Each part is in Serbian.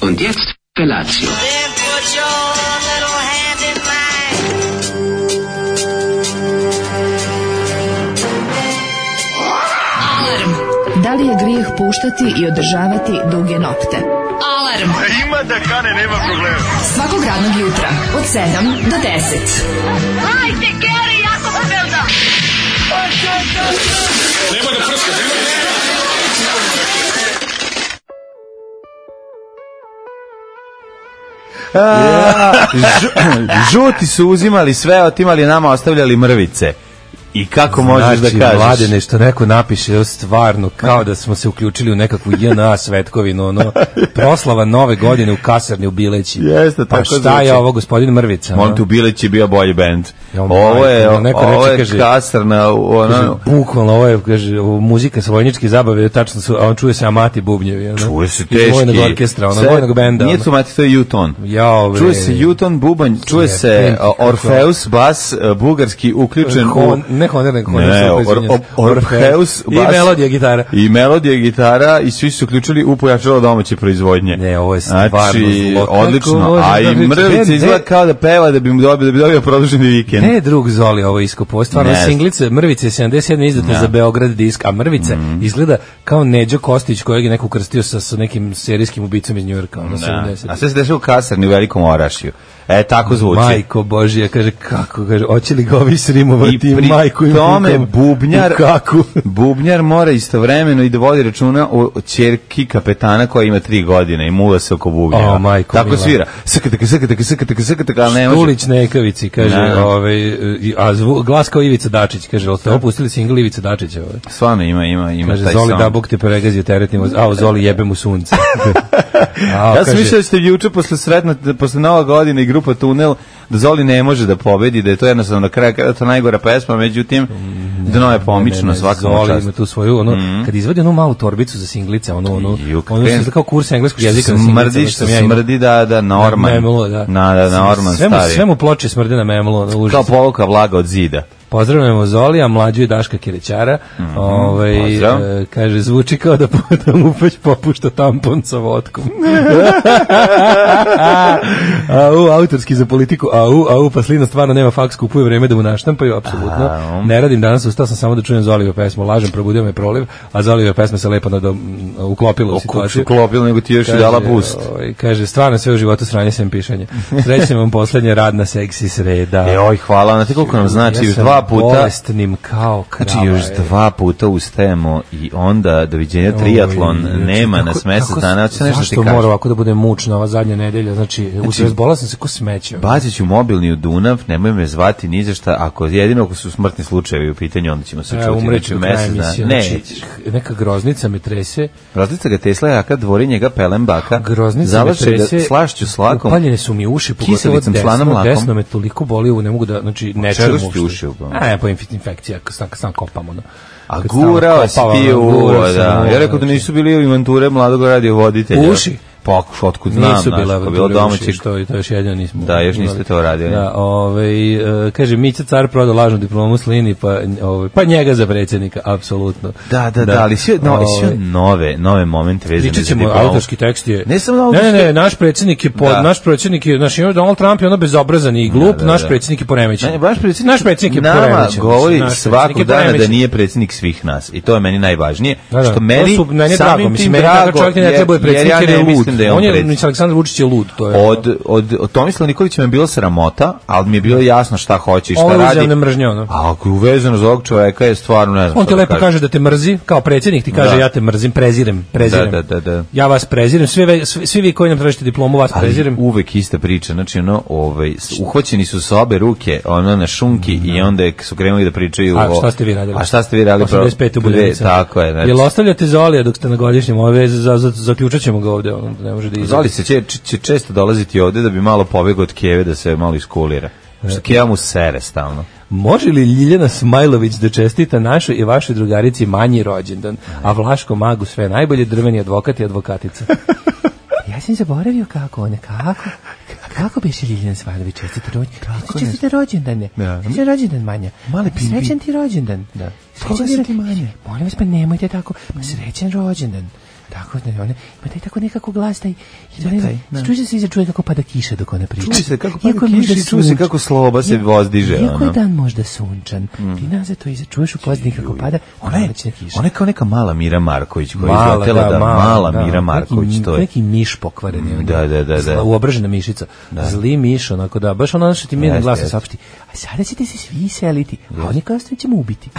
Und jetzt Felatio. Then put your little hand in mine. Alarm. Da li je grijeh puštati i održavati duge nokte? Alarm. Ima da kane, nema problema. Svakog radnog jutra od 7 do 10. Hajde, Geri, jako se velda. Nemoj da prska, Žuti su uzimali sve, otimali, nama ostavljali mrvice. I kako možeš da kažeš? Mlade, nešto neko napiše, stvarno, kao da smo se uključili u nekakvu JNA svetkovinu, ono, proslava nove godine u kasarni u Bileći. Jeste, pa tako šta zvuči. je ovo, gospodin Mrvica? Molim te, u Bileći bio bolji bend. Ovo je kasarna, bukvalno, ovo je, kaže, muzika sa vojničke zabave, tačno su, a on čuje se Amati bubnjevi, ono. Čuje se Iz teški. vojnog orkestra, ono, vojnog benda. Nije to Amati, to je Juton. Čuje se Juton, bubanj, čuje se Orfeus, bas, bugarski, uključen Orfeus, i melodija gitara. I melodija gitara i svi su uključili u pojačalo domaće proizvodnje. Ne, ovo je stvarno zlo. Odlično. A i Mrvica izgleda kao da peva da bi dobio produženi vikend. Ne, drug Zoli ovo iskopo. Stvarno singlice Mrvice 77 izdata za Beograd disk, a Mrvice izgleda kao Neđo Kostić kojeg je neko ukrstio sa nekim serijskim ubicom iz Njujorka. A sve se dešava u kasarni u Velikom Orašju. Tako zvuči. Majko Božija, kaže, kako, kaže, hoće li ga ovi srimovati majku im tome bubnjar mora istovremeno i da vodi računa o ćerki kapetana koja ima 3 godine i muva se oko bubnjeva. Tako svira. Sakataka, ali ne može. Štulić Nekavici, kaže, a glas kao Ivica Dačić, kaže, ali ste opustili singl Ivica Dačića? Stvarno ima kaže, taj Zoli song. da Bog te pregazi u teretimo, Zoli jebe mu sunce. Ja sam mislio da ste juče posle Nova godina i grupa Tunel, da Zoli ne može da pobedi, da je to jednostavno na kraju kada je to najgora pesma, međutim dno je pomično svaka Zoli čast. ima tu svoju, kad izvadi onu malu torbicu za singlice, ono se kao kurs engleskog jezika na singlice. Smrdi da Norman. Norman stari. Sve mu ploče smrdi na memlo. Kao povuka vlaga od zida. Pozdravljamo Zolija, mlađu i Daška Kirećara. Kaže, zvuči kao da mu već popušta tampon sa vodkom. Autorski za politiku. Pa Slina stvarno nema faks, kupuje vreme da mu naštampaju, apsolutno. Ne radim danas, ustao sam samo da čujem Zolijeve pesmu. Lažem, probudio me proliv, a Zolijeve pesme se lepo uklopila u situaciju. Uklopila, nego ti još i dala boost. Kaže, stvarno sve u životu sranje sem pišanje. Srećem vam poslednja radna seksi sreda. Hvala, znate koliko nam znači, još 2 puta. Bolestnim kao krava. Znači još 2 puta ustajemo i onda doviđenja triatlon nema nas mesec dana. Zašto mora ovako da bude mučno ova zadnja nedelja? Znači razbolao sam se ko smeće. Bacit ću mobilni u Dunav, nemoj me zvati ni za šta. Ako su smrtni slučajevi u pitanju, onda ćemo se čuti. Umreću mesec dana. Ne, neka groznica me trese. Groznica ga Tesla jaka, dvori njega pelem baka. Groznica me trese. Slašću s lakom. Upaljene su mi uši, pogotovo desno me toliko boli, ne mogu da, znači ne čujem uopšte. Pa infekcija, sam kopam, ono. A gurao si ti da. Ja rekao da nisu bili u inventure mladog radiovoditelja. Uši? Otkud znam, nisu bila domaćih. To još jedno nismo. Da, još niste to radili. Da, kaže, Mića car prodao lažnu diplomu Slini, pa njega za predsjednika, apsolutno. Da, ali sve nove momente vezane za diplomu. Autorski tekst je... Ne samo autorski. Ne, naš predsjednik je, naš Donald Trump je ono bezobrazan i glup, naš predsjednik je poremećen. Naš predsjednik je poremećen. Nama govori svakog dana da nije predsjednik svih nas. I to je meni najvažnije. Što meni samim tim drago, jer ja ne mislim da je on predsjednik. Aleksandar Vučić je lud. Od Tomislava Nikolića mi je bilo sramota, ali mi je bilo jasno šta hoće i šta radi. Ovo je uzemne mržnje, ono. A ako je uvezano za ovog čoveka je stvarno ne znam. On ti lepo kaže da te mrzi, kao predsjednik ti kaže ja te mrzim, prezirem. Da. Ja vas prezirem, svi vi koji nam tražite diplomu, vas prezirem. Uvek ista priča, znači uhvaćeni su sa obe ruke, na šunki i onda su krenuli da pričaju o... A šta ste vi radili? 85 u Buljevica. Tako je. Jel ostavljate Zolija dok ste na godišnjem? Zaključat ćemo ga ovde, ne može da izađe. Zoli se će često dolaziti ovde da bi malo pobegao od Keve, da se malo iskulira. Što Keva mu sere stalno. Može li Ljiljana Smajlović da čestita našoj i vašoj drugarici manji rođendan, a Vlaško magu sve najbolje, drveni advokat i advokatica? Ja sam zaboravio kako biše Ljiljana Smajlović čestita rođendan. Srećan rođendan, Manja. Srećan ti rođendan. Srećan ti Manja. Molim vas, pa nemojte tako. Srećan rođendan. Tako ne, one, ima taj tako nekako glas taj, čuje se čuje kako pada kiša dok ona priča. Čuje se kako pada kiša i čuje se kako sloba se vozdiže. Iako je dan možda sunčan, ti nazad to iza čuješ u pozadini kako pada, ona je kiša. Ona je kao neka mala Mira Marković koja je izletela da mala Mira Marković to je. Neki miš pokvaren je. Da. Uobržena mišica. Zli miš, onako da, baš ono što ti mirno glasno saopšti. A sada ćete se svi seliti, a oni kao što ćemo ubiti.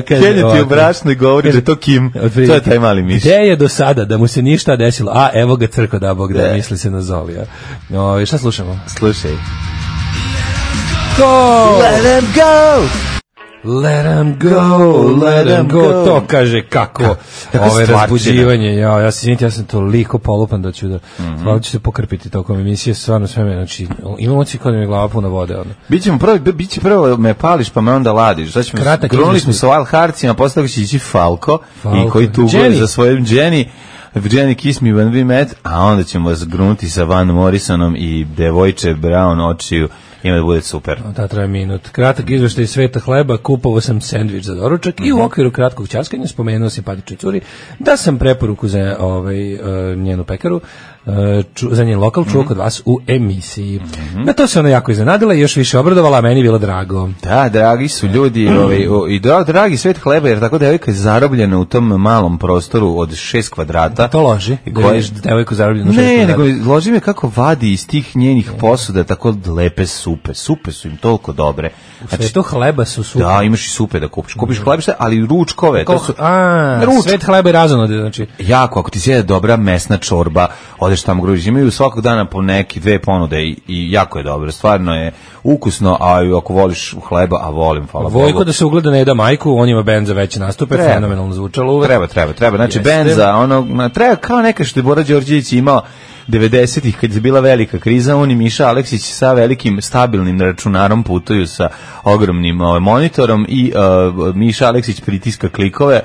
Kenja ti u brašnoj govori da je to Kim, to je taj mali miš. Gde je do sada da mu se ništa desilo? A evo ga crko da Bog da misli se na Zoli. Šta slušamo? Slušaj. Go! Let them go! Let them go, to kaže kako ove razbuđivanje, ja se izvinite, ja sam toliko polupan da ću hvala ću se pokrpiti tokom emisije, stvarno sve me, znači, imam oci kod mi glava puna vode. Biće prvo me pališ pa me onda ladiš, znači grunuli smo sa Wild Heartsima, posle će ići Falko, i koji tuguje za svojim Jenny Kiss Me When We Met, a onda ćemo vas grunuti sa Van Morrisonom i Devojče Brown očiju. Ima da bude super. Da, traje minut. Kratak izveštaj sveta hleba, kupovao sam sendvič za doručak i u okviru kratkog ćaskanja spomenuo simpatičnoj curi da sam preporuku za njenu pekaru, za njen lokal čuo kod vas u emisiji. Na to se ona jako iznenadila i još više obradovala, a meni je bilo drago. Da, dragi su ljudi i dragi svet hleba, jer tako devojka je zarobljena u tom malom prostoru od 6 kvadrata. To loži, da vidiš devojku zarobljenu u 6 kvadrata. Ne, nego loži me kako vadi iz tih njenih posuda tako lepe supe. Supe su im toliko dobre. U svetu hleba su supe. Da, imaš i supe da kupiš. Kupiš hlebište, ali ručkove. Svet hleba je razonode, znači. Jako, ako ti sjede dobra mesna čorba, odeš tamo gružiš. Imaju svakog dana po neki 2 ponude i jako je dobro. Stvarno je ukusno, a ako voliš hleba, a volim, hvala Bogu. Vojko da se ugleda ne da majku, on ima bend za veće nastupe, fenomenalno zvučalo uvek. Treba. Znači, bend za ono, treba kao neka što je Bora Đorđević imao 90-ih, kad je bila velika kriza, on i Miša Aleksić sa velikim stabilnim računarom putuju sa ogromnim monitorom i Miša Aleksić pritiska klikove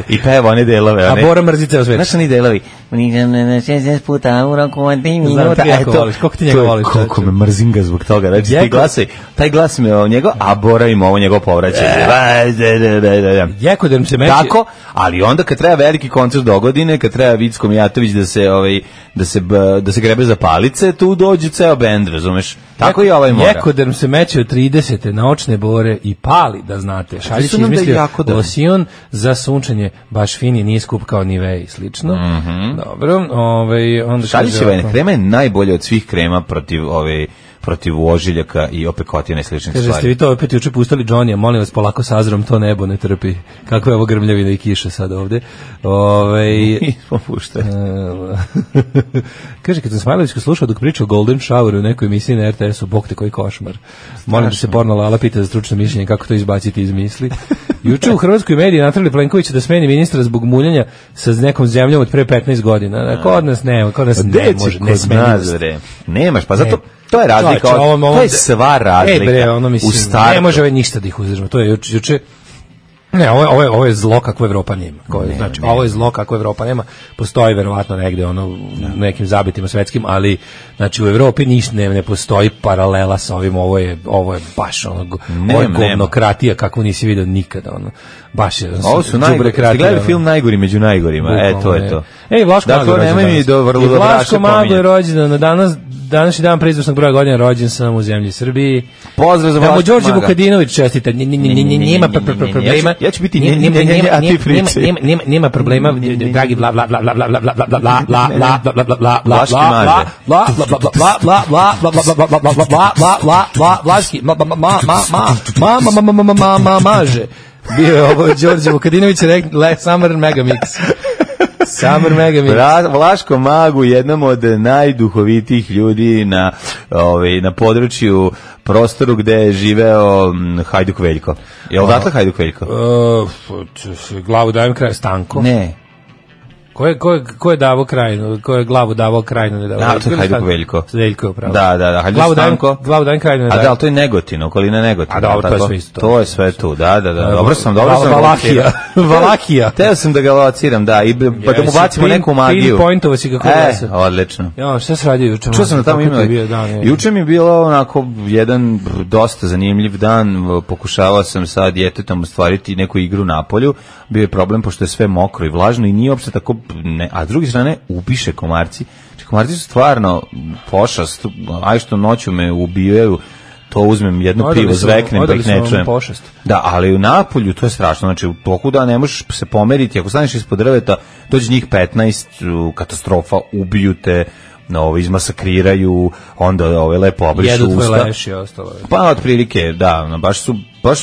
i peva one delove. A Bora mrzi ceo svet. Znaš oni delovi? 60 puta u roku od 3 minuta. Koliko ti njega voliš? Koliko me mrzim ga zbog toga. Znači, taj glas me o njego, a Bora ima ovo njegov povraćaj. Jekoderm se meće. Tako, ali onda kad treba veliki koncert dogodine, kad treba Vicko Mijatović da se grebe za palice, tu dođe ceo bend, razumeš? Tako i ovaj mora. Jekoderm se meće od 30. na očne bore i pali, da znate. Šaljić je izmislio losion za sunčanje, baš fini, nije skup kao Nivea i slično. Dobro, onda Šaljićeva krema je najbolja od svih krema protiv ožiljaka i opekotina i sličnih stvari. Kaže, ste vi to opet juče pustili Johnny-a, molim vas polako s Azrom, to nebo ne trpi. Kako je ovo grmljavina i kiša sad ovde? Nismo puštali. Kaže, kad sam Smajlovićka slušao dok priča o Golden Showeru u nekoj emisiji na RTS-u, bog te koji košmar. Molim da se porno Lala pita za stručno mišljenje kako to izbaciti iz misli. Juče u hrvatskoj mediji natrali Plenkovića da smeni ministra zbog muljanja sa nekom zemljom od pre 15 godina. Kod nas ne može, ne smeni. Nemaš, pa zato to je razlika, to je sva razlika u startu. Ne može ništa da ih uzdržimo, to je juče. Ne, ovo je zlo kakvo Evropa nema. Znači, ovo je zlo kakvo Evropa nema. Postoji verovatno negde u nekim zabitima svetskim, ali znači u Evropi ništa ne postoji paralela sa ovim. Ovo je baš ovo je govnokratija kakvu nisi vidio nikada. Baš je. Ovo su gledali film Najgori među najgorima. To je to. Vlaško Mago je rođen. Vlaško Mago je rođen na današnji dan pre izvršnog broja godina, rođen sam u zemlji Srbiji. Pozdrav za Vlaško Maga. Đorđe Vukadinović čestita. Nema problema. Ja ću biti a ti pričaj. Nema problema, dragi bla bla bla bla bla bla bla bla bla bla bla bla bla Vlaški maže. Vlaški maže. Bio je ovo Đorđe Vukadinović Summer Megamix. Summer Megamix. Vlaško Magu, jednom od najduhovitijih ljudi na području, prostoru gde je živeo Hajduk Veljko. Je li odatle Hajduk Veljko? Glavu dajem kraj Stanko. Ne. Ko je davao Krajinu? Ko je glavu davao Krajinu? Ne davao. Da, to je Hajduk Veljko. Veljko je upravo. Da, Hajduk Stanko. Glavu dajem Krajinu ne A dajem. da, ali to je Negotin, okolina Negotina. A dobro, to je sve isto. To je sve tu, da. Dobro sam. Valahija. Teo sam da ga lociram, da, pa da mu bacimo neku magiju. Pinpointovo si kako glasa. Odlično. Ja, šta se radio juče? Čuo sam da tamo imali. Juče mi je bilo onako jedan dosta zanimljiv dan, pokušavao sam sa djetetom ostvariti neku igru na polju, bio je problem pošto je sve mokro i vlažno i nije uopšte tako, a s druge strane ubiše komarci. Komarci su stvarno pošast, aj što noću me ubijaju, to uzmem jedno pivo, zveknem da ih ne čujem. Da, ali u napolju to je strašno, znači u toku da ne možeš se pomeriti, ako staneš ispod drveta, dođe njih 15, katastrofa, ubiju te, izmasakriraju, onda lepo obrišu usta. Jedu tvoj leš i ostalo. Pa otprilike, da, baš su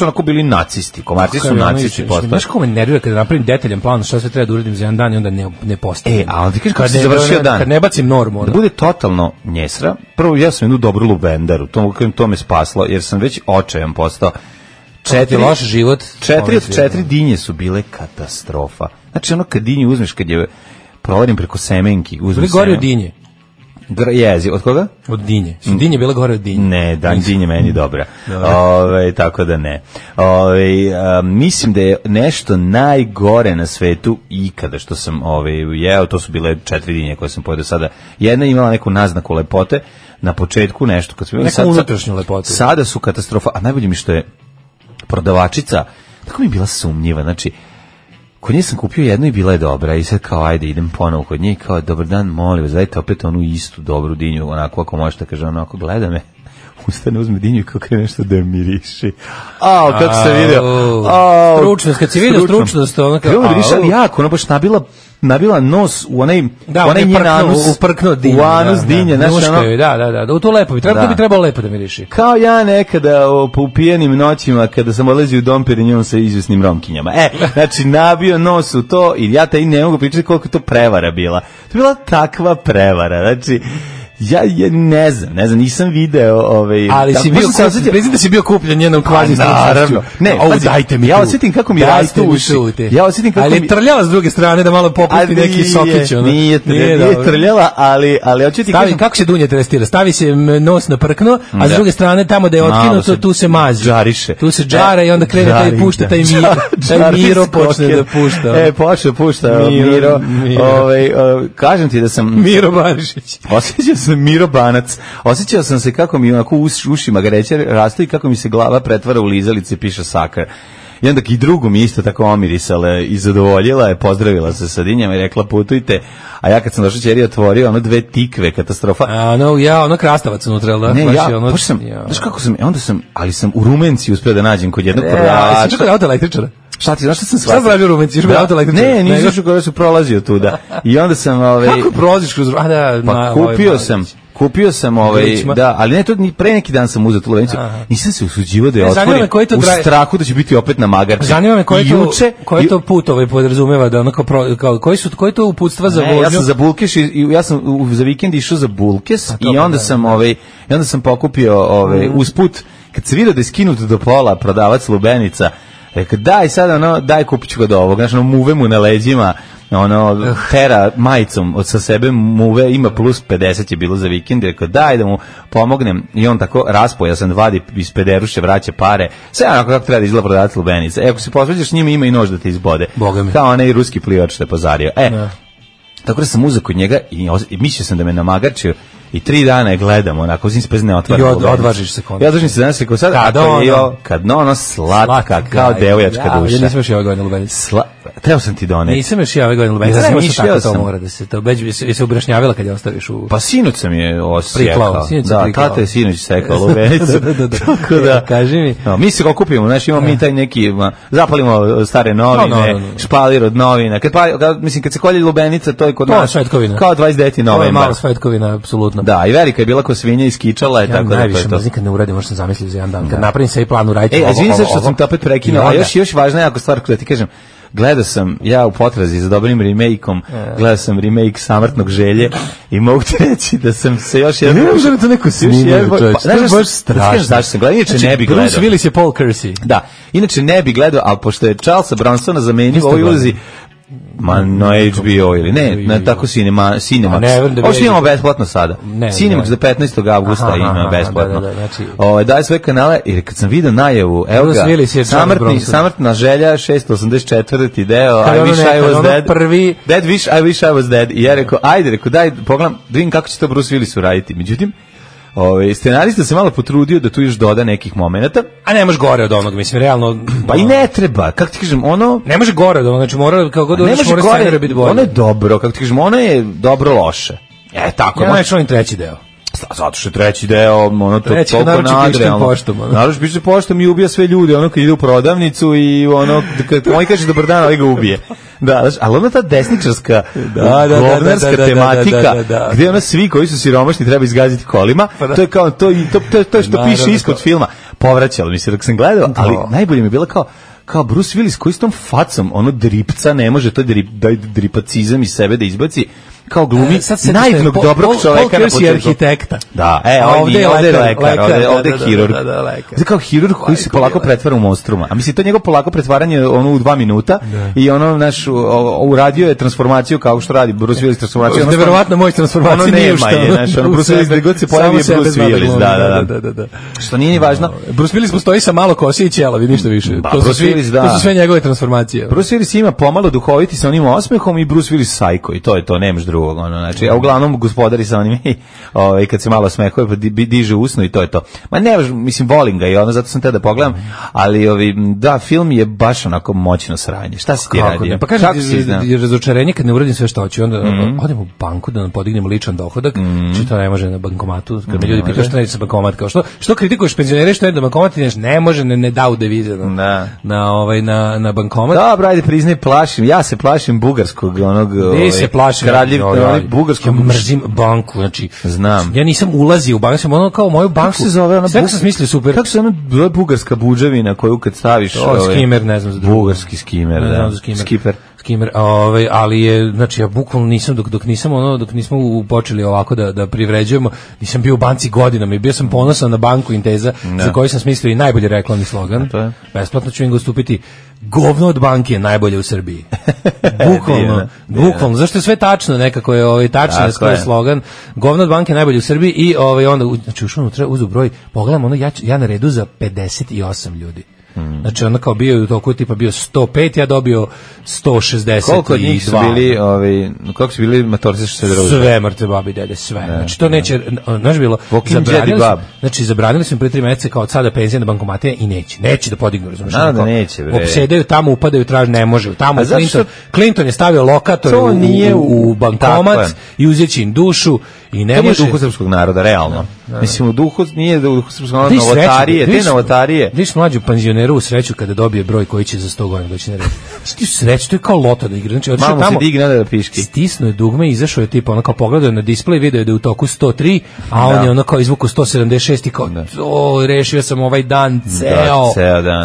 onako bili nacisti, komarci su nacisti postali. Znaš kako me nervira kada napravim detaljan plan šta sve treba da uradim za jedan dan i onda ne postavim. A onda ti kažeš kako se završio dan. Kad ne bacim normu. Da bude totalno njesra, prvo ja sam jednu dobru lubendaru, to me spaslo, jer sam već očajan postao. 4 od 4 dinje su bile katastrofa. Znači ono kad dinju uzmeš, kad je provarim preko semenki, uzmeš gore od dinje. Jezi, od koga? Od dinje. Su dinje bile gore od dinje? Ne, dinje meni dobra. Tako da ne. Mislim da je nešto najgore na svetu ikada što sam jeo, to su bile 4 dinje koje sam pojeo do sada. Jedna je imala neku naznaku lepote, na početku nešto. Kad neku unutrašnju lepotu. Sada su katastrofa, a najbolje mi što je prodavačica, tako mi je bila sumnjiva, znači, kod nje sam kupio jednu i bila je dobra i sad kao ajde idem ponovo kod nje i kao dobar dan, molim vas, dajte opet onu istu dobru dinju, onako ako možete, kaže onako, gleda me, ustane, uzme dinju i kao krene nešto da je miriši. Kako se vidio. Stručnost, kad si vidio stručnost, ono kao... Ono miriši, ali jako, ono baš nabila nos u onaj njen anus. Uprknuo dinju. U anus dinje. Da, u to lepo bi trebalo lepo da miriši. Kao ja nekada u pijenim noćima, kada sam odlazio u Dom Perignon sa izvesnim romkinjama. Znači, nabio nos u to i ja taj ne mogu pričati koliko to prevara bila. To je bila takva prevara, znači... Ja ne znam, nisam video ali si bio, priznam da si bio kupljen njenom kvazi naravno. Ne, dajte mi. Ja osjetim kako mi rastu uši. Ali je trljala s druge strane da malo popusti neki sokić. Nije trljala, ali hoću ti kažem... Kako se dunje testira? Stavi se nos na prkno, a s druge strane tamo da je otkinuto, tu se mazi. Žariše. Tu se džara i onda krene taj pušta, taj Miro počne da pušta. Pušta Miro. Kažem ti da sam... Miro Barišić. Sam Miro Banac. Osjećao sam se kako mi onako ušima gareće rastu i kako mi se glava pretvara u lizalice, piše Sakar. I onda i drugu mi isto tako omirisala i zadovoljila je, pozdravila se sa dinjama i rekla putujte. A ja kad sam došao ćeri otvorio ono 2 tikve, katastrofa. Ono krastavac unutra, da? Ne, znaš kako sam, onda sam, ali sam u Rumenci uspio da nađem kod jednog prodavača. Jesi kod auto električara? Šta sam shvatio? Šta pravi u Rumenci? Ne, nisam što kada su prolazio tuda. I onda sam... Kako prolaziš kroz... Pa kupio sam da, ali ne, to pre neki dan sam uzeo tu lovenicu, nisam se usuđivao da je otvorim u strahu da će biti opet na magarči. Zanima me koji to put podrazumeva, da onako, koji to uputstva za vožnju? Ja sam za Bulkeš, ja sam za vikend išao za Bulkes i onda sam pokupio usput, kad se vidio da je skinut do pola prodavac lubenica, rekao, daj sad, daj kupit ću ga do ovog, znači, muve mu na leđima, tera majicom sa sebe muve, ima plus 50 je bilo za vikend, rekao, daj da mu pomognem, i on tako raspoja sam, vadi iz pederuše, vraća pare, sve onako kako treba da izgleda prodavac lubenica. Ako se posveđaš njima, ima i nož da te izbode, kao onaj ruski plivač što je pozario. Tako da sam uzeo kod njega i mislio sam da me namagarčio i 3 dana je gledam, onako, uzim se bez ne otvara. I odvažiš se konačno. Ja odvažim se danas, rekao sad, kad slatka, kao devojačka duša. Ja nisam još ove godine lubenicu. Trebao sam ti doneti. Nisam još ove godine lubenicu. Znaš što tako to mora da se, je se ubrašnjavila kad je ostaviš u... Pa sinoć sam je priklao. Da, tata je sinoć sekao lubenicu. Tako da, kaži mi. Mi se okupimo, znaš, imamo mi taj neki, zapalimo stare novine, špalir od novina. Kad se kolje lubenica, to je kod nas kao 29. novembar. To je malo svetkovina, apsolutno. Da, i Verika je bila ko svinja i skičala je, tako da to je to. Najviše mrzim kad ne uradim, možda sam zamislio za jedan dan. Kad napravim sve i plan, uradite ovo. Izvini se što sam te opet prekinuo, a još važna jako stvar da ti kažem, gledao sam ja u potrazi za dobrim remake-om, gledao sam remake Samrtnog želje i mogu ti reći da sam se još jedan... Ne možda to neko snimio, čovječ, to je baš strašno. Znaš sam gledao, inače ne bi gledao. Bruce Willis je Paul Kersey. Da, inače ne bi gledao, ali pošto je Charlesa Bronsona zamenio u ovoj ulozi, na HBO ili ne, na tako Cinemax. Ovo što imamo besplatno sada. Cinemax za 15. avgusta ima besplatno. Daj sve kanale, jer kad sam vidio najavu, evo ga, samrtna želja, 684. deo, I wish I was dead. Dead wish, I wish I was dead. I ja rekao, daj, pogledam, da vidim kako će to Bruce Willis uraditi. Međutim, scenarista se malo potrudio da tu još doda nekih momenata. A ne može gore od onog, mislim, realno. Pa i ne treba, kako ti kažem, ono... Ne može gore od onog, znači mora, kako god odeš, mora scenarija biti bolje. Ono je dobro, kako ti kažem, ono je dobro loše. Tako. Ja neću ovim treći deo. Zato što je treći deo, ono to toliko nadrealno. Naravno piše poštom i ubija sve ljude, ono kad ide u prodavnicu i ono, kad on kaže dobar dan, ali ga ubije. Da, znači, ali ona ta desničarska govnarska tematika, gde ona svi koji su siromašni treba izgaziti kolima, to je kao, to što piše ispod filma, povraćalo mi se dok sam gledao, ali najbolje mi je bilo kao Bruce Willis koji s tom facom, ono dripca, ne može to dripacizam iz sebe da izbaci, kao glumi naivnog dobrog čoveka na početku. Arhitekta. Da, ovdje je lekar, ovdje je hirurg. Znači kao hirurg koji se polako pretvara u monstruma. A mislim, to njegov polako pretvaranje ono u 2 minuta i ono, naš, uradio je transformaciju kao što radi Bruce Willis transformaciju. Neverovatno moć transformacije nije u što. Ono Bruce Willis, gde god se pojavi je Bruce Willis. Da. Što nije ni važno. Bruce Willis postoji sa malo kose i ćelavi, ništa više. To su sve njegove transformacije. Bruce Willis ima pomalo duhoviti sa onim osmehom i Bruce Willis sajko i to je to, nemaš drugog, ono, znači, a uglavnom gospodari sa onim i kad se malo smehuje pa diže usno i to je to. Ma ne, mislim, volim ga i ono, zato sam te da pogledam, ali da, film je baš onako moćno sranje. Šta si ti radio? Pa kažem, je razočarenje kad ne uradim sve što hoću, onda odem u banku da nam podignemo ličan dohodak, či to ne može na bankomatu, kad me ljudi pitaju što neće sa bankomat, kao što kritikuješ penzionere, što je da bankomat ne može, ne dao devize na bankomat. Dobro, ajde priznaj, ja se plašim bugarskog onog bugarskog. Ja mrzim banku, znači znam. Ja nisam ulazio u banku, sam ono kao moju banku. Kako se zove ona? Sve sam smislio super. Kako se ona zove bugarska budževina koju kad staviš skimer, ne znam za drugo. Bugarski skimer, da. Skimer, ali je, znači ja bukvalno nisam dok nismo počeli ovako da privređujemo, nisam bio u banci godinama i bio sam ponosan na banku Inteza za koju sam smislio i najbolji reklamni slogan. Besplatno ću im ga ustupiti. Govno od banke je najbolje u Srbiji. Bukvalno, zašto je sve tačno, nekako je tačno je slogan. Govno od banke je najbolje u Srbiji i onda, znači ušao unutra, uzu broj, pogledam, ono, ja na redu za 58 ljudi. Znači ono kao bio u toku tipa bio 105, ja dobio 162. Koliko od njih su bili, koliko su bili matorci što se druže? Sve mrtve babi dede, sve. Znači to neće, znaš bilo, zabranili su im pre 3 meseca kao od sada penzija na bankomatije i neće da podignu, razumiješ? Da neće, bre. Opsedaju tamo, upadaju, traže, ne može. Tamo Clinton je stavio lokator u bankomat i uzeti im dušu i ne može. To nije duhu srpskog naroda, realno. Mislim, u duhu nije duhu srpskog naroda, novotarije, te novotarije. Viš mlađu penzioneru u sreću kada dobije broj koji će za 100 godina doći na red. Ti sreću, to je kao loto da igra. Znači, malo se digne da piški. Stisnuo je dugme i izašao je tipa, ono kao pogledao na displej, video je da je u toku 103, a on je ono kao izvuku 176 i kao, rešio sam ovaj dan,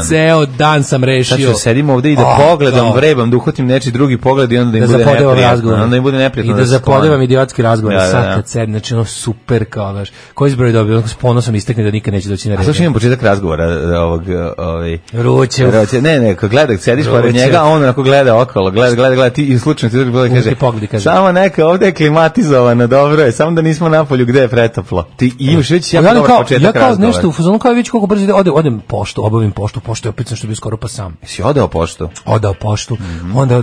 ceo dan sam rešio. Znači, sedim ovde i da pogledam, vrebam, da uhvatim neči drugi pogled i onda da im bude neprijatno. Onda im bude neprijatno. I da zapodevam idiotski razgovor. Sad kad sedim, znači ono super kao, znaš, koji izbroj dobio, ono s ponosom istekne da nikad neće doći na red. A što imam početak razgovora ovog Ruće. Ne, kad gledak, sediš pored njega, a on onako gleda okolo, gleda, ti i slučajno ti drugi pogled kaže, samo neka, ovde je klimatizovano, dobro je, samo da nismo napolju gde je pretoplo. Ti imaš već jako dobar početak razgovora. Ja kao nešto u fazonu, kao već koliko brzo ide, opet poštu, obavim poštu je opet što bio skoro pa sam. Jesi odao poštu? Odao poštu, onda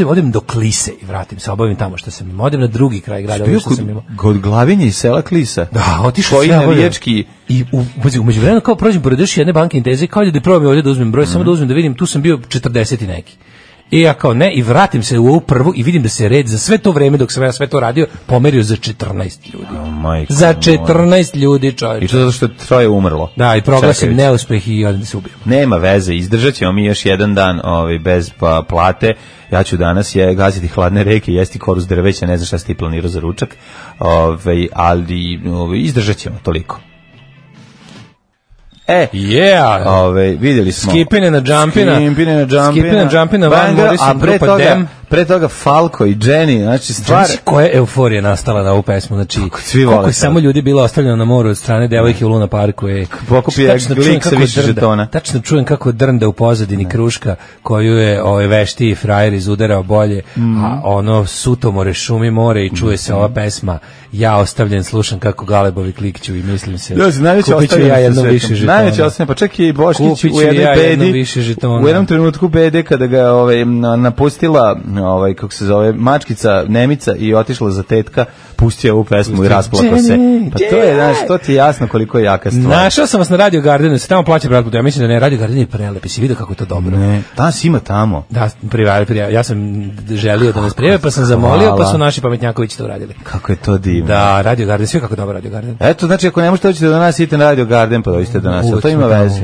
odem do Klise i vratim se, obavim tamo što sam imao, odem na drugi kraj grada, što sam imao. Kod Glavinje iz sela Klisa? Da, otišao sve navijački. I umeđu vremenu kao prođem pored još jedne banke Inteze, kao da probam ovdje da uzmem broj, samo da uzmem da vidim, tu sam bio 40 i neki. I ja kao ne, i vratim se u ovu prvu i vidim da se red za sve to vreme dok sam ja sve to radio pomerio za 14 ljudi. Za 14 ljudi, čovječe. I to zato što je 3 umrlo. Da, i proglasim neuspeh i odem da se ubijemo. Nema veze, izdržat ćemo mi još jedan dan bez plate. Ja ću danas gaziti hladne reke, jesti koru s drveća, ne znam šta si ti planirao za ručak, ali izdržat ćemo toliko. Vidjeli smo. Skipine na jumpina. A pre pre toga Falko i Jenny, znači stvar... Znači, koja je euforija nastala na ovu pesmu, znači, koliko je samo ljudi bilo ostavljeno na moru od strane devojke u Luna Parku. Pokupio je glik sa više žetona. Tačno čujem kako drnda u pozadini kruška, koju je vešti frajer izudarao bolje, a ono sutomore, šumi more i čuje se ova pesma, ja ostavljen, slušam kako galebovi klikću i mislim se, kupit ću ja jedno više žetona. Najveće ostavljeno, pa čak i Boškić u jednoj bedi, u jednom trenutku bede kada ga napustila kako se zove, mačkica Nemica i otišla za tetka, pustio ovu pesmu i rasplakao se. Pa to je, znaš, to ti je jasno koliko je jaka stvar. Našao sam vas na Radio Gardenu, se tamo plaća pretplatu. Ja mislim da ne, Radio Garden je prelep. I si vidio kako je to dobro. Ne, danas ima tamo. Da, prijavi. Ja sam želio da nas prijave, pa sam zamolio, pa su naši pametnjakovići to uradili. Kako je to divno. Da, Radio Garden, sve kako dobro Radio Garden. Eto, znači ako ne možete doći do nas, idite na Radio Garden, pa dođite do nas. To ima veze.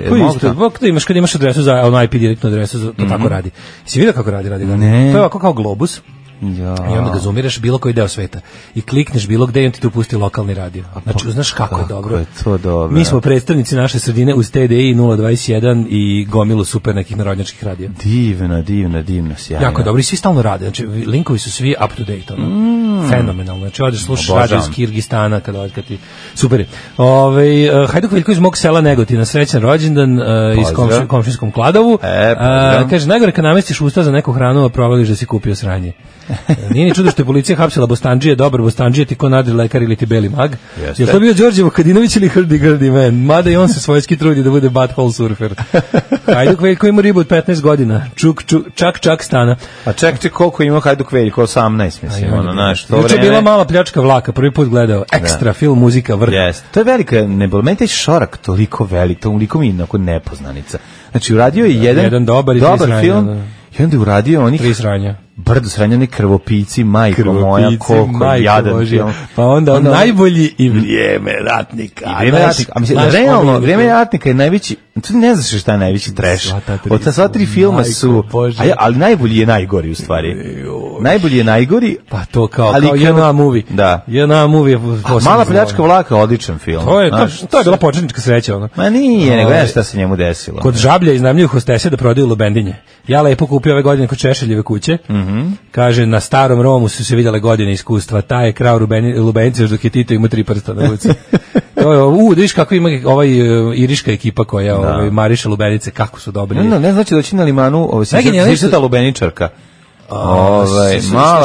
Kad imaš adresu za IP direktnu adresu, to tako radi. Si vidio kako radi Radio Garden? To je ovako kao globus. Ja. I onda ga zoomiraš bilo koji deo sveta i klikneš bilo gde i on ti tu pusti lokalni radio. Znači, znaš kako je dobro. Je to dobro. Mi smo predstavnici naše sredine uz TDI 021 i gomilu super nekih narodnjačkih radija. Divno, sjajno. Jako je dobro i svi stalno rade. Znači, linkovi su svi up to date. Fenomenalno. Znači, odeš slušaš radio iz Kirgistana kad ti... Super je. Hajduk Veljko iz mog sela Negotina, srećan rođendan iz komšinskom Kladovu. Kaže, najgore kad namestiš usta za neku hranu, a provališ da si kupio sranje. Nije ni čudo što je policija hapsila Bostandžije, dobar Bostandžije, ti ko nadri lekar ili ti beli mag. Je to bio Đorđe Vukadinović ili Hrdi man? Mada i on se svojski trudi da bude butthole surfer. Hajduk Veljko ima ribu od 15 godina. Čak stana. A čekajte koliko ima Hajduk Veljko? 18, mislim. Juče bila mala pljačka vlaka, prvi put gledao. Ekstra film, muzika, vrh. To je velika, meni taj šorak toliko velik, toliko mi je nepoznanica. Znači, uradio je jedan dobar film. I onda je uradio onih... 3 sranja. Brdo sranja, oni krvopici, majko moja, koliko jadan film. Pa onda najbolji i Vrijeme ratnika. I Vrijeme ratnika. A mislim, realno, Vrijeme ratnika je najveći, tu ne znaš šta je najveći trash. Od ta sva 3 filma su, ali najbolji je najgori u stvari. Najbolji je najgori. Pa to kao JNA movie. Da. JNA movie. Mala pljačka vlaka, odličan film. To je bila početnička sreća. Ma nije, nego znaš šta se njemu desilo. Kod Žablja iznajmljuju hostese da prodaju lubendinje. Ja lepo kupio ove godine kod Češeljeve kuće. Kaže, na starom Romu su se vidjele godine iskustva. Taj je krao lubenice još dok je Tito ima 3 prsta na ruci. Da viš kako ima iriška ekipa koja mariše lubenice, kako su dobri. Ne znači doći na limanu, ta lubeničarka.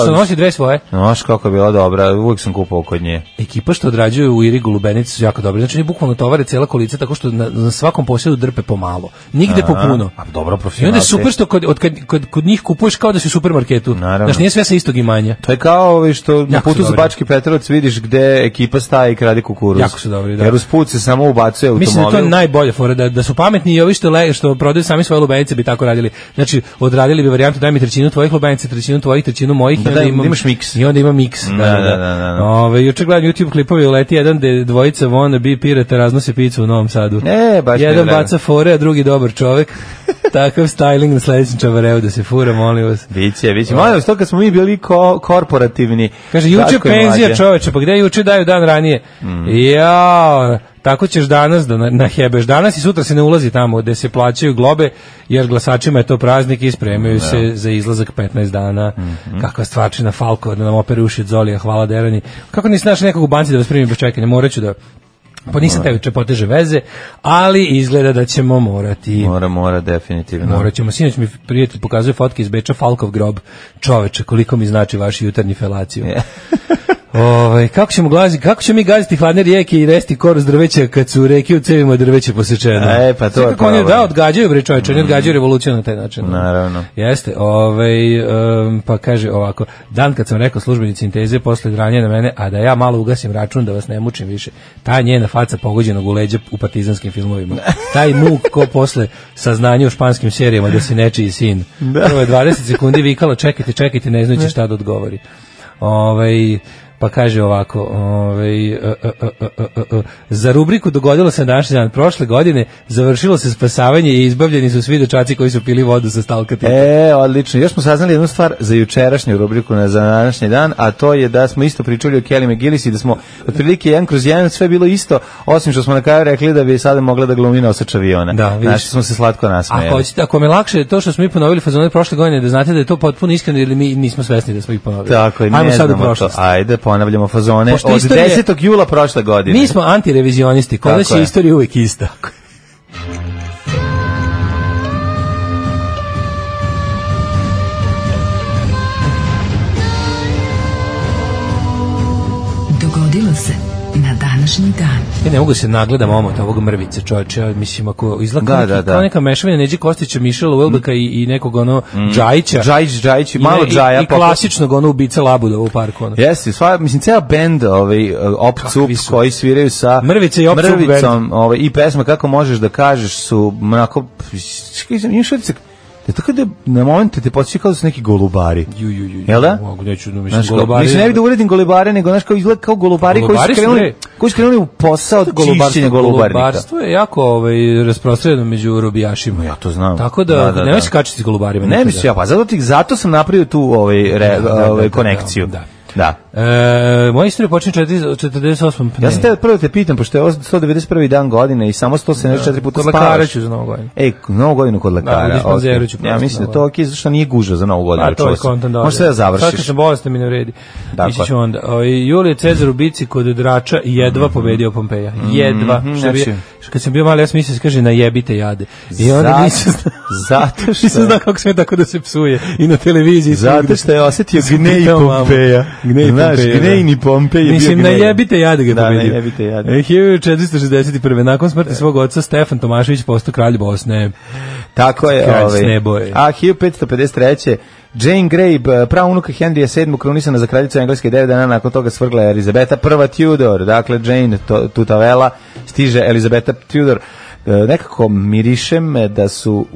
Što nosi dve svoje. Znaš kako je bila dobra, uvijek sam kupao kod nje. Ekipa što odrađuju u Irigu lubenice su jako dobri. Znači oni bukvalno tovare cijela kolica tako što na svakom posjedu drpe pomalo. Nigde po puno. A dobro, profesionalci. I onda je super što kod njih kupuješ kao da si u supermarketu. Znači nije sve sa istog imanja. To je kao što na putu za Bački Petrovac vidiš gde ekipa staje i krade kukuruz. Jako su dobri, da. Jer uz put se samo ubacuje automobil. Mislim da to je najbolja fora, da su pametni i ovi što prodaju sami svoje lubenice bi tako radili. Znači odradili bi varijantu daj mi trećinu tvojih lubenica, trećinu tvojih, trećinu mojih, da imaš miks. I onda ima miks. Juče gledam YouTube klipove, leti jedan gde dvojica wannabe pirata raznose picu u Novom Sadu. Jedan baca fore, a drugi dobar čovek. Takav styling na sledećem čavareu da se fura, molim vas. Biće. Molim vas, to kad smo mi bili korporativni. Kaže, juče penzija čoveče, pa gde juče daju dan ranije? Jao, tako ćeš danas da nahebeš. Danas i sutra se ne ulazi tamo gde se plaćaju globe, jer glasačima je to praznik i spremaju se za izlazak 15 dana. Kakva stvarčina Falko, da nam opere uši od Zolija, hvala Derani. Kako nisi našli nekog u banci da vas primim bez čekanja? Moraću da... Pa nisam tebi poteže veze, ali izgleda da ćemo morati. Mora, definitivno. Morat ćemo. Sinoć mi prijatelj pokazuje fotke iz Beča, Falkov grob. Čoveče, koliko mi znači vaš jutarnji felaciju. Kako ćemo mi gaziti hladne rijeke i resti koru s drveća kad su reke u cevima drveće posečeno? Pa to je kako oni odgađaju bre čoveče, oni odgađaju revoluciju na taj način. Naravno. Jeste, pa kaže ovako, dan kad sam rekao službenici Inteze posle dranje na mene, a da ja malo ugasim račun da vas ne mučim više. Ta njena faca pogođenog u leđa u partizanskim filmovima. Taj muk ko posle saznanja u španskim serijama da si nečiji sin. Prvo je 20 sekundi vikala čekajte, ne znajući šta da odgovori. Pa kaže ovako, za rubriku dogodilo se na današnji dan prošle godine, završilo se spasavanje i izbavljeni su svi dečaci koji su pili vodu sa stalkatipa. Odlično. Još smo saznali jednu stvar za jučerašnju rubriku za današnji dan, a to je da smo isto pričali o Kelly McGillis i da smo otprilike 1/1 sve bilo isto, osim što smo na kraju rekli da bi sada mogla da glumi nosač aviona. Da, vidiš. Smo se slatko nasmejali. Ako me lakše to što smo mi ponovili fazone prošle godine, da znate da je to potpuno iskreno ili mi nismo svesni da smo ih ponovili. Tako je, ne znamo to. Ajde, ponavljamo fazone od 10. jula prošle godine. Mi smo antirevizionisti, kod nas je istorija uvijek ista. Dogodilo se na današnji dan. Ja ne mogu se nagledam omot ovog mrvice, čovječe. Ja mislim, ako izgleda kao neka mešavina Neđe Kostića, Mišela Uelbeka i nekog Džajića. Džajić, malo Džaja. I klasičnog ubica Labuda u parku. Jesi, mislim, ceo bend Op-Cup koji sviraju sa Mrvice i Mrvicom i pesma Kako možeš da kažeš su onako, imaš utisak tako da na momente te podsjeća kao da su neki golubari. Jel da? Neću, mislim, golubari. Mislim, ne bi da uredim golubare, nego znaš kao izgleda kao golubari koji su krenuli u posao čišćenja golubarnika. Golubarstvo je jako rasprostranjeno među robijašima. Ja to znam. Tako da nemoj se kačiti s golubarima. Ne mislim ja, pa zato sam napravio tu konekciju. Da. Moja istorija počinje 48. Ja sam prvo te pitam, pošto je 191. dan godine i samo 174 puta spavaš. Kod lekara ću za Novu godinu. Novu godinu kod lekara. Ja mislim da to ok, zašto nije guža za Novu godinu. To je kontent. Možeš sve da završiš. Sad kad sam bolestan mi ne vredi. Ići ću onda. Julije Cezar u bici kod Drača jedva pobedio Pompeja. Jedva. Kad sam bio mali, ja sam mislio da se kaže najebite jade. I onda nisam znao kako sve tako da se psuje. I na televiziji. Zato što je osetio gnej Pompeja. Gnejni Pompej je bio mislim, gnej. najebite jade ga pobedio. Da, najebite jade. 1461. Nakon smrti svog oca, Stefan Tomašević postao kralj Bosne. Tako je. Kralj Sneboje. A 1553. Jane Grey, praunuka Henrya VII, krunisana za kraljicu Engleske 9 dana nakon toga svrgla je Elizabeta I Tudor. Dakle, Jane Tutavela, stiže Elizabeta Tudor. Nekako mirišem da su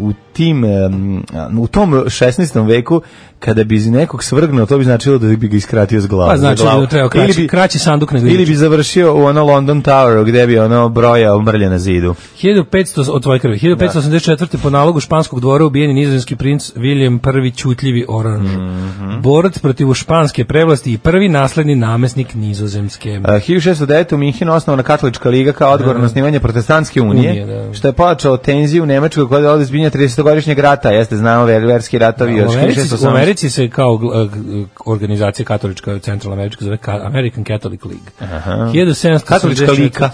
u tom 16. veku kada bi nekog svrgnuo, to bi značilo da bi ga iskratio s glavom. Pa znači da bi trebao kraći sanduk nego ili bi završio u London Toweru gde bi brojao mrlje na zidu. 1584. po nalogu španskog dvora ubijen je nizozemski princ William I Ćutljivi Oranž. Borac protiv španske prevlasti i prvi nasledni namesnik Nizozemske. 1609. u Minhenu osnovana katolička liga kao odgovor na osnivanje protestantske unije, što je pojačao tenziju u Nemačkoj koja je ovdje zbinja 30-godišnjeg rata. Jeste, znamo verski ratovi još 1618. U Americi se kao organizacija katolička centralnoamerička zove American Catholic League. 1774. Katolička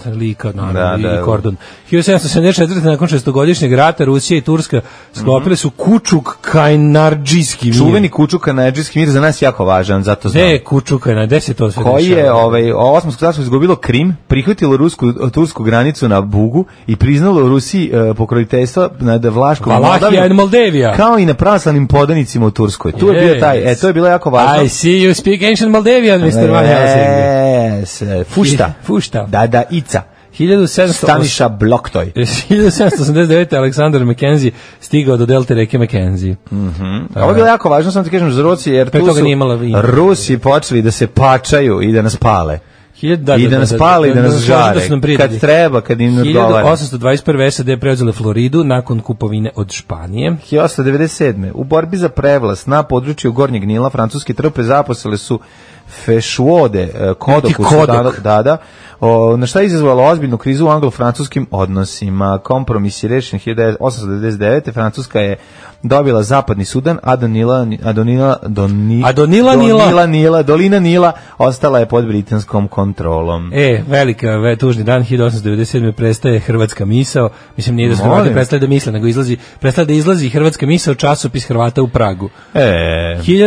lika, naravno, i kordon. 1774. nakon 6-godišnjeg rata Rusija i Turska sklopile su Kučuk-Kajnardžijski mir. Čuveni Kučuk-Kajnardžijski mir za nas jako važan, zato znam. Kučuk-Kajnardžijski, gde se to sve koji je Osmansko carstvo izgubilo Krim, prihvatilo tursku granicu na Bugu i priznalo Rusiji pokroviteljstvo nad Vlaškom Valahija i Moldavija. Kao i na pravoslavnim podanicima u Turskoj. Tu je bio taj, to je bilo jako važno. I see you speak ancient Maldavian, Mr. Van Helsing. Fušta. Da, Ica. Staniša Bloktoj. 1789. Aleksandar Mackenzie stigao do delte reke Mackenzie. Ovo je bilo jako važno, sam ti kažem, za Rusiju, jer tu su Rusi počeli da se pačaju i da nas pale. I da nas pale i da nas žare. Kad treba, kad im odgovara. 1821. SAD preuzele Floridu nakon kupovine od Španije. 1897. U borbi za prevlast na području Gornjeg Nila francuske trupe zaposlile su Fešuode, na šta je izazvalo ozbiljnu krizu u anglo-francuskim odnosima. Kompromis je rešen 1899. Francuska je dobila zapadni Sudan, a dolina Nila ostala je pod britanskom kontrolom. Velika, tužni dan, 1897. prestaje hrvatska misao. Mislim, nije da su Hrvati prestali da misle, nego prestali da izlazi hrvatska misao, časopis Hrvata u Pragu.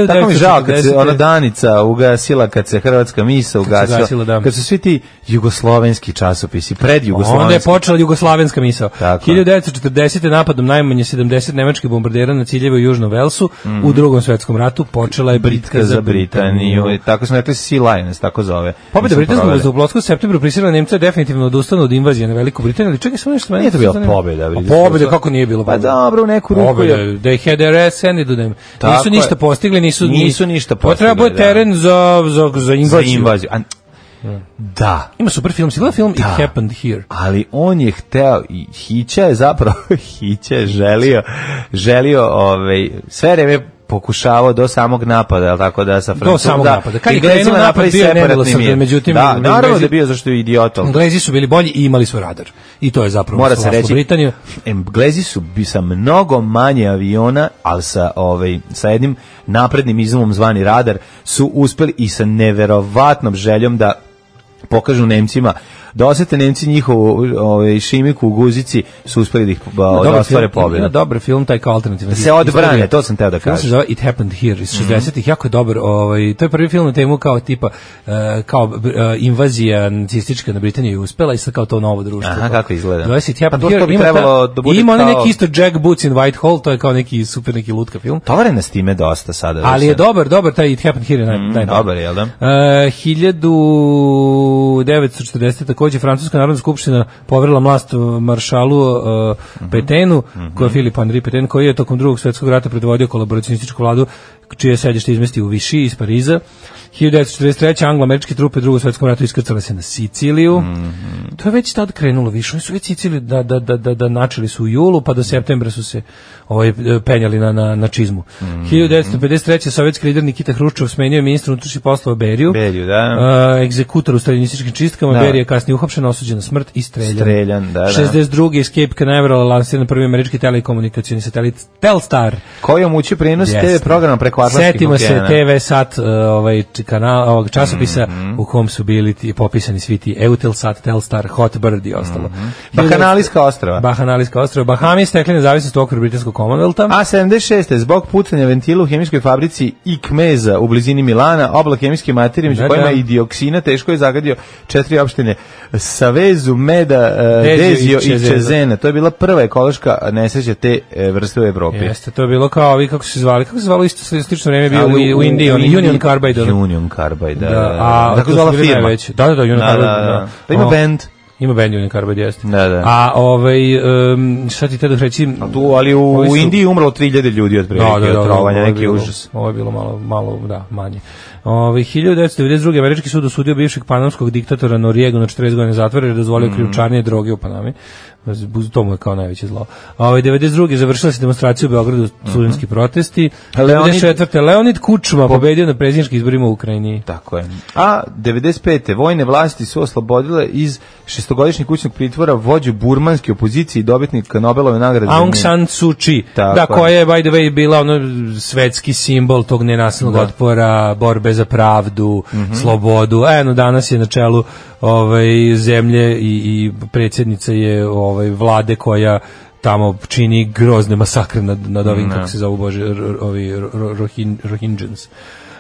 Tako mi žao kad se ona Danica ugasila, kad se hrvatska misao ugasila, kad su svi ti jugoslovenski časopisi, predjugoslovenski. Onda je počela jugoslavenska misao. 1940. napadom najmanje 70 nemačkih bombardera na ciljeve u Južnom Velsu u Drugom svetskom ratu počela je bitka za Britaniju. Tako smo rekli Sea Lions, tako zove. Pobjeda britanskog vazduhoplovstva u septembru prisilila Nemce definitivno da ustanu od invazije na Veliku Britaniju, ali čekaj samo nešto. Nije to bila pobjeda. Pobjeda kako nije bilo? Pa dobro, u neku ruku je. They had their ass handed to them. Nisu ništa postigli, nisu ništa postigli. Potrebuje teren za za invaziju. Da. Ima super film, si gledao film It Happened Here? Ali on je hteo, i Hića je zapravo, Hića je želio sve vreme pokušavao do samog napada, al tako da sa Francuzom. Do samog napada. Kad je krenuo napad bio je nemilosrdan, međutim naravno da je bio zašto je idiotom. Englezi su bili bolji i imali su radar. I to je zapravo mora se reći. Britaniju. Englezi su sa mnogo manje aviona, ali sa jednim naprednim izumom zvani radar su uspeli i sa neverovatnom željom da pokažu Nemcima da osete Nemci njihovu šimiku u guzici su uspeli da ih ostvare pobedu. Ima dobar film, taj kao alternativni. Da se odbrane, to sam teo da kažem. Film se zove It Happened Here iz 60-ih, jako je dobar. To je prvi film na temu kao tipa invazija nacistička na Britaniju je uspela i sad kao to novo društvo. Aha, kako izgleda? Zove se It Happened Here. Ima onaj neki isto Jack Boots in Whitehall, to je kao neki super neki lutka film. Tovare s time dosta sada. Ali je dobar, taj It Happened Here je najbolji. Dobar je, jel da? 1940. takođe Francuska narodna skupština poverila vlast maršalu Petenu, koji je Filip Henri Pétain, koji je tokom Drugog svjetskog rata predvodio kolaboracionističku vladu, čije sedište izmesti u Vichy iz Pariza. 1943. anglo-američke trupe u Drugom svjetskom ratu iskrcale se na Siciliju. To je već tad krenulo više. Oni su već Siciliju da načeli su u julu, pa do septembra su se penjali na čizmu. 1953. sovjetski lider Nikita Hruščov smenio je ministra unutrašnjih poslova Beriju, egzekutor u staljinističkim čistkama. Berija je kasnije uhapšen, osuđen na smrt i streljan. 62. Escape Canaveral lansiran prvi američki telekomunikacioni satelit Telstar, koji je omogućio prenos TV programa preko Atlantskih okeana. Setimo se TV Sat kanal ovog časopisa u kom su bili popisani svi ti Eutelsat, Telstar, Hotbird i ostalo. Bahanalijska ostrava. Bahami stekli nezavisnost u okviru britanskog Commonwealtha. A 76. zbog pucanja ventila u hemijskoj fabrici Ikmeza u blizini Milana, oblak hemijske materije među kojima i dioksina teško je zagadio 4 opštine Savezu, Meda, Dezio i Čezena. To je bila prva ekološka nesreća te vrste u Evropi. Jeste, to je bilo kao ovi, kako se zvalo isto slično vreme bio u Indiji, Union Carbide. Union Carbide, a tako zvala firma. Da, Union Carbide. Pa ima band. Ima band Union Carbide, jeste. Da. A šta ti tada reći? Ali u Indiji umrlo 3000 ljudi od prilike od trovanja, neki užas. Ovo je bilo malo manje. 1992. američki sud osudio bivšeg panamskog diktatora Noriegu na 40 godina zatvora jer je dozvolio krijumčarenje droge u Panami. To mu je kao najveće zlo. 92. završila se demonstracija u Beogradu, studentski protesti. 94. Leonid Kučma pobedio na predsjedničkim izborima u Ukrajini. Tako je. A 95. vojne vlasti su oslobodile iz šestogodišnjeg kućnog pritvora vođu burmanske opozicije i dobitnika Nobelove nagrade. Aung San Suu Kyi, koja je by the way bila svetski simbol tog nenasilnog otpora, borbe za pravdu, slobodu. Danas je na čelu zemlje i predsjednica je vlade koja tamo čini grozne masakre nad ovim, kako se zovu, Rohingyans.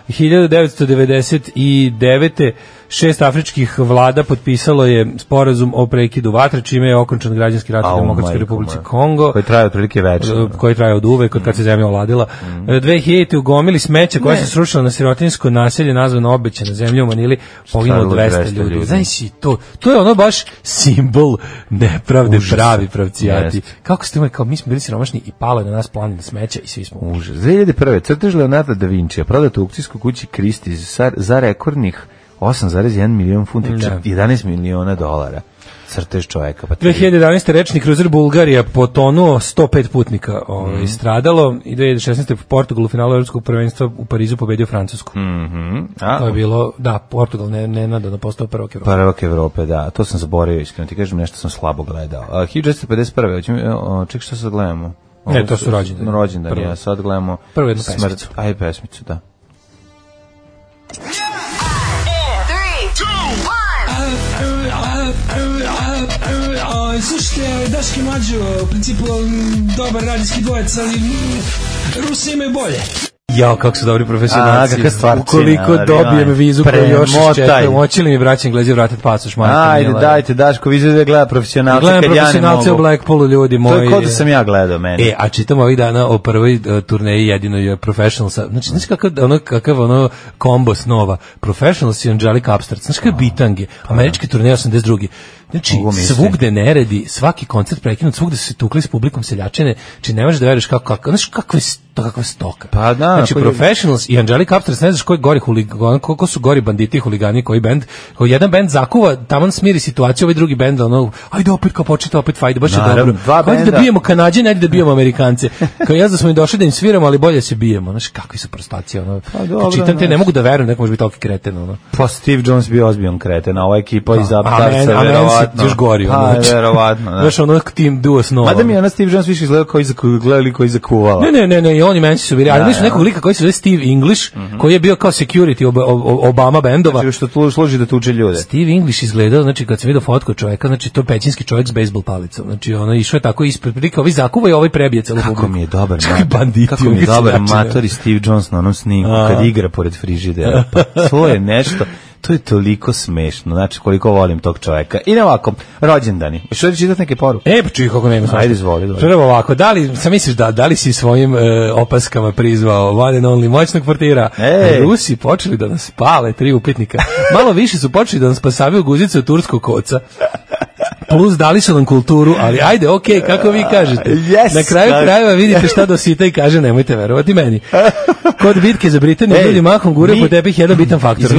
1999. 6 afričkih vlada potpisalo je sporazum o prekidu vatre, čime je okončan građanski rat u Demokratskoj Republici Kongo. Koji traje otprilike večno. Koji traje od uvek, od kad se zemlja oladila. 2000. ugomili smeća koja se srušila na sirotinjsko naselje nazvano Obećana zemlja u Manili, poginulo 200 ljudi. Znaš i to je ono baš simbol nepravde, pravi pravcijati. Kako ste imali, kao mi smo bili siromašni i palo je na nas planina smeća i svi smo užas. 2001. crtež Leonarda da Vincija prodat u aukcijskoj kući Christie's za rekordnih 8,1 milion funti, 11 miliona dolara. Crtež čoveka. 2011. rečni kruzer Bulgarija potonuo, 105 putnika stradalo i 2016. Portugal u finalu evropskog prvenstva u Parizu pobedio Francusku. To je bilo, Portugal nenadano postao prvak Evrope. Prvak Evrope, da. To sam zaboravio, iskreno ti kažem, nešto sam slabo gledao. 1951. Ček, što sad gledamo? Ne, to su rođendani. Rođendani, ja sad gledamo prvu jednu pesmicu. Aj, pesmicu, da. Slušajte, Daški Mlađo, u principu dobar radijski dvojec, ali Rusi imaju bolje. Jao, kako su dobri profesionalci. Ukoliko dobijem vizu koju još čekam, hoće li mi braći Englezi vratiti pasoš? Ajde, dajte, Daško, vizu da gleda profesionalce kad ja ne mogu. Gledam profesionalce u Blackpoolu, ljudi moji. To je kod da sam ja gledao, meni. A čitam ovih dana o prvoj turneji jedinoj Professionals. Znači kakav kombo snova. Professionals i Angelic Upstart. Znači kakav bitange. Američki turnej 82. Znači, svugde neredi, svaki koncert prekinut, svugde su se tukli s publikom seljačine, znači ne možeš da veruješ znaš kakva stoka. Pa da, znači, Professionals i Angelica Upstairs, ne znaš koji gori huligani, koliko su gori banditi i huligani, koji bend, koji jedan bend zakuva, taman smiri situaciju, ovaj drugi bend, ono, ajde opet kao početi, opet fajde, baš je dobro. Ajde da bijemo Kanađane, ajde da bijemo Amerikance. Kao ja da smo im došli da im sviramo, ali bolje se bijemo. Znaš, kakvi su prostaci, ono. Čitam te, ne mogu da verujem, neko može biti toliko kreten, ono. Pa Steve Jones bio ozbiljan kreten, a ova ekipa iz Upstarsa, verovatno. Još gori, ono. Pa, verovatno, da. Znaš, ono tim duo snova. Mada mi je ona Steve Jones više izgledao koji zakuvala. Ne, i oni meni su bili, ali mi su nekog lika koji se zove Steve English, koji je bio kao security Obama bendova. Znači što služi da tuče ljude. Steve English izgledao, znači kad sam vidio fotku čoveka, znači to je pećinski čovjek s bejsbol palicom. Znači ono išao je tako ispred prilike, ovi zakuva i ovaj prebije celu publiku. Kako mi je dobar banditi. Kako mi je dobar matori Steve Jones na onom snimku kad igra pored frižidera. Pa to je nešto. To je toliko smešno, znači koliko volim tog čoveka. I ne ovako, rođendani. Što da čitati neke poruke? Pa čuj kako nema. Ajde, izvoli. Prvo ovako, sam misliš da li si svojim opaskama prizvao one and only moćnog portira? Rusi počeli da nas pale 3 upitnika. Malo više su počeli da nas pasavaju guzice od turskog koca. Plus dali su nam kulturu, ali ajde, okej, kako vi kažete. Yes, na kraju krajeva vidite šta dosita i kaže, nemojte verovati meni. Kod bitke za Britaniju ljudi mahom gure po tepih jedan bitan faktor.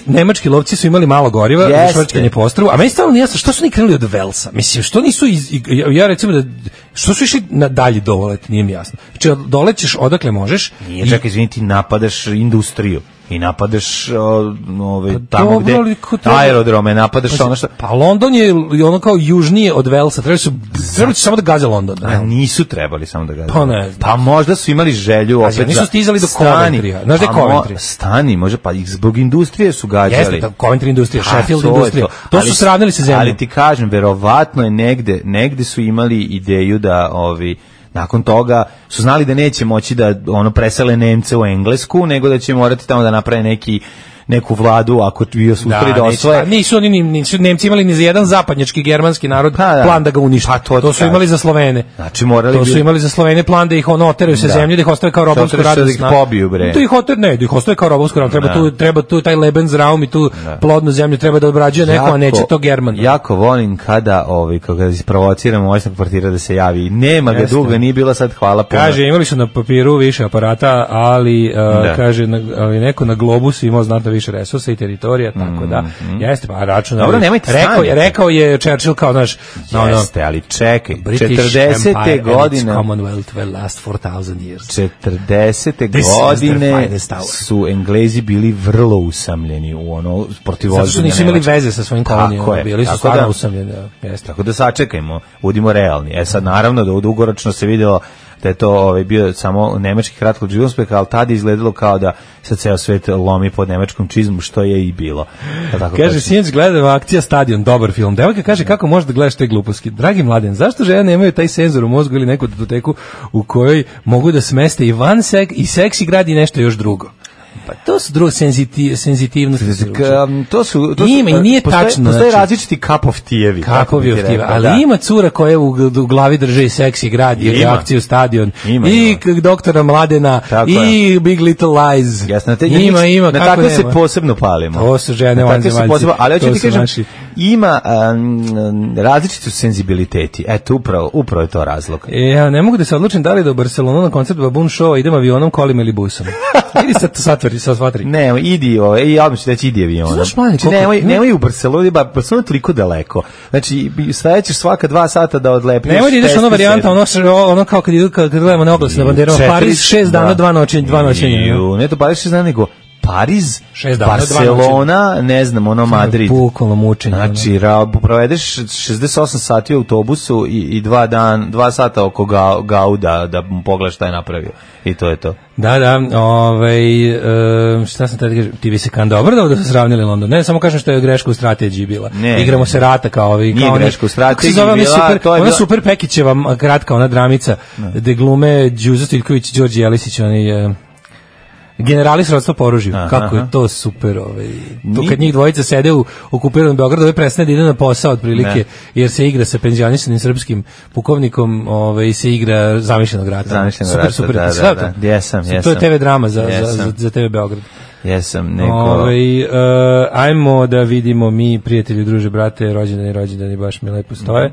Nemački lovci su imali malo goriva, za švrčkanje po ostrvu, a meni stvarno nije jasno, što su oni krenuli od Velsa? Mislim, što nisu, ja recimo da, što su išli na dalje dolet, nije mi jasno. Znači, dolećeš odakle možeš. Nije, čekaj, izvini, ti napadaš industriju. I napadaš tamo gde aerodrome, napadaš ono što... Pa London je ono kao južnije od Velsa, trebali su samo da gaze London. A nisu trebali samo da gaze. Pa ne. Pa možda su imali želju opet da... Nisu stizali do Coventrya. Znaš da je Coventry? Stani, može, pa zbog industrije su gađali. Jeste, Coventry industrija, Sheffield industrija. To su sravnili se zemljom. Ali ti kažem, verovatno je negde su imali ideju da nakon toga su znali da neće moći da presele Nemce u Englesku, nego da će morati tamo da naprave neku vladu ako bio su uspeli da osvoje. Nisu Nemci imali ni za jedan zapadnjački germanski narod plan da ga unište. To su imali za Slovene. Znači morali to su imali za Slovene plan da ih oteraju sa zemlje, da ih ostave kao robovsku radnu snagu. Da ih ostave kao robovsku radnu. Treba tu taj Lebensraum i tu plodnu zemlju treba da obrađuje neko, a neće to German. Jako volim kada kada isprovociramo moćnog portira da se javi. Nema ga dugo, nije bilo sad, hvala puno. Kaže, imali su na papiru više aparata, ali kaže neko na globusu imao znatno više resursa i teritorija, tako da. Jeste, pa račun. Dobro, nemojte rekao je Churchill kao naš... Jeste, ali čekaj, 40. godine... Commonwealth will last 4000 years. 40. godine su Englezi bili vrlo usamljeni u protivozđenju. Zato su nisu imali veze sa svojim kolonijama, bili su stvarno usamljeni. Tako da sačekajmo, budimo realni. Sad, naravno, da dugoročno se videlo da je to bio samo nemački kratkog uspeh, ali tada izgledalo kao da se ceo svet lomi pod nemačkom čizmu, što je i bilo. Kaže, sinoć gledam akcija Stadion, dobar film. Devojka kaže, kako možeš da gledaš te gluposti? Dragi Mladen, zašto žene nemaju taj senzor u mozgu ili neku datoteku u kojoj mogu da smeste i seksi grad i nešto još drugo? Pa to su druge senzitivnosti. Ima i nije tačno. Postoje različiti kapov-tijevi. Kapov-tijevi, ali ima cura koja u glavi drže i seksi grad i reakciju Stadion. I doktora Mladena i Big Little Lies. Ima. Na tako se posebno palimo. To su žene vanzemaljci. Ali hoću ti kažem, ima različiti senzibiliteti. Eto, upravo je to razlog. Ja ne mogu da se odlučim da li da u Barcelonu na koncert Baboon Show idem avionom, kolima ili busom. Idi sad svatri. Ne, idi, ja bih reći idi avionom. Nemoj u Barceloni, Barcelona je toliko daleko. Znači, stajećeš svaka 2 sata da odlepneš. Nemoj da ideš ono varijanta, ono kao kad gledamo na oglase na banderama, Paris 6 dana, 2 noćenja. Ne to Paris 6 dana, nego Pariz, Barcelona, ne znam, Madrid. Bukvalno mučenje. Znači, provedeš 68 sati u autobusu i 2 sata oko Gauda da mu pogledaš šta je napravio. I to je to. Da, šta sam tada kažem, ti bi se dobro da su sravnili London. Ne, samo kažem što je greška u strategiji bila. Igramo se rata kao ovi. Nije greška u strategiji bila. Ona super Pekićeva kratka, ona dramica, gde glume Đuzo Stiljković i Đorđe Jelisić, oni... Generali srodstva po oružju. Kako je to super. To kad njih dvojica sede u okupiranom Beogradu, prestane da ide na posao otprilike, jer se igra sa penzionisanim srpskim pukovnikom, se igra zamišljenog rata. Super. Jesam. To je TV drama za TV Beograd. Jesam, neko... Ajmo da vidimo mi, prijatelji, druže, brate, rođendani baš mi lepo stoje.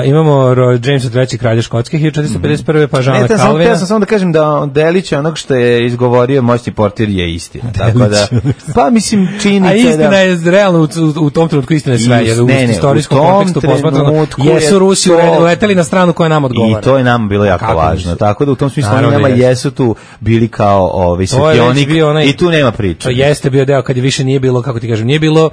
Imamo Jamesa III. Kralja Škotske, 1451. pa Žana Kalvina. Ja sam samo da kažem da delić onog što je izgovorio moćni portir je istina. Tako da, pa mislim, činjenica je da... A istina je realno u tom trenutku istina je sve, jer u istorijskom kontekstu posmatrano jesu Rusi leteli na stranu koja nam odgovara. I to je nam bilo jako važno. Tako da u tom smislu oni nama jesu tu bili kao svetionik i tu nema priče. To jeste bio deo kad je više nije bilo, kako ti kažem, nije bilo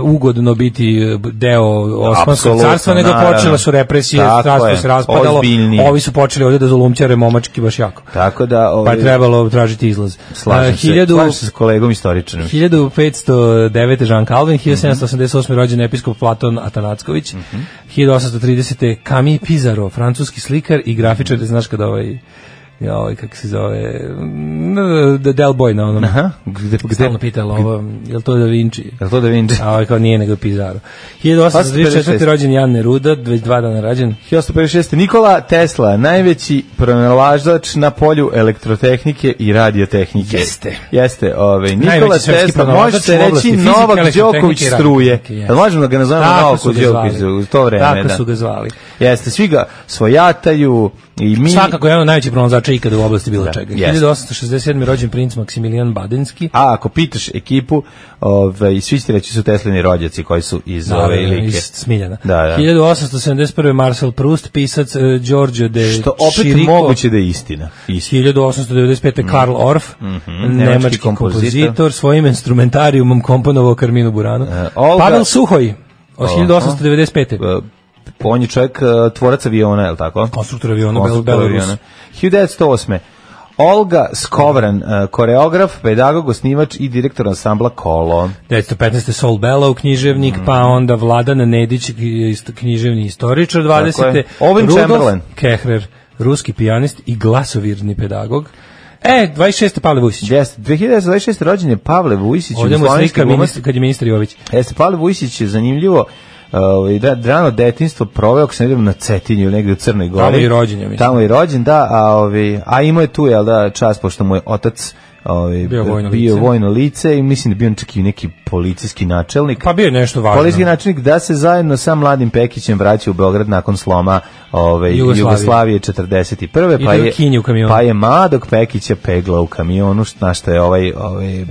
ugodno biti deo Osmanskog carstva, nego počele su represije, carstvo se raspadalo, ovi su počeli ovdje da zulumćare momački baš jako. Tako da, pa je trebalo tražiti izlaz. Slažem se s kolegom istoričanom. 1509. Jean Calvin, 1788. rođen episkop Platon Atanacković, 1830. Camille Pizarro, francuski slikar i grafičar, znaš kada kako se zove, Del Boy na onom. Aha, stalno pitalo ovo, je li to Da Vinci? Je li to Da Vinci? A kao nije, nego Pizarro. 1834. rođen Jan Neruda, već 2 dana rođen. 1856. Nikola Tesla, najveći pronalažač na polju elektrotehnike i radiotehnike. Jeste. Nikola Tesla, može se reći Novak Đoković struje. Možemo da ga nazovemo Novak Đoković u to vreme. Tako su ga zvali. Jeste, svi ga svojataju. Svakako je jedan od najvećih pronalazača ikada u oblasti bilo čega. 1867. rođen princ Maksimilijan Badenski. A ako pitaš ekipu, svi će reći su Teslini rođaci koji su iz ove like. Iz Smiljana. Da. 1871. Marcel Proust, pisac Giorgio de Što opet Chirico. Moguće da je istina. 1895. Karl Orff, nemački kompozitor, svojim instrumentarijumom komponovao Carminu Buranu. Pavel Suhoj, od 1895. On je čovjek tvorac aviona, je li tako? Konstruktor aviona, Belarus. 1908. Olga Skovran, koreograf, pedagog, osnivač i direktor ansambla Kolo. 1915. Sol Bellow, književnik, pa onda Vladan Nedić, književni istoričar. 20. Rudolf Kehrer, ruski pijanist i glasovirni pedagog. 26. Pavle Vujsić. Jeste, 2026. rođen je Pavle Vujsić. Ovdje mu slika kad je ministar Jović. Jeste, Pavle Vujsić je zanimljivo. Rano detinjstvo proveo, ako se ne idem na Cetinju, negdje u Crnoj Gori. Tamo je i rođen, ja mislim. Tamo je i rođen, da, a imao je tu, jel da, čast, pošto mu je otac bio vojno lice i mislim da bio čak i neki policijski načelnik. Pa bio je nešto važno. Policijski načelnik da se zajedno sa mladim Pekićem vraća u Beograd nakon sloma Jugoslavije 41. Pa je mladog Pekića pegla u kamionu, na što je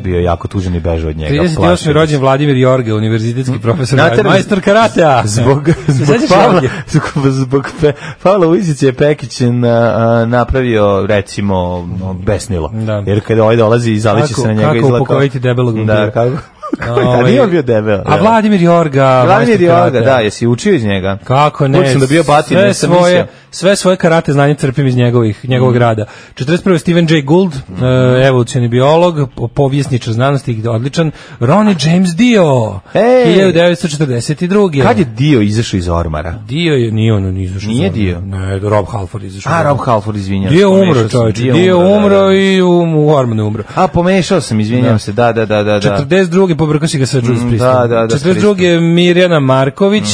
bio jako tužan i bežao od njega. 38. rođen Vladimir Jorge, univerzitetski profesor, majstor karatea. Zbog Pavla Vujsića je Pekić napravio, recimo, besnilo. Jer kada dolazi i zaliči se na njega izlako. Kako upokojiti debelog vampira. Da, kako? A nije on bio debel. A Vladimir Jorga. Vladimir Jorga, da, jesi učio iz njega? Kako ne? Sam da bio batin, sve svoje karate znanje crpim iz njegovog rada. 41. Stephen Jay Gould, evolucioni biolog, povjesničar znanosti, odličan. Ronnie James Dio, 1942. Kad je Dio izašao iz ormara? Dio je, nije izašao. Nije Dio? Ne, Rob Halford izašao. A, Rob Halford, izvinjam. Dio umro, čovječe. Dio umro i u ormanu umro. A, pomešao sam, izvinjam se, da. 42. pobrkao si ga sa Judas Priestom. Da. 42. Mirjana Marković,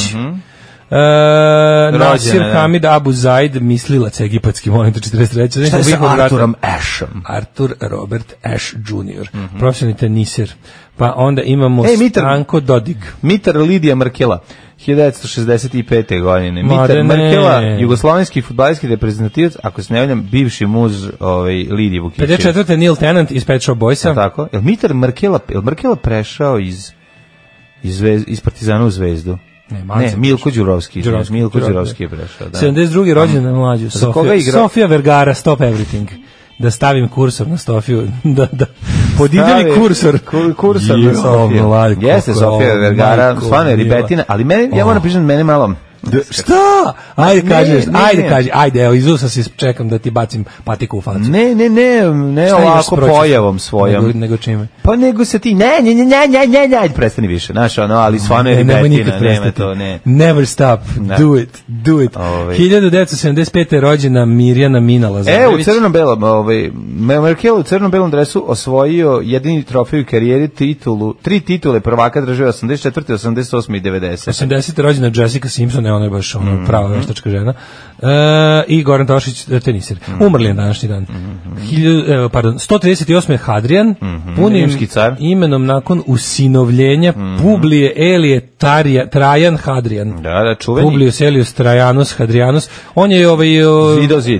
Nasir Hamid Abu Zaid, mislilac egipatski, molim te, 43. Šta je sa Arturom Ashom? Artur Robert Ash Jr. Profesionalni teniser. Pa onda imamo Stanko Dodig. Mitar Lidija Markela, 1965. godine. Mitar Markela, jugoslovenski fudbalski reprezentativac, ako se ne valjam, bivši muž Lidije Vukićević. 54. Neil Tennant iz Pet Shop Boysa. Tako? Je li Mitar Markela prešao iz Partizana u Zvezdu? Ne, Milko Đurovski. Milko Đurovski je prešao. 72. rođen na mlađu. Sofia Vergara, Stop Everything. Da stavim kursor na Sofiju, da podideli kursor na Sofiju. Jeste Sofija Vergara, stvarno je ribetina, ali ja moram priznati, mene malo... Šta? Ajde, evo, iz usa si čekam da ti bacim patiku u facu. Ne ovako pojavom svojom. Nego čime? Pa nego se ti, ne, prestani više, znaš, ali stvarno je ribetina, nema to, ne. Never stop, do it. 1975. rođena Mirjana Mina Lazarević. U crno-belom, Merkel u crno-belom dresu osvojio jedini trofej u karijeri, 3 titule prvaka države 84. 88. i 90. 80. rođena Jessica Simpson, ona je baš prava veštačka žena. I Goran Tošić, teniser. Umrli je današnji dan. 138. je Hadrian, punim imenom nakon usinovljenja Publije Elije Trajan Hadrian. Da, čuveni. Publius Elius Trajanus Hadrianus. On je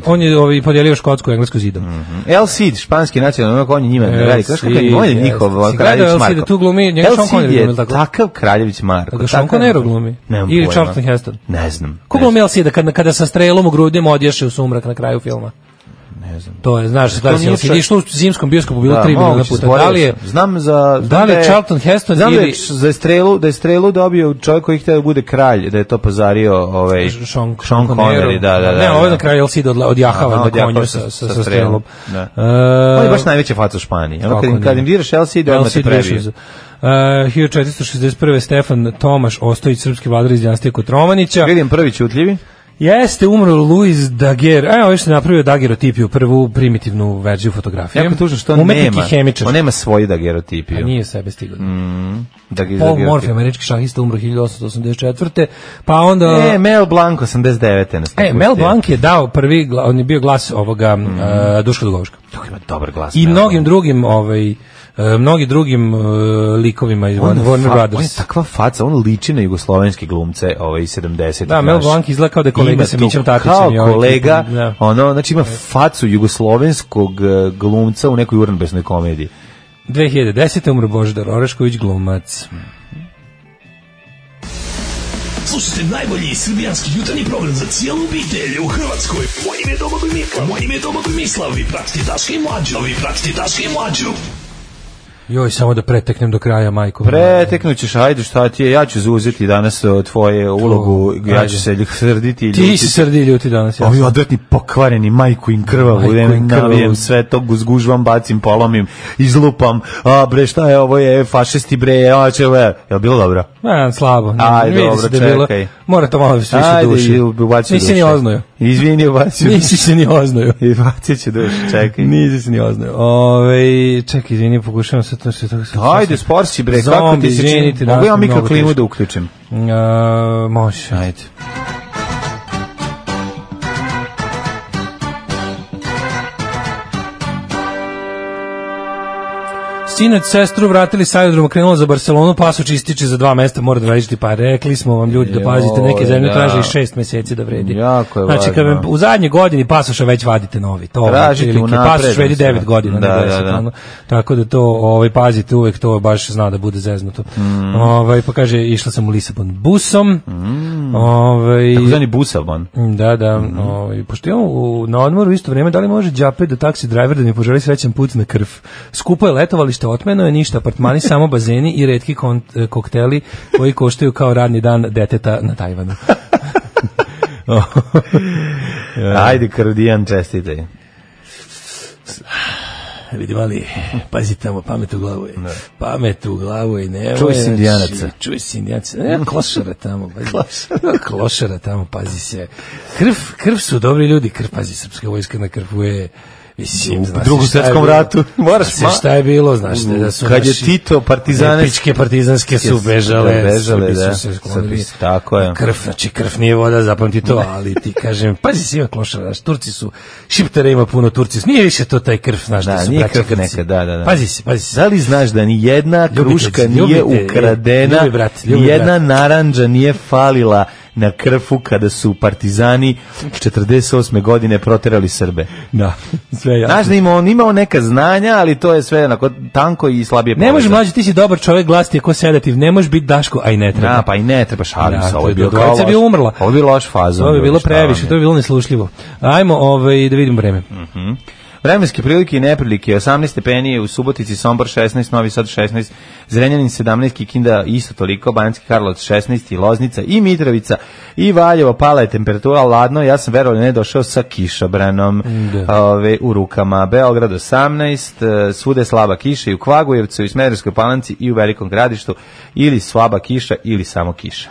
on je podijelio Škotsku i Englesku zidom. El Cid, španski nacionalni, on je njima veliki. Znaš kako je on je njihov kraljević Marko. Tu glumi, njega Sean Connery glumi, tako? Takav kraljević Marko. Da Sean Connery glumi? Ili Charlton Heston? Ne znam. Ko glumi El Cida kada sa strelom u grudima odješe u sumrak na kraju filma? Ne znam. To je, znaš, da si išlo u zimskom bioskopu bilo 3 miliona puta. Da li je, znam za... Da li je Charlton Heston ili... Znam da je strelu dobio čovjek koji htio da bude kralj, da je to pozario Sean Connery, da. Ne, ovo je na kraju El Cid odjahava na konju sa strelom. On je baš najveća faca u Španiji. Kad im diraš El Cid, odmah te prebije. 1461. Stefan Tomaš Ostojić, srpski vladar iz dinastije Kotromanića. Vidim prvi ćutljivi. Jeste, umro Luis Daguerre. Evo još se napravio daguerotipiju, prvu primitivnu verziju fotografije. Jako tužno što on nema svoju daguerotipiju. A nije sebe stigao. Paul Morphy, američki šahista, umro 1884. Pa onda... Mel Blanc, 89. Mel Blanc je dao prvi, on je bio glas ovoga Duška Dugoviška. To ima dobar glas. I mnogim drugim likovima iz Warner Brothers. On je takva faca, on liči na jugoslovenske glumce iz 70. Da, Mel Blanc izgleda kao da je kolega sa Mićem Tatićem. Kao kolega, znači ima facu jugoslovenskog glumca u nekoj urnebesnoj komediji. 2010. umro Božidar Orešković, glumac. Slušajte najbolji srbijanski jutarnji program za cijelu obitelj u Hrvatskoj. Moje ime je Domagoj Mislav. Vi pratite Daška i Mlađu. Joj, samo da preteknem do kraja, majko. Preteknućeš, ajde, šta ti je, ja ću zauzeti danas tvoje ulogu, ja ću se srditi. Ti si srdi ljuti danas. Ovi odvratni pokvareni, majku im krvavu, navijem sve to, zgužvam, bacim, polomim, izlupam, bre, šta je, ovo je fašisti, bre, je li bilo dobro? Slabo. Ajde, dobro, čekaj. Mora to malo više duši. Nisi ni oznojio. Izvini, ubacio. Nisi se ni oznojio. I bacit ću duši, čekaj. Nisi se ni oznojio. Čekaj, izvini, pokušavam se to sve tako. Ajde, sporci, bre, kako ti se čini? Mogu ja mikroklimu da uključim? Može. Ajde. Sinoć sestru vratili s aerodroma, krenula za Barcelonu, pasoš ističe za 2 mesta, mora da vrediš, pa rekli smo vam ljudi da pazite, neke zemlje traže i 6 meseci da vredi. Jako je znači, kad u zadnjoj godini pasoša već vadite novi, to pasoš vredi 9 godina. Da. Tako da to pazite uvek, to baš zna da bude zeznuto. Pa kaže, išla sam u Lisabon busom. Tako zvani busabon. Da. Pošto imamo na odmoru isto vreme, da li može đape da taksi driver da mi poželi srećan put na krv? Skupo je letovalište, otmeno je, ništa, apartmani, samo bazeni i retki kokteli koji koštaju kao radni dan deteta na Tajvanu. Ajde, Kardijan, čestitaj. Vidim, ali pazi tamo, pamet u glavu je. Pamet u glavu je, ne. Čuj si Indijanaca. Klošara tamo, klošara tamo, pazi se. Krv su dobri ljudi, pazi, srpska vojska na krvu je... U Drugom svjetskom ratu moraš šta je bilo, znaš da su kad je Tito epičke partizanske su bežale, tako je. Krv nije voda, zapamti to, ali ti kažem, pazi si ima klošara, Turci su, Šiptara ima puno, Turci su, nije više to taj krv, znaš da su braća Grci. Pazi si. Da li znaš da ni jedna kruška nije ukradena, ni jedna narandža nije falila na Krfu kada su partizani 48. godine proterali Srbe. Da, sve jasno. Znaš da imao neka znanja, ali to je sve onako tanko i slabije povezano. Ne može, mlađi, ti si dobar čovjek, glas ti je ko sedativ, ne može biti Daško, a i ne treba. Da, pa i ne treba, šalim se, ovo je bilo kao loš. Umrla. Ovo je bilo loš fazon. Ovo je bilo previše, to je bilo neslušljivo. Ajmo da vidimo vreme. Vremenske prilike i neprilike, 18 stepeni u Subotici, Sombor 16, Novi Sad 16, Zrenjanin 17, Kikinda isto toliko, Banjski Karlovac 16, Loznica i Mitrovica i Valjevo, pala je temperatura, ladno, ja sam verovali ne došao sa kišobranom u rukama. Beograd 18, svude slaba kiša i u Kvagujevcu i Smederevskoj Palanci i u Velikom Gradištu ili slaba kiša ili samo kiša.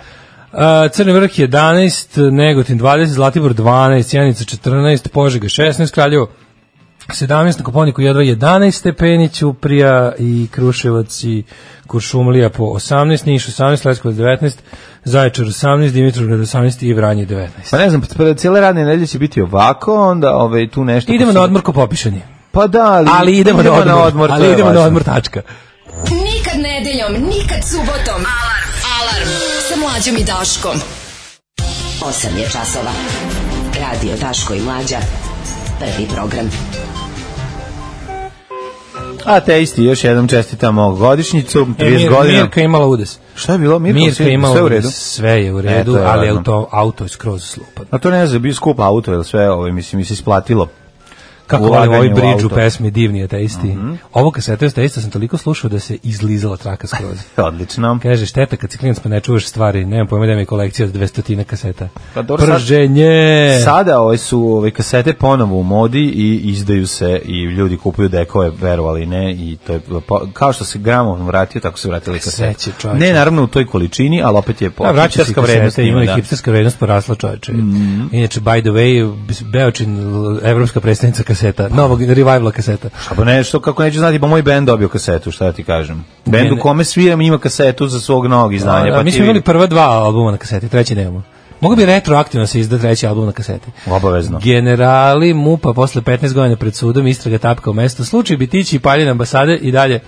Crni vrh 11, Negotin 20, Zlatibor 12, Sjenica 14, Požega 16, Kraljevo 17 na Kopaoniku jedva 11 stepeni, Ćuprija i Kruševac i Kuršumlija po 18, Niš 18, Leskovac 19, Zaječar 18, Dimitrovgrad 18 i Vranje 19. Pa ne znam, cijele radne nedelje će biti ovako, onda tu nešto... Idemo na odmor ko popišani. Pa da, ali idemo na odmor. Ali idemo na odmor, tačka. Nikad nedeljom, nikad subotom. Alarm sa Mlađom i Daškom. 8 je časova. Radio Daško i Mlađa. Prvi program. A te isti, još jednom čestitamo godišnjicu, 30 godina. Mirka je imala udes. Šta je bilo? Mirka je imala udes, sve je u redu, ali auto je skroz slupan. A to ne znam, bio skup auto, jer sve mislim, mi se isplatilo. Kako volim ovaj bridge u pesmi Divni ateisti. Ovo kasete ateista sam toliko slušao da se izlizala traka skroz. Odlično. Kaže, šteta kad si klinac pa ne čuvaš stvari, nemam pojma da mi je kolekcija od 200 kaseta. Pa dobro, prženje! Sada su kasete ponovo u modi i izdaju se i ljudi kupuju dekove, verovali ne, i to je kao što se gramofon vratio, tako se vratili kasete. Ne, naravno u toj količini, ali opet je hipsterska vrednost. Ima i hipsterska vrednost porasla, čoveče. Inače, by the way, Beočin, evropska predstavnica kaseta, novog revivala kaseta. Šta pa nešto, kako neću znati, pa moj bend dobio kasetu, šta da ti kažem. Bend u kome sviram ima kasetu za svog novog izdanja. Mi smo imali prva 2 albuma na kaseti, treći nemamo. Mogu bi retroaktivno se izda treći album na kaseti. Obavezno. Generali MUP-a posle 15 godina pred sudom, istraga tapka u mesto. Slučaj Bitići i paljenje ambasade i dalje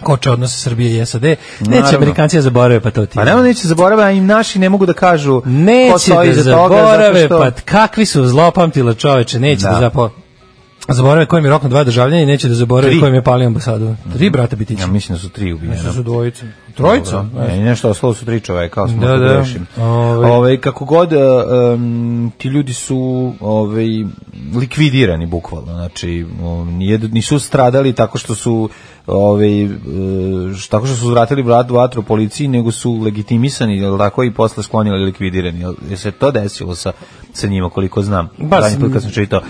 koče odnose Srbije i SAD. Neće Amerikanci zaborave, pa to ti. Pa neće zaborave, a im naši ne mogu da kažu neće da zaborave, pa kakvi su zlopamtila čoveče, neće da zaborave kojim je rok na 2 državljanja i neće da zaborave kojim je palio ambasadu. 3 brata Bitića. Ja mislim da su 3 ubijena. Mislim da su dvojica. Trojica? Ne, nešto, ostalo su 3 čoveka, kao smo da grešim. Kako god, ti ljudi su likvidirani, bukvalno. Znači, nisu stradali tako što su uzvratili vatru policiji, nego su legitimisani, jel tako, i posle sklonili ili likvidirani. Jel se to desilo sa njima, koliko znam? Zadnji put kad sam čitao.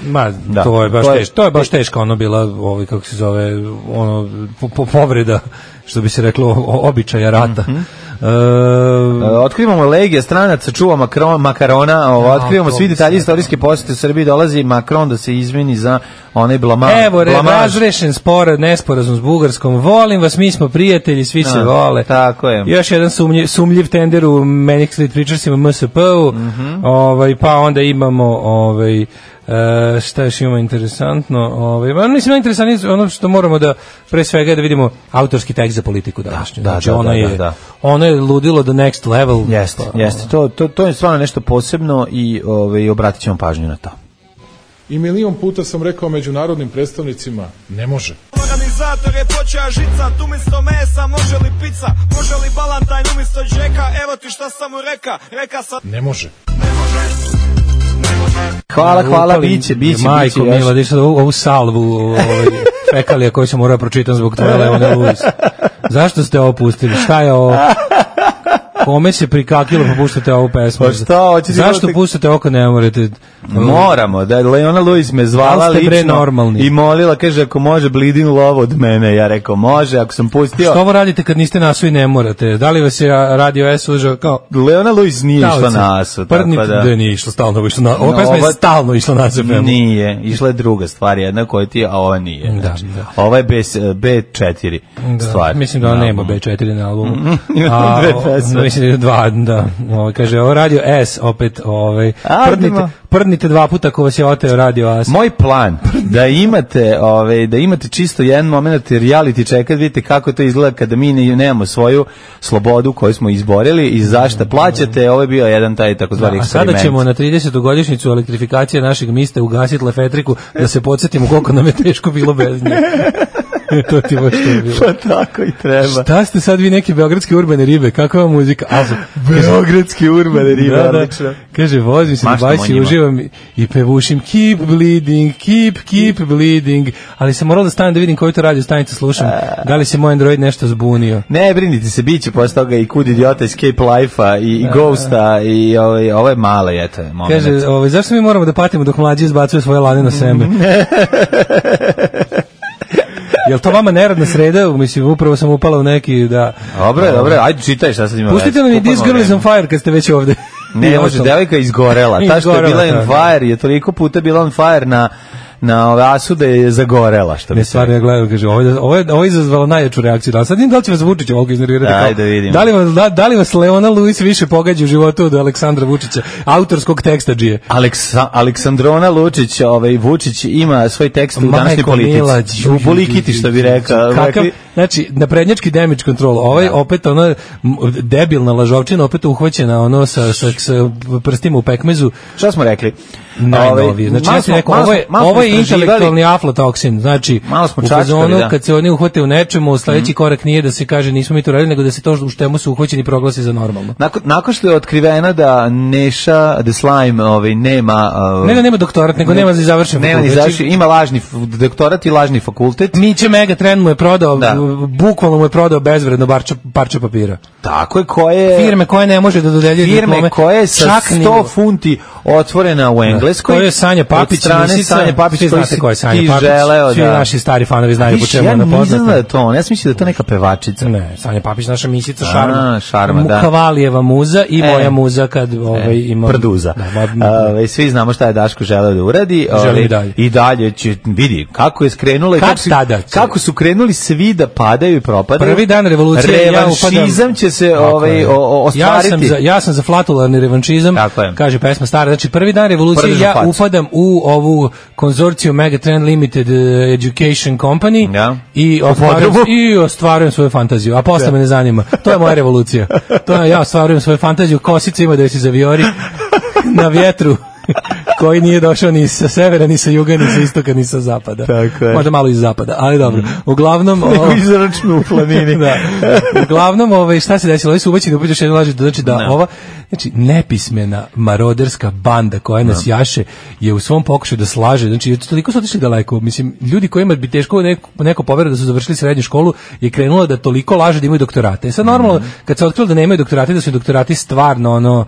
To je baš teško, ono bila, kako se zove, povreda, što bi se reklo, običaja rata. Otkrivamo legija stranaca, čuva makarona, otkrivamo svi detalji istorijske posete u Srbiji, dolazi Macron da se izmeni za onaj blamaž. Evo, razrešen nesporazum s Bugarskom, volim vas, mi smo prijatelji, svi se vole. Tako je. Još jedan sumljiv tender u Manic Street Preachersima, MSP-u, pa onda imamo šta još imamo interesantno, mislim interesantno ono što moramo da pre svega da vidimo autorski tekst za politiku današnju. Znači ono je ludilo the next level. Jeste. To je stvarno nešto posebno i obratit ćemo pažnju na to. I milion puta sam rekao međunarodnim predstavnicima, ne može. Organizator je počeo žicat, umjesto mesa može li pizza, može li balantajn umjesto džeka, evo ti šta sam mu reka sam... Ne može. Hvala, biće. Majko mila, da je ovu salvu fekalija koju sam morao pročitam zbog tvoje Leone Lewis. Zašto ste ovo pustili? Šta je ovo? Kome se prikakilo pa puštate ovu pesmu? Zašto puštate oko ne morate? Moramo, da je Leona Lewis me zvala lično i molila, kaže ako može Bleeding Love od mene, ja rekao može, ako sam pustio. Što ovo radite kad niste nasu i ne morate? Da li vas je Radio S užao kao? Leona Lewis nije išla nasu. Da nije išla stalno, ova pesma je stalno išla na ZFM. Nije, išla je druga stvar, jedna koja ti, a ova nije. Ova je B4 stvar. Mislim da ona nema B4 na albumu. Mislim da kaže ovo Radio S opet, prdnite 2 puta ako vas je oteo Radio S. Moj plan da imate čisto jedan moment reality check, vidite kako to izgleda kada mi nemamo svoju slobodu koju smo izborili i zašto plaćate, ovo je bio jedan taj takozvani eksperiment. A sada ćemo na 30. godišnjicu elektrifikacije našeg mista ugasiti Lefetriku da se podsjetimo koliko nam je teško bilo bez nje. To ti baš to bilo. Pa tako i treba. Šta ste sad vi neke beogradske urbane ribe? Kakva je muzika? Beogradske urbane ribe, odlično. Kaže, vozim se na bajci, uživam i pevušim keep bleeding, keep bleeding. Ali sam morao da stanem da vidim koju to radio stanicu slušam. Da li se moj Android nešto zbunio? Ne, brinite se, bit će posle toga i Kud idiota, Escape Life-a i Ghosta i ovo je male, eto je moment. Kaže, zašto mi moramo da patimo dok mlađi izbacuje svoje lane na seme? Jel to vama neradna sreda? Mislim, upravo sam upala u neki da... Dobre, ajde čitaj šta sad ima. Pustite nam i This Girl is on Fire kad ste već ovde. Ne, može, devojka izgorela. Ta što je bila on fire je toliko puta bila on fire na ove asu da je zagorela, što bi se. Stvarno ja gledam, kaže, ovo je izazvalo najjaču reakciju. Da, sad da li će vas Vučić ovog iznervirati? Ajde, da vidimo. Da li vas Leona Lewis više pogađa u životu od Aleksandra Vučića, autorskog teksta džije? Aleksandrona Lučić, Vučić ima svoj tekst u današnjoj politici. U Bolikiti, što bi rekao. Znači, naprednjački damage control, opet ona debilna lažovčina, opet uhvaćena sa prstima u pekmezu. Šta smo rekli? Najnovije. Znači, ja ti rekao, ovo je intelektualni aflatoksin. Znači, u fazonu, kad se oni uhvate u nečemu, sledeći korak nije da se kaže nismo mi to radili, nego da se to u štemu su uhvaćeni proglasi za normalno. Nakon što je otkriveno da Neša the Slime nema... nema doktorat, nego nema završen fakultet. Ima lažni doktorat i lažni fakultet. Miće Megatrend mu je prodao, bukvalno mu je prodao bezvredno parče papira. Tako je, koje... Firme koje ne može da dodeljuju diplome. Firme koje sa 100 funti otvorena u Engleskoj. To je Sanja Papić, Sanja Papić, svi znate ko je Sanja Papić. Svi naši stari fanovi znaju po čemu je ona poznata. Ja nisam da je to, ja sam mislio da je to neka pevačica. Ne, Sanja Papić, naša misica Šarma, da. Kavalijeva muza i moja muza kad ima... Prduza. Svi znamo šta je Daško želeo da uradi. Želim i dalje. I dalje će, vidi, kako je skrenulo. Kako su krenuli svi da padaju i propadaju. Prvi dan revolucije. Revanšizam će se ostvariti. Ja sam za flatularni revanšizam, kaže pesma stara. Znači, prvi dan revolucije ja upadam u ovu konzorciju Megatrend Limited Education Company i ostvarujem svoju fantaziju. A posle me ne zanima. To je moja revolucija. Ja ostvarujem svoju fantaziju. Kosica ima da se zaviori na vjetru koji nije došao ni sa severa, ni sa juga, ni sa istoka, ni sa zapada. Možda malo iz zapada, ali dobro. Uglavnom... izračnu u planini. Uglavnom, šta se desilo? Ovi su ubaćeni upet još jedno laži, znači da ova nepismena maroderska banda koja nas jaše je u svom pokušaju da slaže, znači toliko su otišli daleko. Mislim, ljudi kojima bi teško neko poveruje da su završili srednju školu je krenulo da toliko laže da imaju doktorate. Sad normalno, kad se otkrilo da nemaju doktorate, da su doktorati stvarno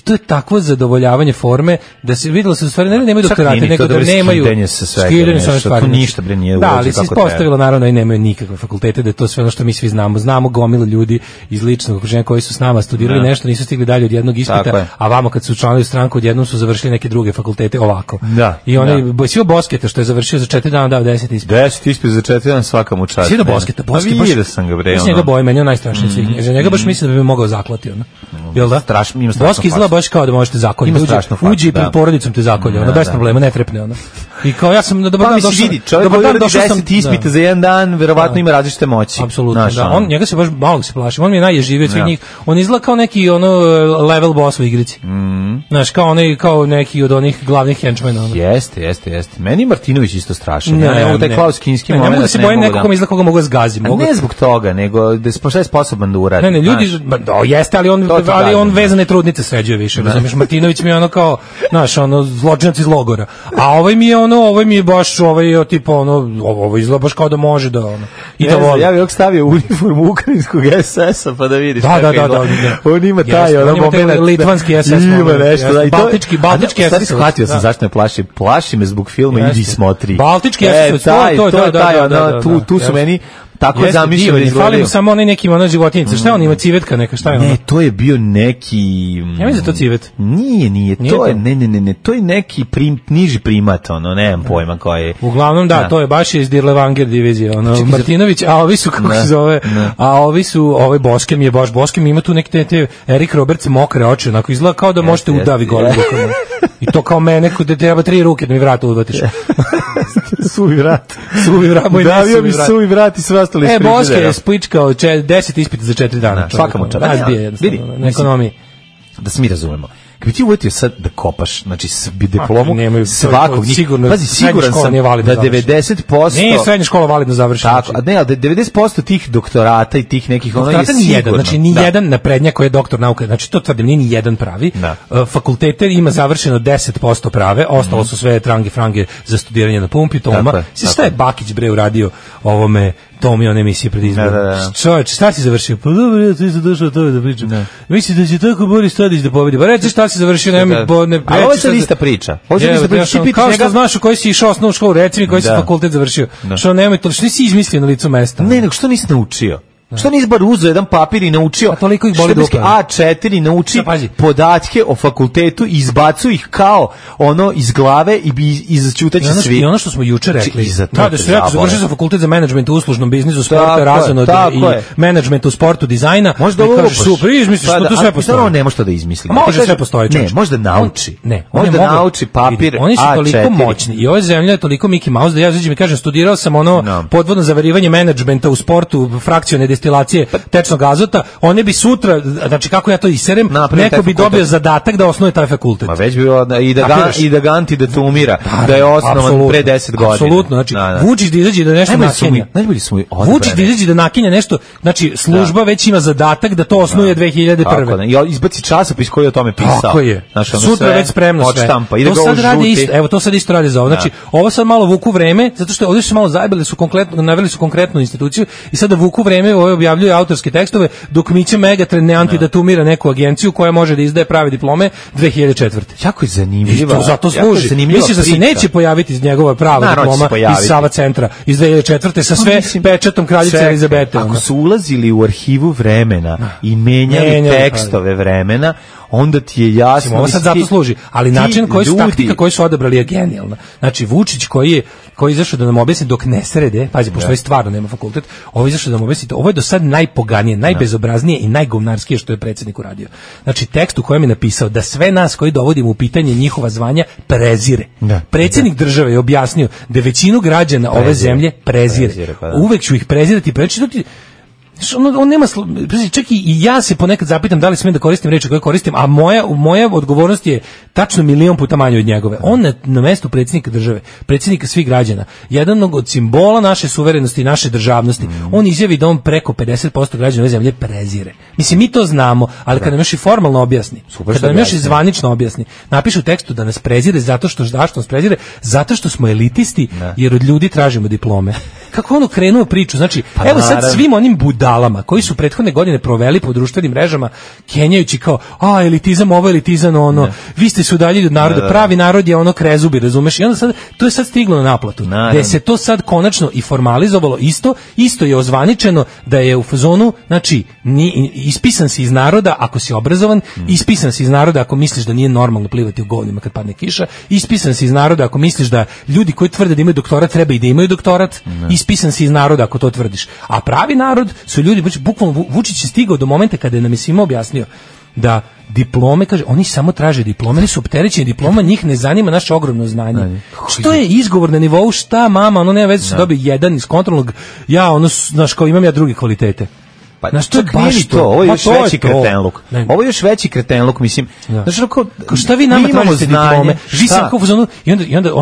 to je takvo zadovoljavanje forme da se videlo se u stvari nemaju doktorate, nego da nemaju skidanje sa svega, to ništa bre nije da, ali se ispostavilo naravno i nemaju nikakve fakultete, da je to sve ono što mi svi znamo gomilu ljudi iz ličnog okruženja koji su s nama studirali nešto, nisu stigli dalje od jednog ispita, a vamo kad su učlanili stranku odjednom su završili neke druge fakultete ovako. I onaj Sio Bosketa što je završio za 4 dana dao 10 ispita. 10 ispita za 4 dana svaka mu čast. Sio Bosketa, vidio sam ga bre. Njega boji, meni je najstrašniji svih. Za njega baš mislim da bi me mogao zaklati ona. Jel da? Strašno, ima strašno. Izgleda baš kao da možete zakoljiti. Uđi pred porodicom te zakolje, bez problema, ne trepne ona. I kao ja sam dobar dan došao. Čovjek koji uradi 10 ispita za jedan dan, verovatno ima različite moći. Apsolutno, da. On njega se baš malo se plaši. On mi je najježiviji od svih njih. On izgleda kao neki level boss u igrici. Znaš, kao neki od onih glavnih henchmena. Jeste. Meni Martinović isto strašan. Ja nemam taj Klaus Kinski moment. Ne mogu da se bojim nekog izgleda koga mogu da zgazim. Ne zbog toga, nego da je sposoban da uradi. Ne, ljudi, jeste, ali on vezane trudnice sređuje više. Razumiješ, Martinović mi je ono kao, znaš, zločinac iz logora. A ovaj mi je baš, tipa, ovo izgleda baš kao da može da, i da voli. Ja bih stavio uniformu ukrajinskog SS-a, pa da vidiš. Da. On ima taj, moment. Litvanski SS. Ima nešto. Baltički SS. Stari, shvatio sam zašto me plaši. Plaši me zbog filma Idi smotri. Baltički SS, to, tu su meni tako zamišljeno izgledaju. Fali mi samo onaj neki životinjica. Šta on ima, civetka neka, šta je ono? Ne, to je bio neki... Ja mislim da to civet. Nije, to je, ne, to je neki niži primat, nemam pojma koja je. Uglavnom, da, to je baš iz Dirlevanger divizije, Martinović, a ovi su, kako se zove, ovaj Boskem je baš, Boskem ima tu neke te Erik Roberts mokre oči, onako izgleda kao da možete udavi gore rukama. I to kao mene, da treba 3 ruke da mi vrata udvatiš. Suvi vrat, moj ne davio mi suvi vrat i sve ostalo iz frižidera. Boske je spličkao 10 ispita za 4 dana. Svaka mu čast. Vidi, na ekonomiji. Da se mi razumemo. Kad bi ti uvetio sad da kopaš, znači diplomu svakog njih, pazi, siguran sam da 90%... Nije srednja škola validno završena. Tako, a ne, ali 90% tih doktorata i tih nekih... Doktorata ni jedan, znači ni jedan naprednjak koji je doktor nauke, znači to tvrdim, nije ni jedan pravi. Fakultete ima završeno 10% prave, ostalo su sve frange za studiranje na pumpi, Toma. Šta je Bakić bre uradio ovome Tomi on emisije pred izborom? Čovječ, šta si završio? Pa dobro, ja sam došao o tome da pričam. Misli da će tako Boris Tadić da pobedi. Pa reći šta si završio, nema mi... Ali ovo je sad ista priča. Kao što znaš u koji si išao osnovnu školu, reci mi koji si fakultet završio. Što nemoj to, što nisi izmislio na licu mesta? Ne, nego što nisi naučio? Što nisi bar uzeo jedan papir i naučio toliko ih boli šleperski dupe. A4 nauči podatke o fakultetu i izbacu ih kao ono iz glave i izćutaće svi. I ono što smo juče rekli, da su ja završio sam fakultet za menadžment u uslužnom biznisu, sporta, razonode i menadžment u sportu, dizajna. Možda ovo kažeš super, izmisliš, to sve postoji. On ne može to da izmisli. Može sve postoji. Ne, možda nauči. On da nauči papir. Oni su toliko moćni i ova zemlja je toliko Mickey Mouse da ja izađem i kažem studirao sam ono podvodno zavarivanje menadžmenta u sportu, frakcione destilacije tečnog azota, one bi sutra, znači kako ja to iserem, neko bi dobio zadatak da osnuje taj fakultet. Ma već bi i da ga antidatumira, da je osnovan pre 10 godina. Apsolutno, znači Vučić da izađe da nešto nakenja. Najbolji smo Vučić da izađe da nakenja nešto, znači služba već ima zadatak da to osnuje 2001. I izbaci časopis koji je o tome pisao. Tako je. Sutra već spremno sve. To sad radi isto, evo to sad isto radi za ovo. Znači ovo sad malo vuku vreme, zato što ovdje su malo zajebali su konkretno, naveli su konkretnu instituciju i sada vuku vreme, ovo objavljuju autorske tekstove, dok Mića Megatrend ne antidatumira neku agenciju koja može da izdaje prave diplome 2004. Jako je zanimljivo. I to zato služi. Misliš da se neće pojaviti iz njegova prava diploma iz Sava centra iz 2004. sa sve pečatom kraljice Elizabete. Ako su ulazili u arhivu vremena i menjali tekstove vremena, onda ti je jasno. Ovo sad zato služi, ali način koji su taktika koju su odabrali je genijalna. Znači Vučić koji je izašao da nam objasni dok ne srede, pazi, pošto ovaj stvarno nema fakultet, ovo je izašao da nam objasni, ovo je do sad najpoganije, najbezobraznije i najgovnarskije što je predsjednik uradio. Znači tekst u kojem je napisao da sve nas koji dovodimo u pitanje njihova zvanja prezire. Predsjednik države je objasnio da većinu građana ove zemlje prezire. Uvek ću ih prezirati, on nema, čak i ja se ponekad zapitam da li smijem da koristim reči koje koristim, a moja odgovornost je tačno 1.000.000 puta manje od njegove. On na mestu predsjednika države, predsjednika svih građana, jedan od simbola naše suverenosti i naše državnosti, on izjavi da on preko 50% građana ove zemlje prezire. Mislim, mi to znamo, ali kad nam još i formalno objasni, kada nam još i zvanično objasni, napiše u tekstu da nas prezire zato što nas prezire, zato što smo elitisti, jer od ljudi tražimo diplome. Kako ono krenuo priču, znači, evo sad svim onim budalama koji su prethodne godine proveli po društvenim mrežama, kenjajući kao, elitizam ovo, elitizam ono, vi ste se udaljili od naroda, pravi narod je ono krezubi, razumeš? I onda sad, to je sad stiglo na naplatu. Da se to sad konačno i formalizovalo isto je ozvaničeno da je u fazonu, znači, ispisan si iz naroda ako si obrazovan, ispisan si iz naroda ako misliš da nije normalno plivati u govnima kad padne kiša, ispisan si iz naroda ako misliš da ljudi koji tvrde da imaju doktorat treba i da imaju doktorat, ispisan si iz naroda ako to tvrdiš. A pravi narod su ljudi, bukvalno Vučić je stigao do momenta kada je nam je svima objasnio da diplome, kaže, oni samo traže diplome, oni su opterećeni diploma, njih ne zanima naše ogromno znanje. Što je izgovor na nivou, šta mama, ono nema veze se dobije jedan iz kontrolnog, ja ono, znaš, kao imam ja druge kvalitete. Znaš, to je baš to, ovo je još veći kretenluk. Ovo je još veći kretenluk, mislim. Znaš, šta vi nama tražite diplome? Vi sam kao fazonu, i onda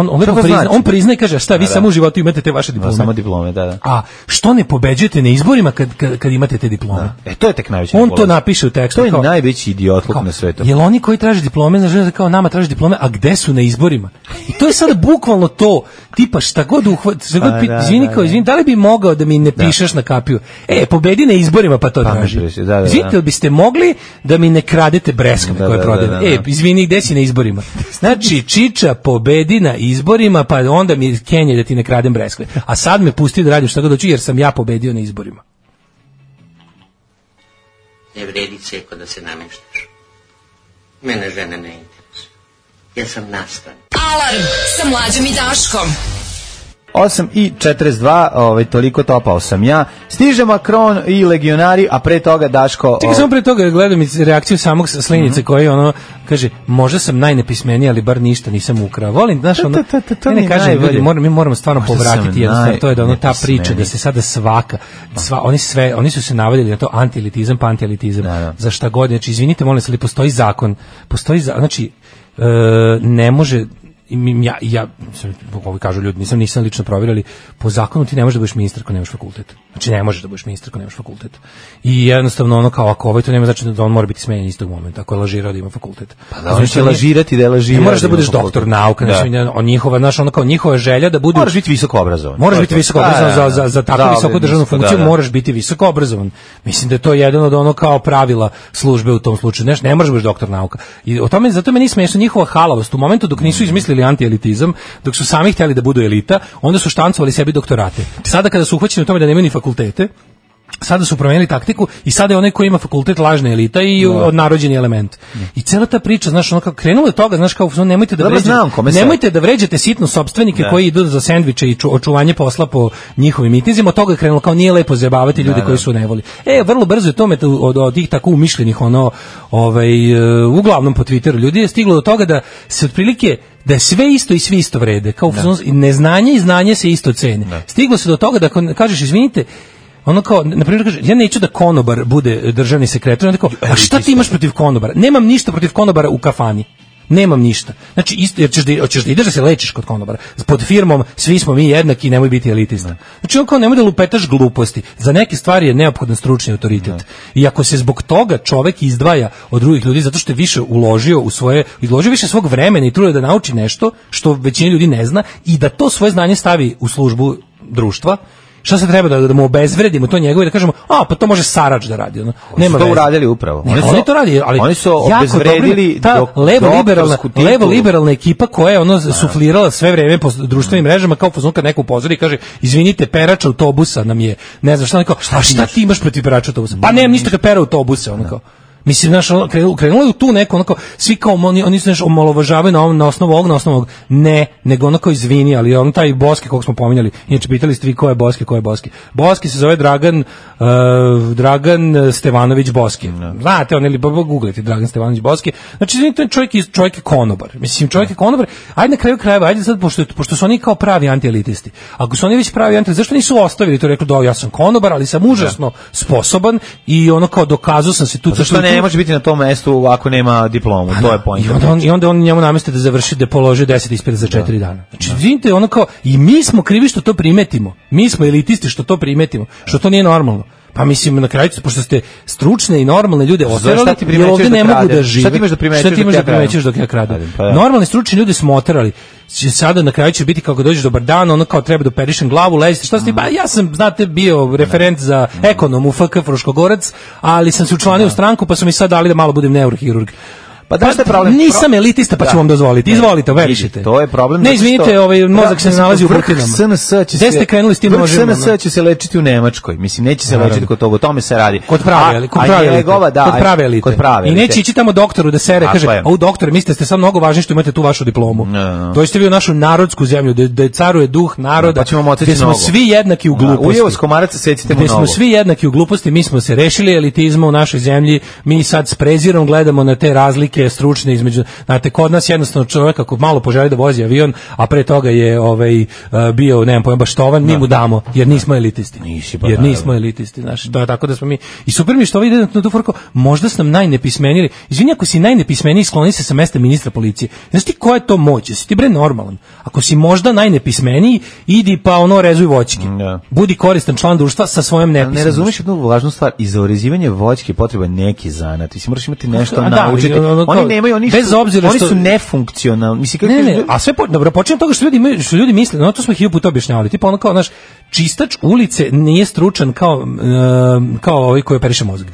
on priznaje i kaže, šta, vi samo u životu imate te vaše diplome. Samo diplome, da. A što ne pobeđujete na izborima kad imate te diplome? To je tek najveći. On to napiše u tekstu. To je najveći idiotluk na svetu. Jel oni koji traže diplome, znaš, kao nama traže diplome, a gde su na izborima? I to je sada bukvalno to, tipa šta god izvini, da li bi mogao da mi ne pišeš na kapiju? Pobedi na izborima, pa to traži. Izvinite, biste mogli da mi ne kradete breskve koje prodajem? Izvini, gde si na izborima? Znači, Čiča pobedi na izborima, pa onda mi kenje da ti ne kradem breskve. A sad me pusti da radim šta god hoću, jer sam ja pobedio na izborima. Ne vredi ceko da se nameštaš. Mene žene ne interesuje. Ja sam nastan. Alarm sa Mlađom i Daškom. 8:42, toliko topao sam ja. Stiže Macron i legionari, a pre toga Daško... Čekaj, samo pre toga gledam reakciju samog Slinice koji kaže, možda sam najnepismeniji, ali bar ništa nisam ukrao. Volim, znaš, ne kažem, ljudi, mi moramo stvarno povratiti jednostavno, to je da ta priča, da se sada oni su se navadili na to antielitizam, pa antielitizam, za šta god, znači, izvinite, molim se, ali postoji zakon, znači, ne može... Ja ovi kažu ljudi, nisam lično provjerili, po zakonu ti ne možeš da budeš ministar ako nemaš fakultet. Znači ne možeš da budeš ministar ako nemaš fakultet. I jednostavno ono kao ako to nema znači da on mora biti smenjen istog momenta ako je lažirao da ima fakultet. Pa da on će lažirati da je lažirao. Ne moraš da budeš doktor nauka, znači njihova želja da bude. Moraš biti visoko obrazovan. Moraš biti visoko obrazovan za takvu visoku državnu funkciju, moraš biti visoko obrazovan. Mislim da je to jedan od kao pravila službe u tom slučaju. Ne možeš biti doktor nauka. I o tome zato meni smiješno njihova halavost u momentu dok nisu izmislili antielitizam, dok su sami htjeli da budu elita, onda su štancovali sebi doktorate. Sada kada su uhvaćeni u tome da nemaju ni fakultete, Sada su promenili taktiku i sada je onaj koji ima fakultet lažna elita i odnarođeni element. I cela ta priča, znaš, ono kako krenulo je toga, znaš, kao nemojte da vređate sitno sopstvenike koji idu za sendviče i očuvanje posla po njihovim mitinzima, od toga je krenulo kao nije lepo zajebavati ljude koji su nevoli. Vrlo brzo je tome od tih tako umišljenih uglavnom po Twitteru ljudi je stiglo do toga da se otprilike da je sve isto i svi isto vrede, kao neznanje i znanje se isto cene. Stiglo se do toga da kažeš izvinite, ono kao, na primjer, kaže, ja neću da konobar bude državni sekretar, onda kao, a šta ti imaš protiv konobara? Nemam ništa protiv konobara u kafani. Nemam ništa. Znači, isto, jer hoćeš da ideš da se lečiš kod konobara. Pod firmom, svi smo mi jednaki, nemoj biti elitista. Znači, on kao, nemoj da lupetaš gluposti. Za neke stvari je neophodan stručni autoritet. I ako se zbog toga čovek izdvaja od drugih ljudi, zato što je više izložio više svog vremena i truda da nauči nešto, što većina ljudi ne zna, i da to svoje znanje stavi u službu društva, šta se treba da mu obezvredimo to njegovo i da kažemo, pa to može Sarač da radi. Nema to uradili upravo. Oni to radi, ali oni su obezvredili levo-liberalna ekipa koja je suflirala sve vreme po društvenim mrežama kao fazon kad neko upozori i kaže, izvinite, perač autobusa nam je, ne znam šta, a šta ti imaš protiv perača autobusa? Pa nemam ništa kad pera autobuse, kao. Mislim, znaš, krenulo je tu neko, onako, svi kao, oni se nešto omalovažavaju na osnovu ovog, ne, nego onako izvini, ali on taj Boski, kog smo pominjali, inače pitali ste vi ko je Boski. Boski se zove Dragan Stevanović Boski. Znate, ili googlite Dragan Stevanović Boski. Znači, čovjek je konobar. Mislim, čovjek je konobar. Ajde na kraju krajeva, ajde sad, pošto su oni kao pravi antielitisti. Ako su oni već pravi antielitisti, zašto nisu ostavili to, rekli da ja sam konobar, ali sam užasno sposoban i ono kao dokazao sam se tu. Ne može biti na tom mestu ako nema diplomu, to je point. I onda on njemu nameste da položi 10 ispita za 4 dana. Znači, vidite, ono kao, i mi smo krivi što to primetimo. Mi smo elitisti što to primetimo, što to nije normalno. Pa mislim, na kraju, pošto ste stručne i normalne ljude oterali, jer ovdje ne mogu da žive. Šta ti imaš da primećeš dok ja kradem? Normalni stručni ljudi smo oterali. Sada na kraju će biti kako dođeš dobar dan, ono kao treba da operišem glavu, lezite, šta ste, ja sam, znate, bio referent za ekonom u FK Fruškogorac, ali sam se učlanio u stranku, pa su mi sad dali da malo budem neurohirurg. Pa da ste problem? Nisam elitista, pa ću vam dozvoliti. Izvolite, verišite. To je problem. Ne, izvinite, mozak se ne nalazi u butinama. Gde ste krenuli s tim možemo? SNS će se lečiti u Nemačkoj. Mislim, neće se lečiti kod toga, o tome se radi. Kod prave elite. I neće ići tamo doktoru da sere, kaže, u doktore, mislite ste sad mnogo važni što imate tu vašu diplomu. Dođite vi u našu narodsku zemlju, gde caruje duh naroda, gde smo svi jednaki u gluposti. Ujevo komaraca, secite mu nogu. Gde smo svi jednaki u gluposti, mi smo se rešili elitizma u našoj zemlji, mi sad s prezirom gledamo na te razlike stručne između, znate, kod nas jednostavno čovjek ako malo poželi da vozi avion, a pre toga je bio, nemam pojma, baštovan, mi mu damo, jer nismo elitisti. Nismo elitisti, znači, to je tako da smo mi, i super mi što ovo ide na tu forku, možda sam najnepismeniji, izvini, ako si najnepismeniji, skloni se sa mesta ministra policije, znaš ti koja je to moć, jesi ti bre normalan, ako si možda najnepismeniji, idi pa rezuj voćke, budi koristan član društva sa svojom nepismenošću. Ne razumiješ jednu važnu stvar, i za orezivanje voćke potreban neki zanat, ti si moraš imati nešto naučiti, oni nemaju, bez obzira oni su nefunkcionalni. Mislim, ne, a sve dobro, počinje od toga što ljudi misle, to smo 1000 puta objašnjavali, tipa ono kao, znaš, čistač ulice nije stručan kao ovaj koji operiše mozak.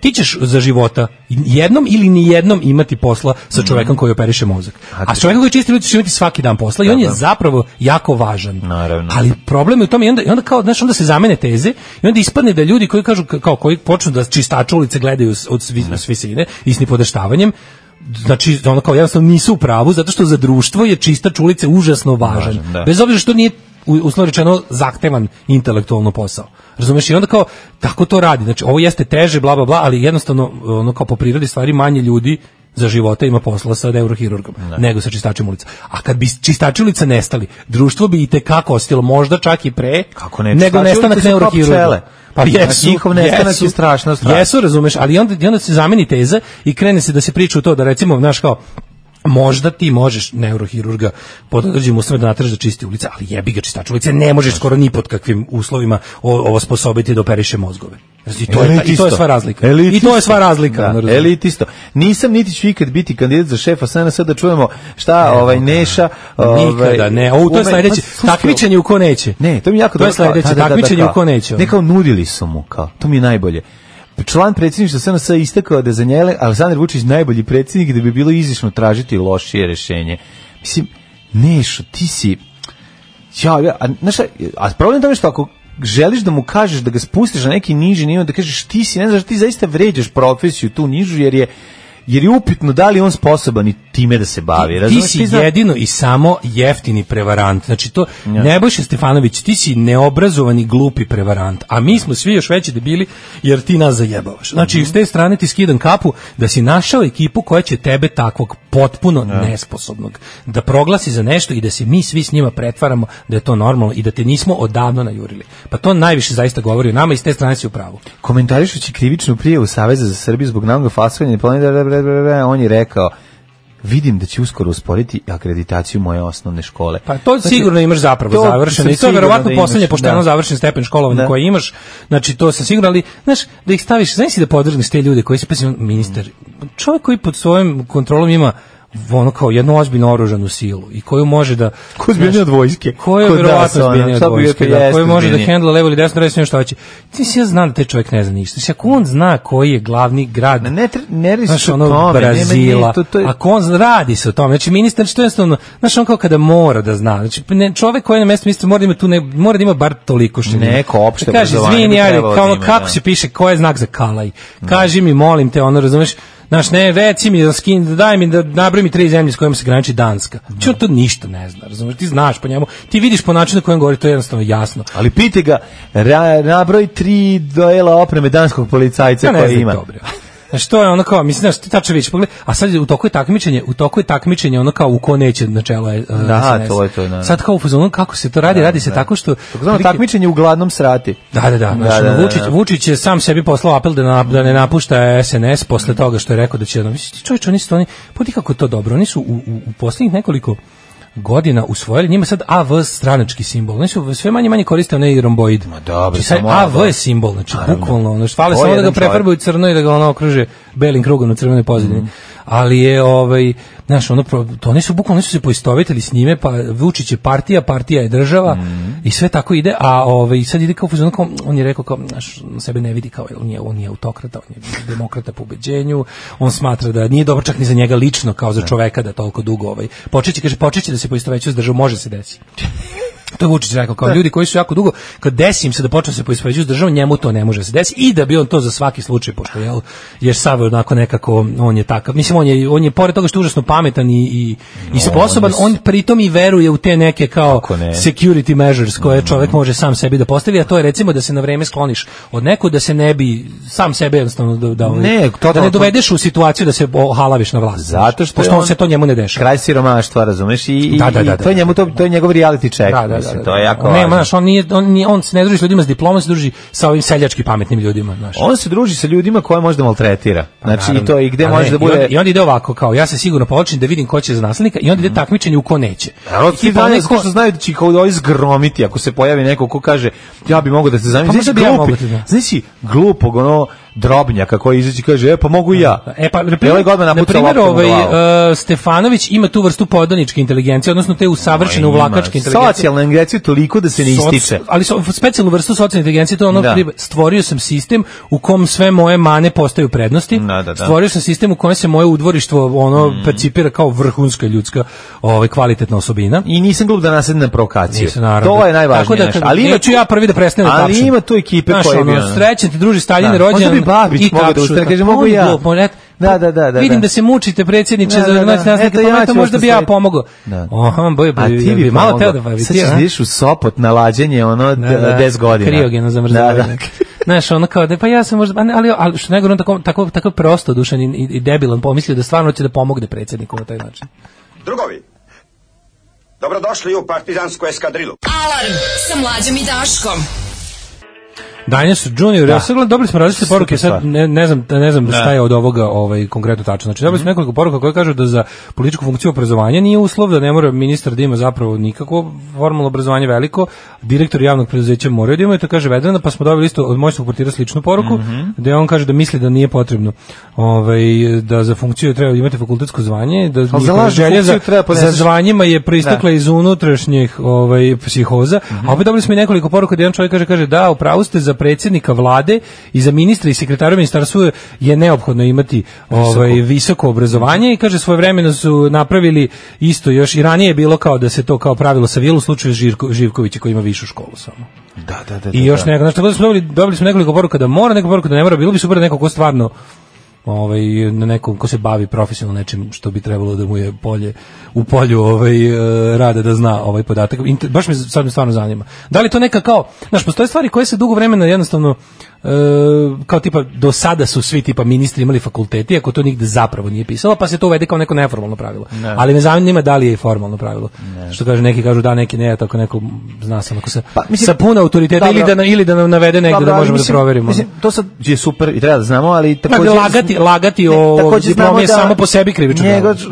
Ti ćeš za života jednom ili ni jednom imati posla sa čovekom koji operiše mozak. A s čovekom koji čisti ulicu će imati svaki dan posla i on je zapravo jako važan. Naravno. Ali problem je u tome, i onda kao, znaš, onda se zamene teze i onda ispadne da ljudi koji kažu, kao koji počnu da čistača ulice gledaju od visine i s nipodaštavanjem, znači, ono kao jednostavno nisu u pravu, zato što za društvo je čistač ulice užasno važan. Bez obzira što nije, uslovno rečeno, zahtevan intelektualno posao. Razumeš? I onda kao, tako to radi. Znači, ovo jeste teže, bla, bla, bla, ali jednostavno, ono kao po prirodi stvari, manje ljudi za života ima posla sa neurohirurgom, nego sa čistačem ulica. A kad bi čistači ulica nestali, društvo bi i tekako ostilo, možda čak i pre, nego nestanak neurohirurga. Pa njihov nestanak je strašno. Jesu, razumeš, ali onda se zameni teza i krene se da se priča u to da, recimo, znaš, kao, možda ti možeš neurohirurga pod određenim uslovima da nateraš da čisti ulice, ali jebi ga, čistač ulice ne možeš skoro ni pod kakvim uslovima ovo sposobiti da operiše mozgove. I to je sva razlika. I to je sva razlika. Elitisto. Nisam niti ću ikad biti kandidat za šefa SNS, da čujemo šta Neša. Nikada ne. To je sledeće. Takmičenje u ko neće. Ne, to mi jako dobro. To je sledeće. Takmičenje u ko neće. Ne, kao nudili su mu, kao. To mi je najbolje. Član predsjedništva SNS istakao da za njele Aleksandar Vučić najbolji predsjednik, da bi bilo izišno tražiti lošije rješenje. Mislim, Nešo, ti si... a problem je tome što želiš da mu kažeš, da ga spustiš na neki niži nivo, da kažeš ti si, ne znaš, ti zaista vređaš profesiju tu nižu, jer je upitno da li on sposoban i time da se bavi. Ti si jedino i samo jeftini prevarant. Znači to, Nebojša Stefanović, ti si neobrazovani glupi prevarant, a mi smo svi još veći debili jer ti nas zajebavaš. Znači, s te strane ti skidam kapu da si našao ekipu koja će tebe takvog potpuno nesposobnog da proglasi za nešto i da se mi svi s njima pretvaramo da je to normalno i da te nismo odavno najurili. Pa to najviše zaista govori o nama i s te strane si u pravu. Komentarišući krivičnu prijavu Saveza za Srbiju zbog nagog falsifikovanja on je rekao, vidim da će uskoro usporiti akreditaciju moje osnovne škole. Pa to sigurno imaš zapravo završeno i to je verovatno poslednje pošteno završen stepen školovanja koji imaš. Znači to sam sigurno, ali znaš, da ih staviš, znaš si da podrgneš te ljude koji se ministar, čovjek koji pod svojom kontrolom ima ono kao jednu ozbiljnu oružanu silu i koju može da ko zbiljnije od vojske, koju je verovatno zbiljnije od vojske, koju može da hendla levo ili desno, reći što hoće. Ti si ja znam da taj čovjek ne zna ništa. Ako on zna koji je glavni grad, ne radi se o tome, Brazila, ako on radi se o tome, znači ministar, što je jednostavno, znaš, on kao kada mora da zna, znači čovjek koji je na mestu ministra mora da ima bar toliko štenja. Neko opšte obrazovanje. Kaže, izvini, ajde, kao kako se piše, ko je znak za kalaj? Kaži mi, molim te, ono, razumeš, znaš, ne, reci mi, daj mi da nabroj mi 3 zemlje s kojima se graniči Danska. Znači on to ništa ne zna, razumiješ, ti znaš po njemu, ti vidiš po načinu na kojem govori, to je jednostavno jasno. Ali pite ga, nabroj 3 dela opreme danskog policajca koje ima. Znači to je ono kao, mislim, znaš, ti tačno vidiš, pogledaj, a sad u toku je takmičenje ono kao u ko neće na čelo SNS. To je to, da. Sad kao u fazonu, kako se to radi, radi se tako što... Takmičenje u gladnom srati. Vučić je sam sebi poslao apel da ne napušta SNS posle toga što je rekao da će... Čovječ, oni su, poti kako je to dobro, oni su u posljednjih nekoliko godina usvojili, njima sad AV stranački simbol. Oni su sve manje koriste onaj romboid. Ma dobro, sad AV je simbol, znači bukvalno, ono što fale samo da ga prefarbuju crno i da ga ono okruže belim krugom na crvenoj pozadini. Ali je znaš, to oni su bukvalno se poistovjetili s njime, pa Vučić je partija je država i sve tako ide, a sad ide kao fuzon, on je rekao kao, znaš, sebe ne vidi kao, on je autokrata, on je demokrata po ubeđenju, on smatra da nije dobro čak ni za njega lično, kao za čoveka da toliko dugo, počeće da se poistovećuje s državom, može se desiti. To je Vučić rekao, kao ljudi koji su jako dugo, kad desi im se da počne se poispoveđuju s državom, njemu to ne može se desiti i da bi on to za svaki slučaj, pošto je sav onako nekako, on je takav, mislim, on je pored toga što je užasno pametan i sposoban, on pritom i veruje u te neke kao security measures koje čovjek može sam sebi da postavi, a to je recimo da se na vreme skloniš od nekog, da se ne bi sam sebe jednostavno da ne dovedeš u situaciju da se halaviš na vlast. Zato što on se to njemu ne dešava. Kraj siromaštva, razumeš, i to je njegov reality check. To je jako važno. Znaš, on se ne druži s ljudima s diplomom, se druži sa ovim seljački pametnim ljudima. Znaš. On se druži sa ljudima koje možda maltretira. Znači, i to i gde može da bude... I onda ide ovako, kao, ja se sigurno povlačim da vidim ko će za naslednika i onda ide takmičenje u ko neće. Ti danje što znaju da će kao ovo zgromiti, ako se pojavi neko ko kaže, ja bi mogao da se zamislim. Znaš si glupog, Drobnjaka koji izađe i kaže, pa mogu i ja. Na primjer, Stefanović ima tu vrstu podaničke inteligencije, odnosno te usavršene uvlakačke inteligencije. Socijalna inteligencija toliko da se ne ističe. Ali specijalnu vrstu socijalne inteligencije, to je stvorio sam sistem u kom sve moje mane postaju prednosti. Stvorio sam sistem u kojem se moje udvorištvo percipira kao vrhunska ljudska kvalitetna osobina. I nisam glup da nasedim na provokaciju. To je najvažnije. Ali neću ja prvi da prestanem da tapšem. Ali ima tu ekipe koje bi... Srećan ti druži Staljin rođen. Babić mogu da ustane, kaže, mogu ja. Da. Vidim da se mučite, predsjedniče, za noć naslika, možda bi ja pomogao. A ti bi malo teo da bavi. Sad ćeš vidiš u Sopot na lađenje, 10 godina. Kriogeno zamrzavanje. Znaš, ono kao da, pa ja sam možda, ali što nego on tako prosto dušan i debilan, pomislio da stvarno će da pomogne predsjedniku na taj način. Drugovi, dobrodošli u partizansku eskadrilu. Alarm sa Mlađom i Daškom. Dinosaur Junior, ja sad gledam, dobili smo različite poruke, sad ne znam šta je od ovoga konkretno tačno. Znači, dobili smo nekoliko poruka koje kažu da za političku funkciju obrazovanja nije uslov, da ne mora ministar da ima zapravo nikakvo formalno obrazovanje veliko, direktor javnog preduzeća moraju da imaju, to kaže Vedrana, pa smo dobili isto od moćnog portira sličnu poruku, gde on kaže da misli da nije potrebno da za funkciju treba imati fakultetsko zvanje, da njihova želja za zvanjima je proistekla iz unutrašnjih psihoza, a opet dobili smo i nekoliko poruka gde jedan čovjek kaže da, upravo ste, za za predsjednika vlade i za ministra i sekretara ministarstva je neophodno imati visoko obrazovanje i kaže svojevremeno su napravili isto još i ranije je bilo kao da se to kao pravilo savijelo u slučaju Živkovića koji ima višu školu samo. Da. I još neko, znači tako da smo dobili smo nekoliko poruka da mora, nekoliko poruka da ne mora, bilo bi super da neko ko stvarno na nekom ko se bavi profesionalno nečim što bi trebalo da mu je u polju rada da zna ovaj podatak. Baš me sad stvarno zanima. Da li to neka kao, znaš, postoje stvari koje se dugo vremena jednostavno kao tipa do sada su svi tipa ministri imali fakulteti, ako to nigde zapravo nije pisalo, pa se to uvede kao neko neformalno pravilo. Ne. Ali me zanima da li je i formalno pravilo. Ne. Što kaže, neki kažu da, neki ne, tako neko zna sam ako sa puno autoriteta ili da nam navede negde da možemo da proverimo. Mislim, to sad je super i treba da znamo, ali takođe lagati o diplomi je samo po sebi krivično.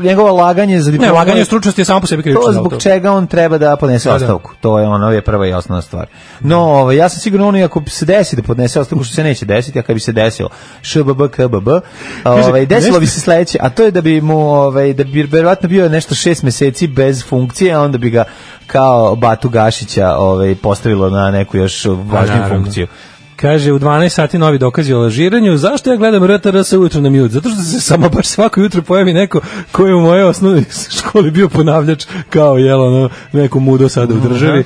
Njegovo laganje za diplomu. Ne, laganje o stručnosti je samo po sebi krivično. To zbog čega on treba da podnese ostavku. To je ono je prva i osnovna stvar. No, ja sam siguran on ako se desi da podnese ostavku, što se neće desiti, a kad bi se desilo ŠBB KBB, desilo bi se sledeće, a to je da bi mu da bi verovatno bio nešto 6 meseci bez funkcije, a onda bi ga kao Batu Gašića postavilo na neku još važniju funkciju. Kaže, u 12 sati novi dokazi o lažiranju. Zašto ja gledam RTRS ujutro na mute? Zato što se samo baš svako jutro pojavi neko koji je u mojoj osnovnoj školi bio ponavljač kao neko mudo sada u državi.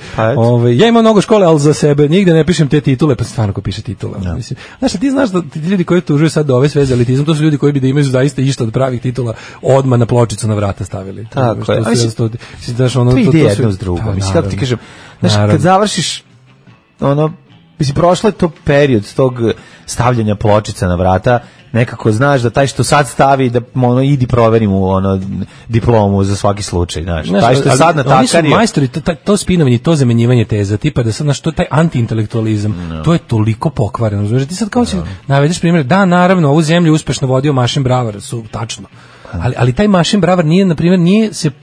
Ja imam mnogo škole, ali za sebe nigde ne pišem te titule, pa stvarno ko piše titule. Mislim. Znaš, ti znaš da ti ljudi koji tužuju sad do ove sve za elitizam, to su ljudi koji bi da imaju zaista išta od pravih titula odmah na pločicu na vrata stavili. Tako je. To ide jedno s drugom. Mislim, kako ti kažem, znaš, kad završiš mislim, prošlo je to period tog stavljanja pločica na vrata, nekako znaš da taj što sad stavi, da idi proveri mu diplomu za svaki slučaj, znaš. Taj što sad natakarije. Oni su majstori, to spinovanje, to zamenjivanje teza, tipa da sad, znaš, to taj antiintelektualizam, to je toliko pokvareno. Znaš, ti sad kao će navedeš primjer, da, naravno, ovu zemlju uspešno vodio Mašin Bravar, su tačno. Ali taj Mašin Bravar nije, na primjer,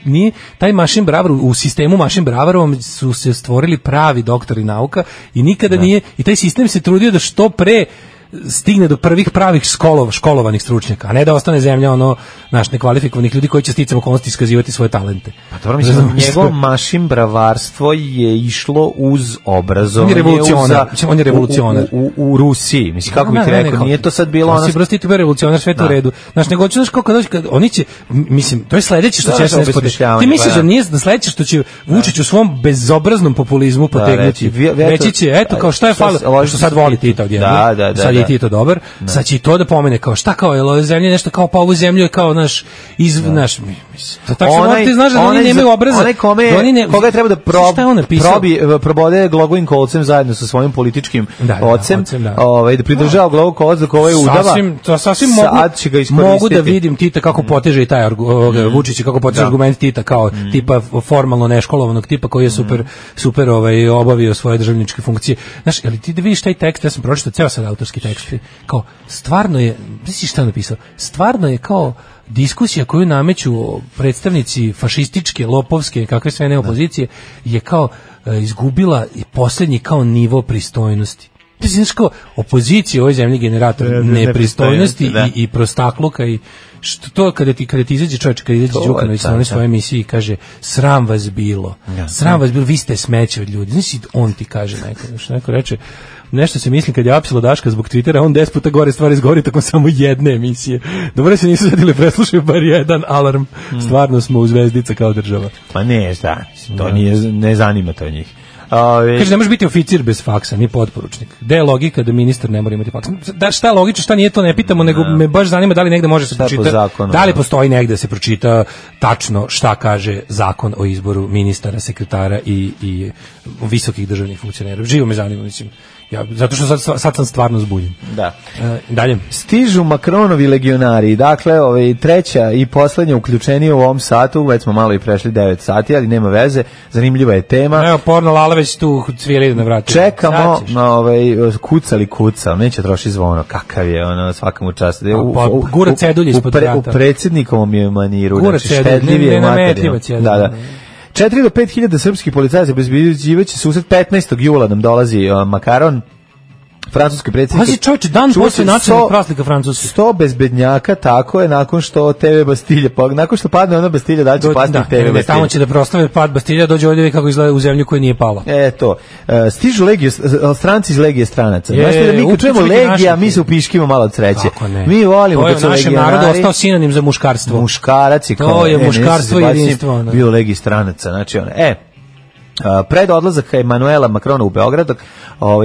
nije taj Mašin Bravar, u sistemu Mašin Bravarovom su se stvorili pravi doktori nauka i nikada nije, i taj sistem se trudio da što pre stigne do prvih pravih školovanih stručnjaka, a ne da ostane zemlja nekvalifikovanih ljudi koji će sticam okolnosti iskazivati svoje talente. Pa dobro, mislim, njegovo Mašin bravarstvo je išlo uz obrazovanje. On je revolucionar. U Rusiji, mislim, kako bih rekao, nije to sad bilo ono... Si bio revolucionar, sve to u redu. Znaš, nego ću, kad oni će, mislim, to je sledeće što će se spodešljavati. Ti misliš da nije da sledeće što će Vučić u svom bezobraznom populizmu potegnuti? Reći će, eto, kao šta je falilo, što sad voli Tita odjednom. I ti je to dobar, sad će i to da pomene kao šta kao, je ova zemlja nešto kao pa ovu zemlju je kao naš tako ti znaš da oni nemaju obraza. Onaj koga treba da probode glogovim kolcem zajedno sa svojim političkim ocem, da pridržava glogov kolac dok ovaj udava. Sasvim mogu da vidim Tita kako poteže i taj Vučić kako poteže argument Tita kao tipa formalno neškolovanog tipa koji je super obavio svoje državničke funkcije. Znaš, ali ti da vidiš taj tekst, ja sam pročitao ceo sad autorski tekst, kao stvarno je, misliš šta napisao, stvarno je kao diskusija koju nameću predstavnici fašističke, lopovske, kakve sve ne opozicije, je kao izgubila i posljednji kao nivo pristojnosti. Ti znaš kao opozicija u ovoj zemlji generator nepristojnosti i prostakluka i što to kada ti izađe čovjek, kada izađe Đukanović na svojoj emisiji i kaže sram vas bilo, vi ste smeće od ljudi. Znaš, on ti kaže neko reče, nešto se mislim kad je apsilo Daška zbog Twittera, on 10 puta gore stvari izgovori tako samo jedne emisije. Dobro se nisu zadili, preslušaju bar jedan alarm. Stvarno smo u zvezdica kao država. Pa ne, to ne zanima to njih. Kaže, ne može biti oficir bez faksa, ni potporučnik. Gde je logika da ministar ne mora imati faks? Da, šta je logično, šta nije, to ne pitamo, nego me baš zanima da li negde može se pročita, da li postoji negde se pročita tačno šta kaže zakon o izboru ministara, sekretara i visokih državnih funkcionera. Živo me zanima, mislim. Zato što sad sam stvarno zbunjen. Da. Dalje. Stižu Makronovi legionari, dakle, treća i poslednja uključenija u ovom satu, već smo malo i prešli 9 sati, ali nema veze, zanimljiva je tema. Evo, porno Lala već tu cvijeli na vratu. Čekamo na kuca, neće troši zvono, kakav je, svakamu častu. Gura cedulj ispod vrata. U predsjednikovom je maniru, gura cedulj, nenametljivac je. Da. 4 do 5 hiljada srpskih policajaca obezbeđivaće susret 15. jula nam dolazi Makaron. francuski predsjednik. Pazi čovječe, dan posle nacionalnog praznika Francuske. 100 bezbednjaka, tako je, nakon što TV Bastilja, nakon što padne ona Bastilja, da će pasti TV Bastilja. Tamo će da proslave pad Bastilja, dođe ovdje kako izgleda u zemlju koja nije pala. To. Stižu stranci iz Legije stranaca. Znaš da mi kad čujemo Legija, mi se upiškimo malo od sreće. Mi volimo kad su legionari. To je našem narodu ostao sinonim za muškarstvo. Muškarac je kao. To je muškarstvo i jedinstvo. Bio Legiji stranaca, znači pred odlazak Emanuela Macrona u Beograd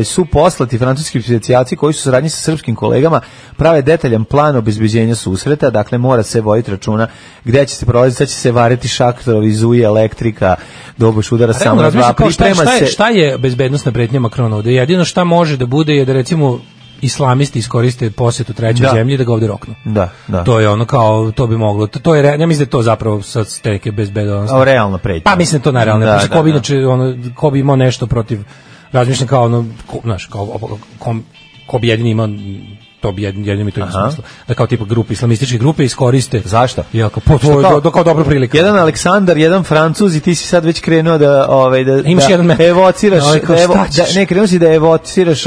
su poslati francuski specijalci koji su saradnji sa srpskim kolegama prave detaljan plan obezbeđenja susreta, dakle mora se voditi računa gde će se prolaziti, sad će se variti šaktorovi, zuje, elektrika, doboš udara samo na dva, priprema se. Šta je bezbednosna pretnja Macrona ovde? Jedino šta može da bude je da recimo islamisti iskoriste posjetu trećoj zemlji da ga ovde roknu. Da. To je ono kao, to bi moglo. To je, ja mislim da je to zapravo sa steke bezbednosti. Realno pretnja. Pa mislim da to najrealno. Ko bi imao nešto protiv, razmišljam kao ono, znaš, ko bi jedini imao, to bi jedini mi to ima smisla. Da kao tipa grupe, islamističke grupe iskoriste. Zašto? Ja, kao dobra prilika. Jedan Aleksandar, jedan Francuz i ti si sad već krenuo da evociraš, krenuo si da evociraš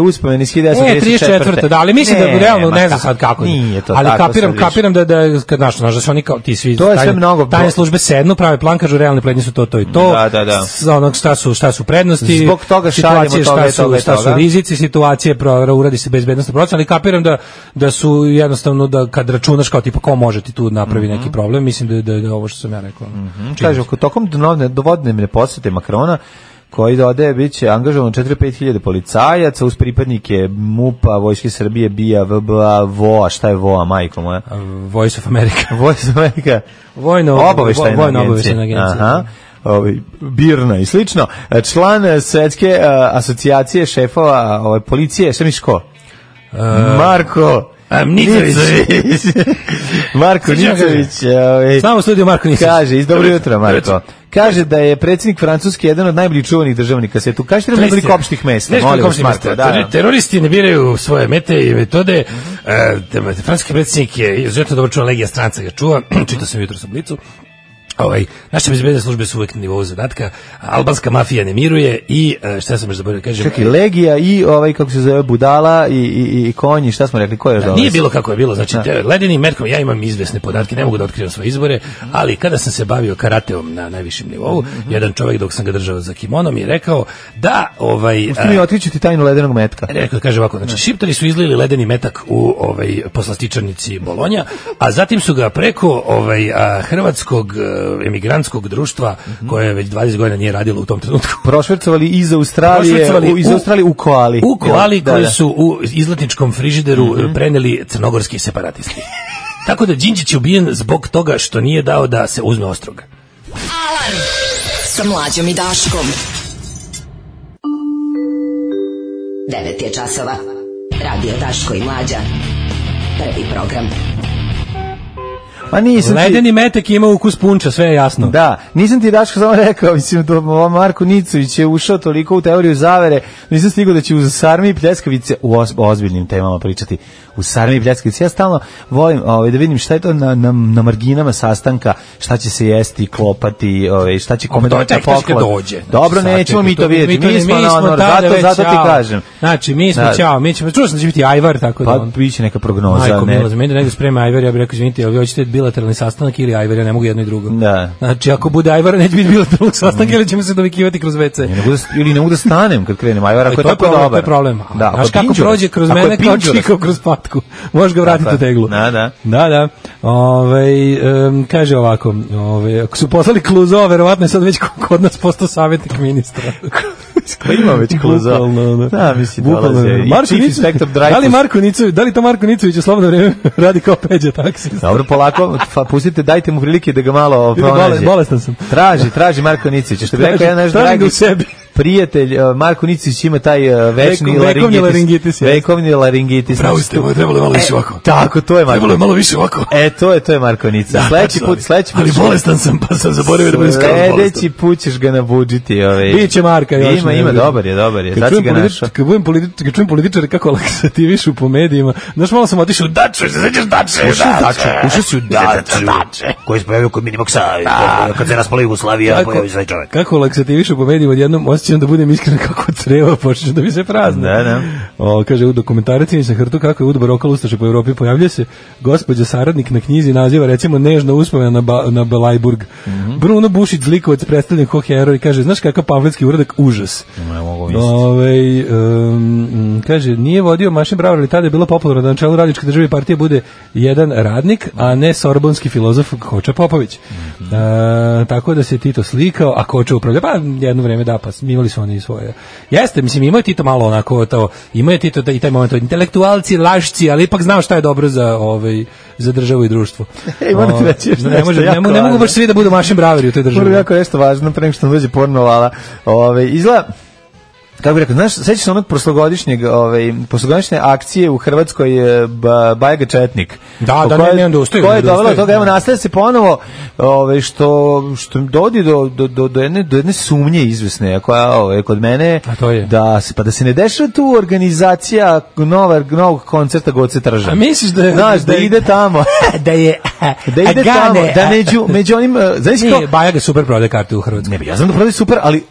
uspomeni iz 1934. Da, ali mislim da realno ne znam sad kako. Nije to ali kapiram da kad znaš da su oni kao ti svi tajne službe sednu, prave plan, kažu realne prednje su to i to. Da. Onog šta su prednosti, zbog toga šaljemo šta su rizici situacije, uradi se bezbednosna procena, ali kapiram da su jednostavno da kad računaš kao tipa ko može ti tu napravi neki problem, mislim da je ovo što sam ja rekao. Kaže, tokom dovodne posete Macrona koji dodaje bit će angažovan 4-5 hiljade policajaca uz pripadnike MUP-a, Vojske Srbije, BIA, VBA, VOA, šta je VOA, majko moja? Voice of America. Voice of America. Vojno-obaveštajna agencija. Birna i slično. Član Svetske asocijacije šefova policije, šta misliš ko? Marko Nicović. Marko Nicović. Samo studio Marko Nicović. Kaže, dobro jutro Marko. Kaže da je predsjednik Francuske jedan od najboljih čuvanih državnika svijetu. Kaže da nekoliko opštih mesta. Teroristi ne biraju svoje mete i metode. Francuski predsjednik je izuzetno dobro čuvan, Legija stranca ga čuva. Čitao sam jutro sa Blicu. Naše bezbedne službe su uvek na nivou zadatka, albanska mafija ne miruje i šta sam još zaboravio kažem. Čekaj, Legija i kako se zove Budala i konji, šta smo rekli, ko je nije bilo kako je bilo, znači ledeni metkom, ja imam izvesne podatke, ne mogu da otkrivam svoje izbore, ali kada sam se bavio karateom na najvišem nivou, jedan čovjek dok sam ga držao za kimonom je rekao da mi otkriću ti tajnu ledenog metka. Rekao, kaže ovako, znači šiptari su izlili ledeni metak u poslastičarnici Bolonja, a zatim su ga preko hrvatskog emigrantskog društva koje već 20 godina nije radilo u tom trenutku. Prošvercovali iz Australije u koali. U koali koji su u izletničkom frižideru preneli crnogorski separatisti. Tako da Đinđić je ubijen zbog toga što nije dao da se uzme ostrog. Alarm sa Mlađom i Daškom. 9 je časova. Radio Daško i Mlađa. Prvi program. Ledeni metak ima ukus punča, sve je jasno. Da, nisam ti Daško samo rekao, mislim da Marko Nicović je ušao toliko u teoriju zavere, nisam stigao da će uz sarmi i pljeskavice u ozbiljnim temama pričati. U sarmi i pljeskavice, ja stalno volim da vidim šta je to na marginama sastanka, šta će se jesti, klopati, šta će kome doći na poklon. Dobro, nećemo mi to vidjeti, mi smo na honor, zato ti kažem. Znači, mi smo ćao, čuo sam da će biti ajvar, tako da. Pa, biće neka prognoza. Majko, milo, za mene da negdje sprema ajvar, ja bih rekao, izvinite, ali hoćete bilateralni sastanak ili ajvar, ja ne mogu jedno i drugo. Da. Znači, ako bude ajvar, neće biti bilateralnog sastanka ili ćemo se dovikivati kroz WC. Ili ne mogu da stanem kad krenem ajvar, ako je tako dobar. To je problem. Da, znaš kako prođe kroz mene, kao čikao kroz patku. Možeš ga vratiti u teglu. Da. Kaže ovako, ako su poslali Kluzo, verovatno je sad već kod nas postao savjetnik ministra. Ima već Kluzo. Da, mislim, dolaze. Da li to Marko Nicović u slobodno vreme radi kao Peđa taksi? Dobro, polako, pustite, dajte mu prilike da ga malo pronađe. Bolestan sam. Traži Marko Nicović. Što bi rekao jedan naš dragi prijatelj, Marko Nicović ima taj vekovni laringitis. Pravo ste, trebalo malo više ovako. Tako, to je Marko. Trebalo malo više ovako. To je Marko Nica. Sledeći put. Ali bolestan sam, pa sam zaboravio da budem skoro bolestan. Sledeći put ćeš ga nabudžiti. Biće Marka. Ima, dobar je. Sad si ga našao. Kad čujem političare kako laksativišu po medijima, znaš, malo sam otišao u Daču, se sećaš Dače? Ušao si u Daču, koji se pojavio kod Minimoksa, kad se raspala Jugoslavija, pojavio se čovjek. Kako laksativišu po medijima, odjednom osjećam osjećam da budem iskren kako creva počne da mi se prazne. Da. Kaže, u dokumentaricima sa Hrtu kako je udbar okolo ustaše po Evropi, pojavljuje se gospođa saradnik na knjizi naziva recimo Nežna uspomena na Belajburg. Bruno Bušić zlikovac predstavljen kao heroj, kaže, znaš kakav pamfletski uradak, užas. Ne mogu misliti. Kaže, nije vodio Mašin Bravar, ali tada je bilo popularno da na čelu radničke države partije bude jedan radnik, a ne sorbonski filozof Koča Popović. Tako da se Tito slikao, a Koča upravlja, pa jedno vreme da, pa imali su oni svoje. Jeste, mislim, imao je Tito malo onako, imao je Tito i taj moment, intelektualci, lašci, ali ipak znao šta je dobro za državu i društvo. Moram ti reći još ne mogu baš svi da budu Mašin Braveri u toj državi. Moram jako nešto važno, pre nego što nam dođe porno lala. Izgleda, kako bih rekao, znaš, sećaš se onog prošlogodišnje akcije u Hrvatskoj Bajaga Četnik. Da, ne dostaju. Ko je dovelo toga, evo nastaje se ponovo što dovodi do jedne sumnje izvesne, koja kod mene, da se ne dešava tu organizacija novog koncerta Goce Tržan. A misliš da ide tamo? da ide tamo, da među onim, znaš kao... Bajaga super prodaje karte u Hrvatskoj. Ne, ja znam da prodaje super, ali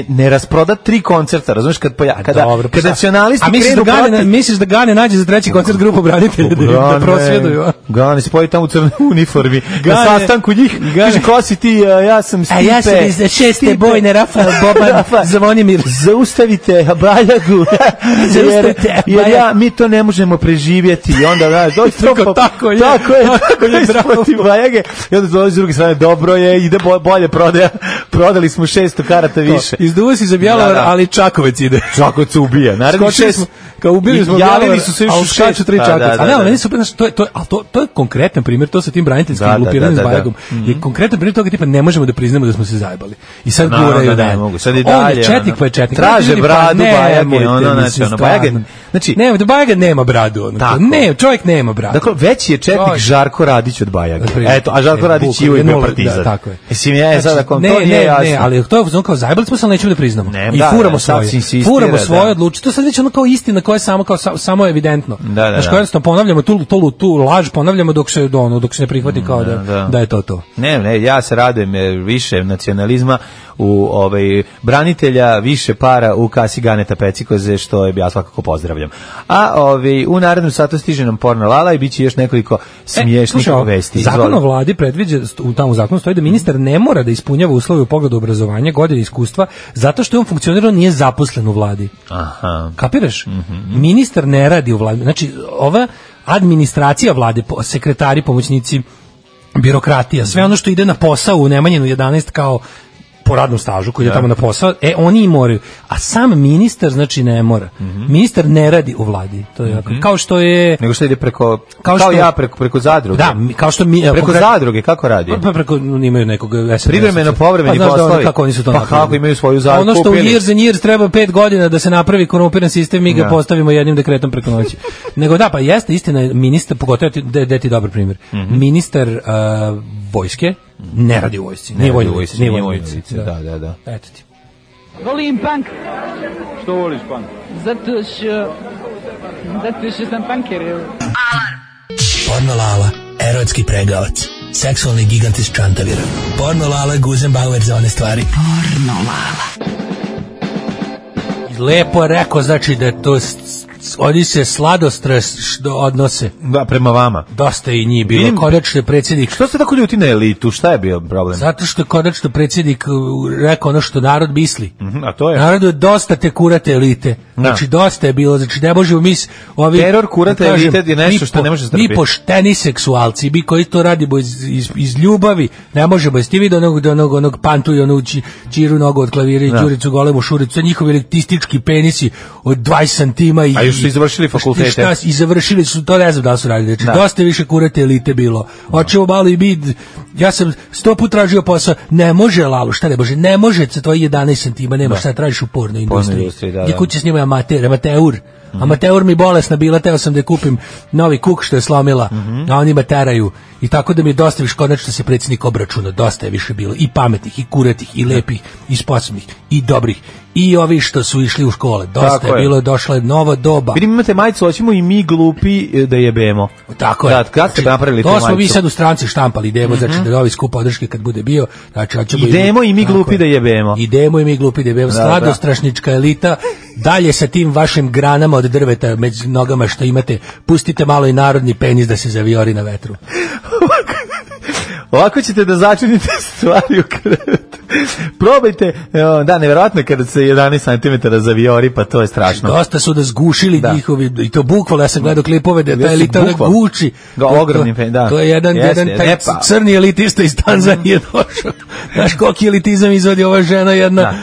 ne rasproda 3 koncerta, razumiješ, kada nacionalisti krenu protiv... Misliš da Gane nađe za treći koncert grupu branitelja da prosvjeduju? Gane se pojavi tamo u crnoj uniformi, na sastanku njih, kaže, ko si ti, ja sam Stipe. A ja sam iz 6. bojne, Rafael Boban, Zvonimir. Zaustavite Bajagu, jer mi to ne možemo preživjeti. I onda, znaš, tako je protiv Bajage. I onda dolazi s druge strane, dobro je, ide bolje prodaja, prodali smo 600 karata više. Izduva si za Bjelovar, ali Čakovec ide. Čakovec se ubija. Naravno, kao ubili smo javili su se još skaču 3 Čakovca. A ne, meni super, to je konkretan primjer, to sa tim braniteljskim lupiranjem s Bajagom. Je konkretan primjer toga tipa ne možemo da priznamo da smo se zajebali. I sad guraju da ne mogu. Sad i dalje. On je četnik, pa je četnik. Traže bradu Bajage, Bajage. Znači, ne, Bajaga nema bradu. Ne, čovjek nema bradu. Dakle, veći je četnik Žarko Radić od Bajage. Eto, a Žarko Radić je uvijek bio partizan. Tako je. Mislim, ja sad ako to nije jasno. Ne, ali to je kao zajebali smo se, ali nećemo da priznamo. I furamo svoje. Furamo svoje odlučiti. To sad već ono kao istina koja je samo evidentno. Znači, kao jednostavno ponavljamo tu laž, ponavljamo dok se ne prihvati kao da je to. Ne, ja se radujem više nacionalizma u branitelja, više para u kasi Ganeta Pecikoze, što ja svakako pozdravljam. A u narednom satu stiže nam porno lala i biće još nekoliko smiješnih vesti. Zakon o vladi predviđa, tamo u zakonu stoji da ministar ne mora da ispunjava uslove u pogledu obrazovanja, godine iskustva, zato što je on funkcionirao, nije zaposlen u vladi. Aha. Kapiraš? Ministar ne radi u vladi. Znači, ova administracija vlade, sekretari, pomoćnici, birokratija, sve ono što ide na posao u Nemanjinu 11 kao po radnom stažu koji ide tamo na posao, oni i moraju. A sam ministar, znači, ne mora. Ministar ne radi u vladi. To je kao što je... Nego što ide preko preko zadruge. Da, kao što preko zadruge, kako radi? Pa preko, imaju nekog SNS. Privremeno povremeni poslovi. Kako oni su to napravili? Pa kako imaju svoju zadrugu? Ono što u years and years treba 5 godina da se napravi korumpiran sistem, mi ga postavimo jednim dekretom preko noći. Nego da, pa jeste istina, ministar, pogotovo da ti dobar primjer. Ministar vojske ne radi u vojsci. Nije vojsci. Da. Eto ti. Volim punk. Što voliš punk? Zato što sam punker. Alarm. Porno Lala, erotski pregavac, seksualni gigant iz Čantavira. Porno Lala, Guzenbauer za one stvari. Porno Lala. Lepo je rekao, znači da to oni se sladostres odnose. Da, prema vama. Dosta i njih bilo. Konačno je predsjednik. Što se tako ljuti na elitu? Šta je bio problem? Zato što je konačno predsjednik rekao ono što narod misli. A to je? Narodu je dosta te kurate elite. Znači dosta je bilo. Znači ne možemo mi teror kurate elite je nešto što ne može strpiti. Mi pošteni seksualci, mi koji to radimo iz ljubavi, ne možemo. Jeste vidio onog pantu i onu čiru nogu od klavira i Đuricu golemu šuricu, njihovi elitistički penisi od 20 santima i su završili fakultete. I završili su, to ne znam da su radili. Znači, dosta više kurate elite bilo. Hoćemo malo i mi, ja sam 100 put tražio posao, ne može Lalo, šta ne može? Ne može sa tvoji 11 santima, nema šta tražiš u pornoj industriji. Gdje kuće snima amateur mi bolesna bila, teo sam da kupim novi kuk što je slomila, a oni me teraju I tako da mi je dosta više, konačno se predsjednik obračuna, dosta je više bilo i pametnih, i kuretih, i lepih, i sposobnih, i dobrih, i ovi što su išli u škole. Dosta je bilo, došla je nova doba. Vidim, imate majicu, hoćemo i mi glupi da jebemo. Tako je. Da, kad ste napravili tu majicu? majicu? To smo mi sad u stranci štampali, idemo, znači da novi skup podrške kad bude bio. Znači, idemo i mi glupi da jebemo. Idemo i mi glupi da jebemo. Sladostrašnička elita, dalje sa tim vašim granama od drveta među nogama što imate, pustite malo i narodni penis da se zavijori na vetru. Ovako ćete da začinite stvari u krevetu. Probajte, da, nevjerojatno je kada se 11 cm zavijori, pa to je strašno. Dosta su da zgušili njihovi, i to bukvalno, ja sam gledao klipove da ta elita da guči. Ogromni pen, da. To je jedan taj crni elitista iz Tanzanije došao. Znaš koliki elitizam izvodi ova žena, jedna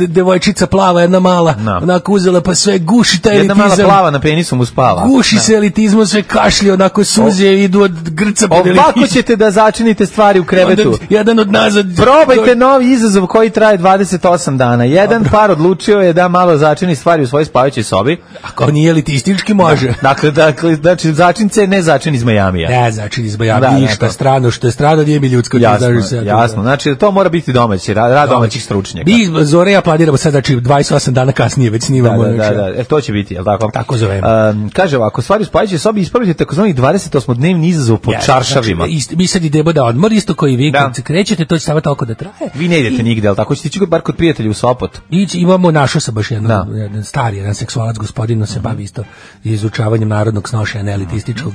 devojčica plava, jedna mala, onako uzela pa sve guši taj elitizam. Jedna mala plava na penisu mu spava. Guši se elitizmom, sve kašlje, onako suze idu od grca pod elitizam. Ovako ćete da začinite stvari u krevetu. Jedan od nazad. Probajte novi izazov koji traje 28 dana. Jedan par odlučio je da malo začini stvari u svojoj spavajućoj sobi. Ako nije elitistički, može. Dakle, znači začince ne začin iz Majamija. Ne, začin iz Majamija. Ništa strano, što je strano nije mi ljudsko. Jasno. Znači, to mora biti domaći, rad domaćih stručnjaka. Mi Zore ja planiramo sad, znači 28 dana kasnije već snimamo. Da. To će biti, je li tako? Tako zovemo. Kaže ovako, stvari u spavajućoj sobi ispravite takozvani 28-dnevni izazov po čaršavima. Mi sad idemo da odmor, isto koji vi, kad se krećete, to će samo toliko da traje. Vi ne idete nigde, ali tako ćete ići bar kod prijatelja u Sopot. Imamo, našao sam baš jedan stari, jedan seksualac gospodin, se bavi isto izučavanjem narodnog snošaja neelitističkog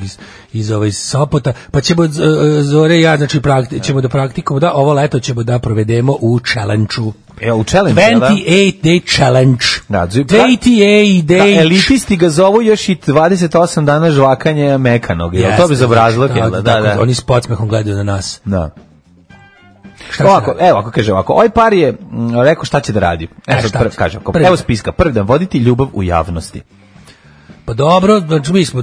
iz Sopota, pa ćemo Zore ja, znači ćemo da praktikujemo, da ovo leto ćemo da provedemo u challenge-u. U challenge, 28 day challenge. 28 day. Elitisti ga zovu još i 28 dana žvakanja mekanog. Jel to bez obrazlog? Da. Oni s podsmehom gledaju na nas. Da. Evo, ako kaže ovako, ovaj par je rekao šta će da radi. Evo spiska. Prvi dan, voditi ljubav u javnosti. Pa dobro, znači mi smo...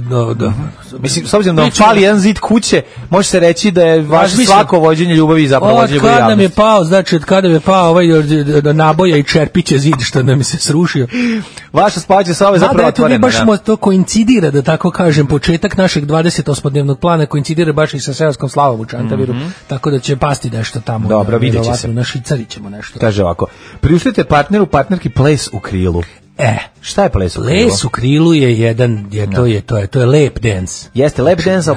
Mislim, s obzirom da vam fali jedan zid kuće, može se reći da je vaše svako vođenje ljubavi zapravo vođenje ljubavi javnosti. Od kada nam je pao, znači od kada je pao ovaj naboja i čerpiće zid što nam se srušio. Vaša spavaća soba je zapravo otvorena. Baš to koincidira, da tako kažem, početak našeg 28-dnevnog plana koincidira baš i sa seoskom slavom u Čantaviru, tako da će pasti nešto tamo. Dobro, vidjet će se. Na Šicari ćemo nešto. Kaže ovako, priuštite partnerki ples u krilu. Šta je ples u krilu? Ples u krilu je to je lap dance. Jeste lap dance, a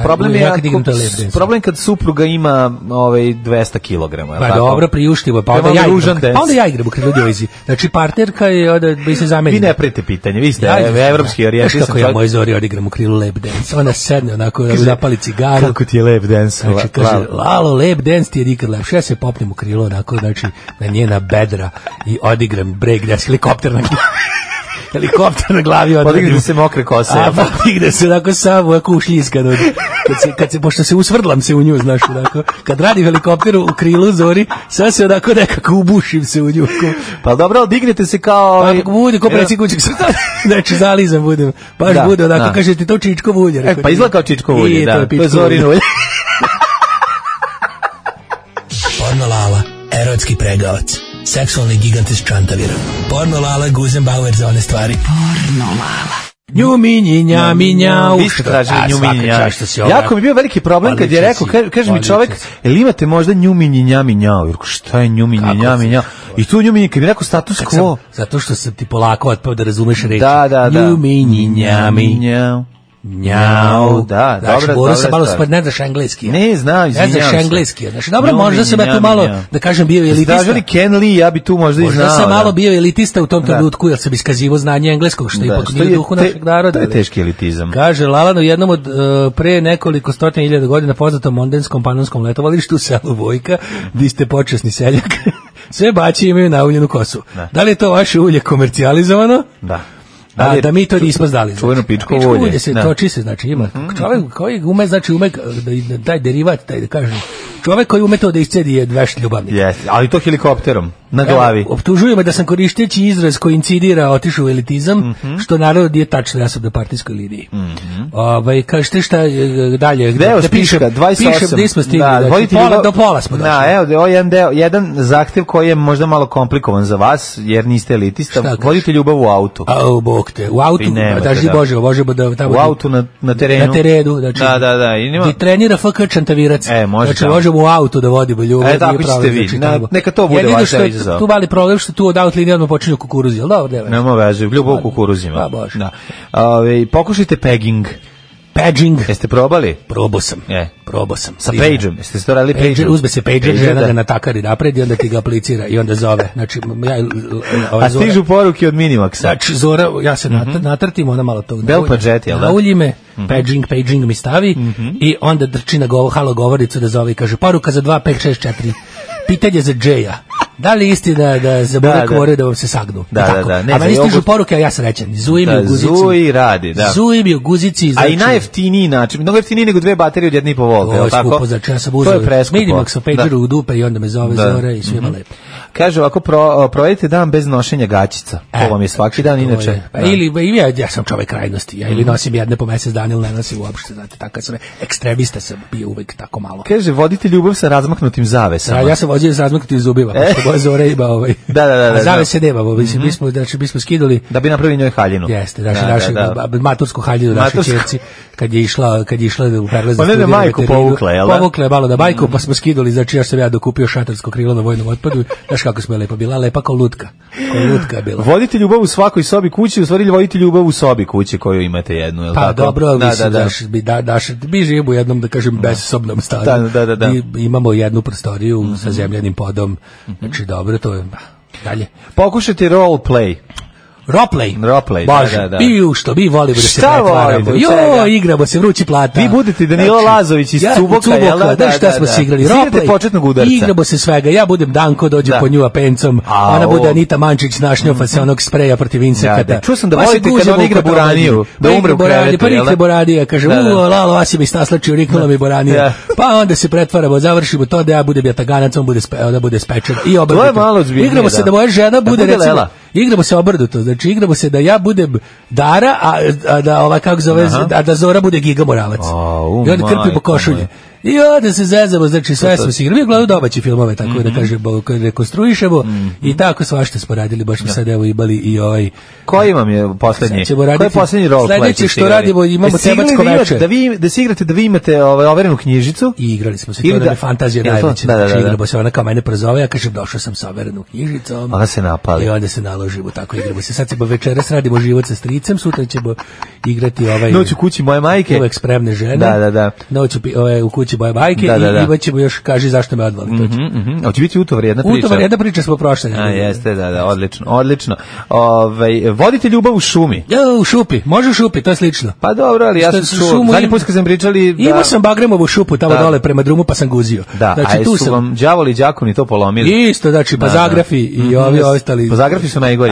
problem kad supruga ima 200 kg. Pa dobro, priuštivo, pa onda ja igram u krilu djojzi. Znači partnerka je bi se zamenila. Vi ne prete pitanje, vi ste evropski orijentisan. Kako ja moj Zori odigram u krilu lap dance. Ona sedne onako, zapali cigaru. Kako ti je lap dance? Znači kaže, Lalo, lap dance ti je nikad lepše. Ja se popnem u krilo onako, znači na njena bedra i odigram break dance, helikopter na glavi podigne se mokre kose. Podigne se onako samo ušljiskan. Kad se, pošto se usvrdlam se u nju, znaš, onako. Kad radi helikopter u krilu Zori, sad se onako nekako ubušim se u nju. Pa dobro, ali dignete se kao... Pa bude, ko predsjednik kućeg srta. Znači, zalizam budem. Baš bude, onako, kaže ti to Čičko ulje. Pa izgleda kao Čičko ulje, da. To je Zorin ulje. Porno Lala, erotski pregavac. Seksualni gigant iz Čantavira. Porno Lala, Guzenbauer za one stvari. Porno Lala. Njuminji, njami, njau. Vi ste tražili njuminji, njau. Jako mi je bio veliki problem kad je rekao, kaže mi čovek, jel imate možda njuminji, njami, njau? Jer šta je njuminji, njami, njau? I tu njuminji, kad mi rekao status quo. Zato što sam ti polako otpao da razumeš reći. Da. Njuminji, njami, njau. Njau, da, dobro. Dobro se malo ne znaš engleski. Ne znam, izvinjavam se. Ne znaš engleski. Znači, dobro, možda sam ja tu malo, da kažem, bio elitista. Stražili Ken Lee, ja bi tu možda i znao. Možda sam malo bio elitista u tom trenutku, jer sam iskazivao znanje engleskog, što ipak nije u duhu našeg naroda. To je teški elitizam. Kaže, Lalano, jednom od pre nekoliko 100.000 godina poznatom mondenskom panonskom letovalištu u selu Vojka, vi ste počasni seljak, sve baće imaju nauljenu kosu. Da li je to vaše ulje komercijalizovano? Da. Da mi to nismo znali. Čuveno pičko ulje. Se toči se, znači ima. Čovjek koji ume, znači ume taj derivat, taj da kažem, čovjek koji ume to da iscedi je vešt ljubavnik. Jeste, ali to helikopterom. Na glavi. Optužuju me da sam koristeći izraz koji incidira otišao u elitizam, što naravno nije tačno, ja sam na partijskoj liniji. Kažete šta dalje? Gde je spiška? 28. Gde smo stigli? Do pola smo došli. Evo jedan zahtev koji je možda malo komplikovan za vas, jer niste elitista. Vodite ljubav u autu. Bog te. U autu, daži Bože, da tamo... U autu na terenu. Na terenu, znači. Da. I trenira FK Čantavirac. Znači, možemo u autu da vodimo ljubav. Tako ćete vi. Neka to bude vaš izazov. Tu mali problem što tu od out linije odmah počinju kukuruzi, ali dobro, nema veze, ljubav u kukuruzima. Pa bože. Pokušajte pegging. Paging. Jeste probali? Probao sam. Sa pageom. Jeste to radili pageom? Uzme se pager, žena ga natakari napred i onda ti ga aplicira i onda zove. Znači, a stižu poruke od Minimaxa. Znači, Zora, ja se natrtim, ona malo tog... Bell Padžet, jel da? Naulji me, paging mi stavi i onda drči na halo govoricu da zove i kaže, poruka za 2564. Pitanje za Džeja. Da li istina da za Burek more da vam se sagnu? Da. A meni stižu poruke, a ja sam srećan. Zuji mi u guzici. Zuji radi, da. Zuji mi u guzici. A i najjeftiniji način. Mnogo jeftiniji nego 2 baterije od 1,5 volta. Ovo je skupo, znači ja sam uzeo Minimax pageru u dupe i onda me zove Zora i svima lepo. Kaže ovako, provedite dan bez nošenja gaćica. To vam je svaki dan inače. Ili ja sam čovek krajnosti. Ja ili nosim jedne po mesec dana ili ne nosim uopšte. Znate, tako sam ekstremista sam bio uvek tako malo. Kaže, vodite ljubav sa razmaknutim zavesama. Ja sam vodio sa razmaknutim zubima. Zora ima Da. A zavese nemamo, mi smo skidali da bi napravili njoj haljinu. Jeste, našu matursku haljinu našoj ćerci kad je išla u prelaznu. Pa ne majku povukla, jel da? Povukla je malo na majku, pa smo skidali, znači ja sam dokupio šatarsko krilo na vojnom otpadu. Znaš kako smo lepo bila, lepa kao lutka. Kao lutka je bila. Vodite ljubav u svakoj sobi kući, u stvari vodite ljubav u sobi kući koju imate jednu, jel tako? Pa dobro, mi živimo u jednom, da kažem, bezsobnom stanu. Da. Imamo jednu prostoriju sa zemljanim podom. Znači dobro, to je dalje. Pokušajte role play. Roleplay. Bože, da. Što mi volimo da se pretvaramo. Igramo se, vrući plata. Vi budete Danilo Lazović iz Cuboka, jel da? Šta smo se igrali? Roleplay. Početnog udarca. Igramo se svega. Ja budem Danko, dođe po nju apencom. Ona bude Anita Mančić, našnjofa se onog spreja protiv insekata. Čuo sam da volite kad on igra Buraniju, da umre u krevetu. Pa nikne Buranija, kaže, Lalo, Asi mi staslačio, riknula mi Buranija. Pa onda se pretvaramo, završimo to da ja budem jataganac, on bude spečer. I obrnuto. Igramo se da moja žena bude, recimo, igramo se obrnuto. Znači, igramo se da ja budem Dara, a da kako zove, a da Zora bude Giga Moravac. I onda krpimo košulje. I onda se zezamo, znači sve smo se igrali. Mi gledamo domaće filmove, tako da kažemo, rekonstruišemo i tako svašta smo radili, baš smo sad evo imali i ovaj... Koji vam je poslednji? Koji je poslednji roleplay? Sledeće što radimo, imamo tematsko veče. Da se igrate, da vi imate overenu knjižicu? I igrali smo se, to da je fantazija najveća. Znači igramo se, ona kao mene prozove, ja kažem došao sam sa overenom knjižicom. Onda se napali. I onda se naložimo, tako igramo se. Sad ćemo večeras radimo život sa stricem, sutra ćemo igrati ovaj... Noć u kući moje majke. Uvek spremne žene. Da. Noć u kući moje majke i imaćemo još, kaži zašto me odvali. Hoće biti utovar jedna priča. Utovar jedna priča smo prošli. Jeste, da, odlično. Vodite ljubav u šumi. Ja, u šupi, može u šupi, to je slično. Pa dobro, ali ja sam čuo, zadnji put kad sam pričali... Imao sam Bagremovu šupu tamo dole prema drumu pa sam guzio. Da, a su vam đavoli i đakoni to polomili? Isto, znači, pa Zagrafi i ovi ostali. Pa Zagrafi su najgori.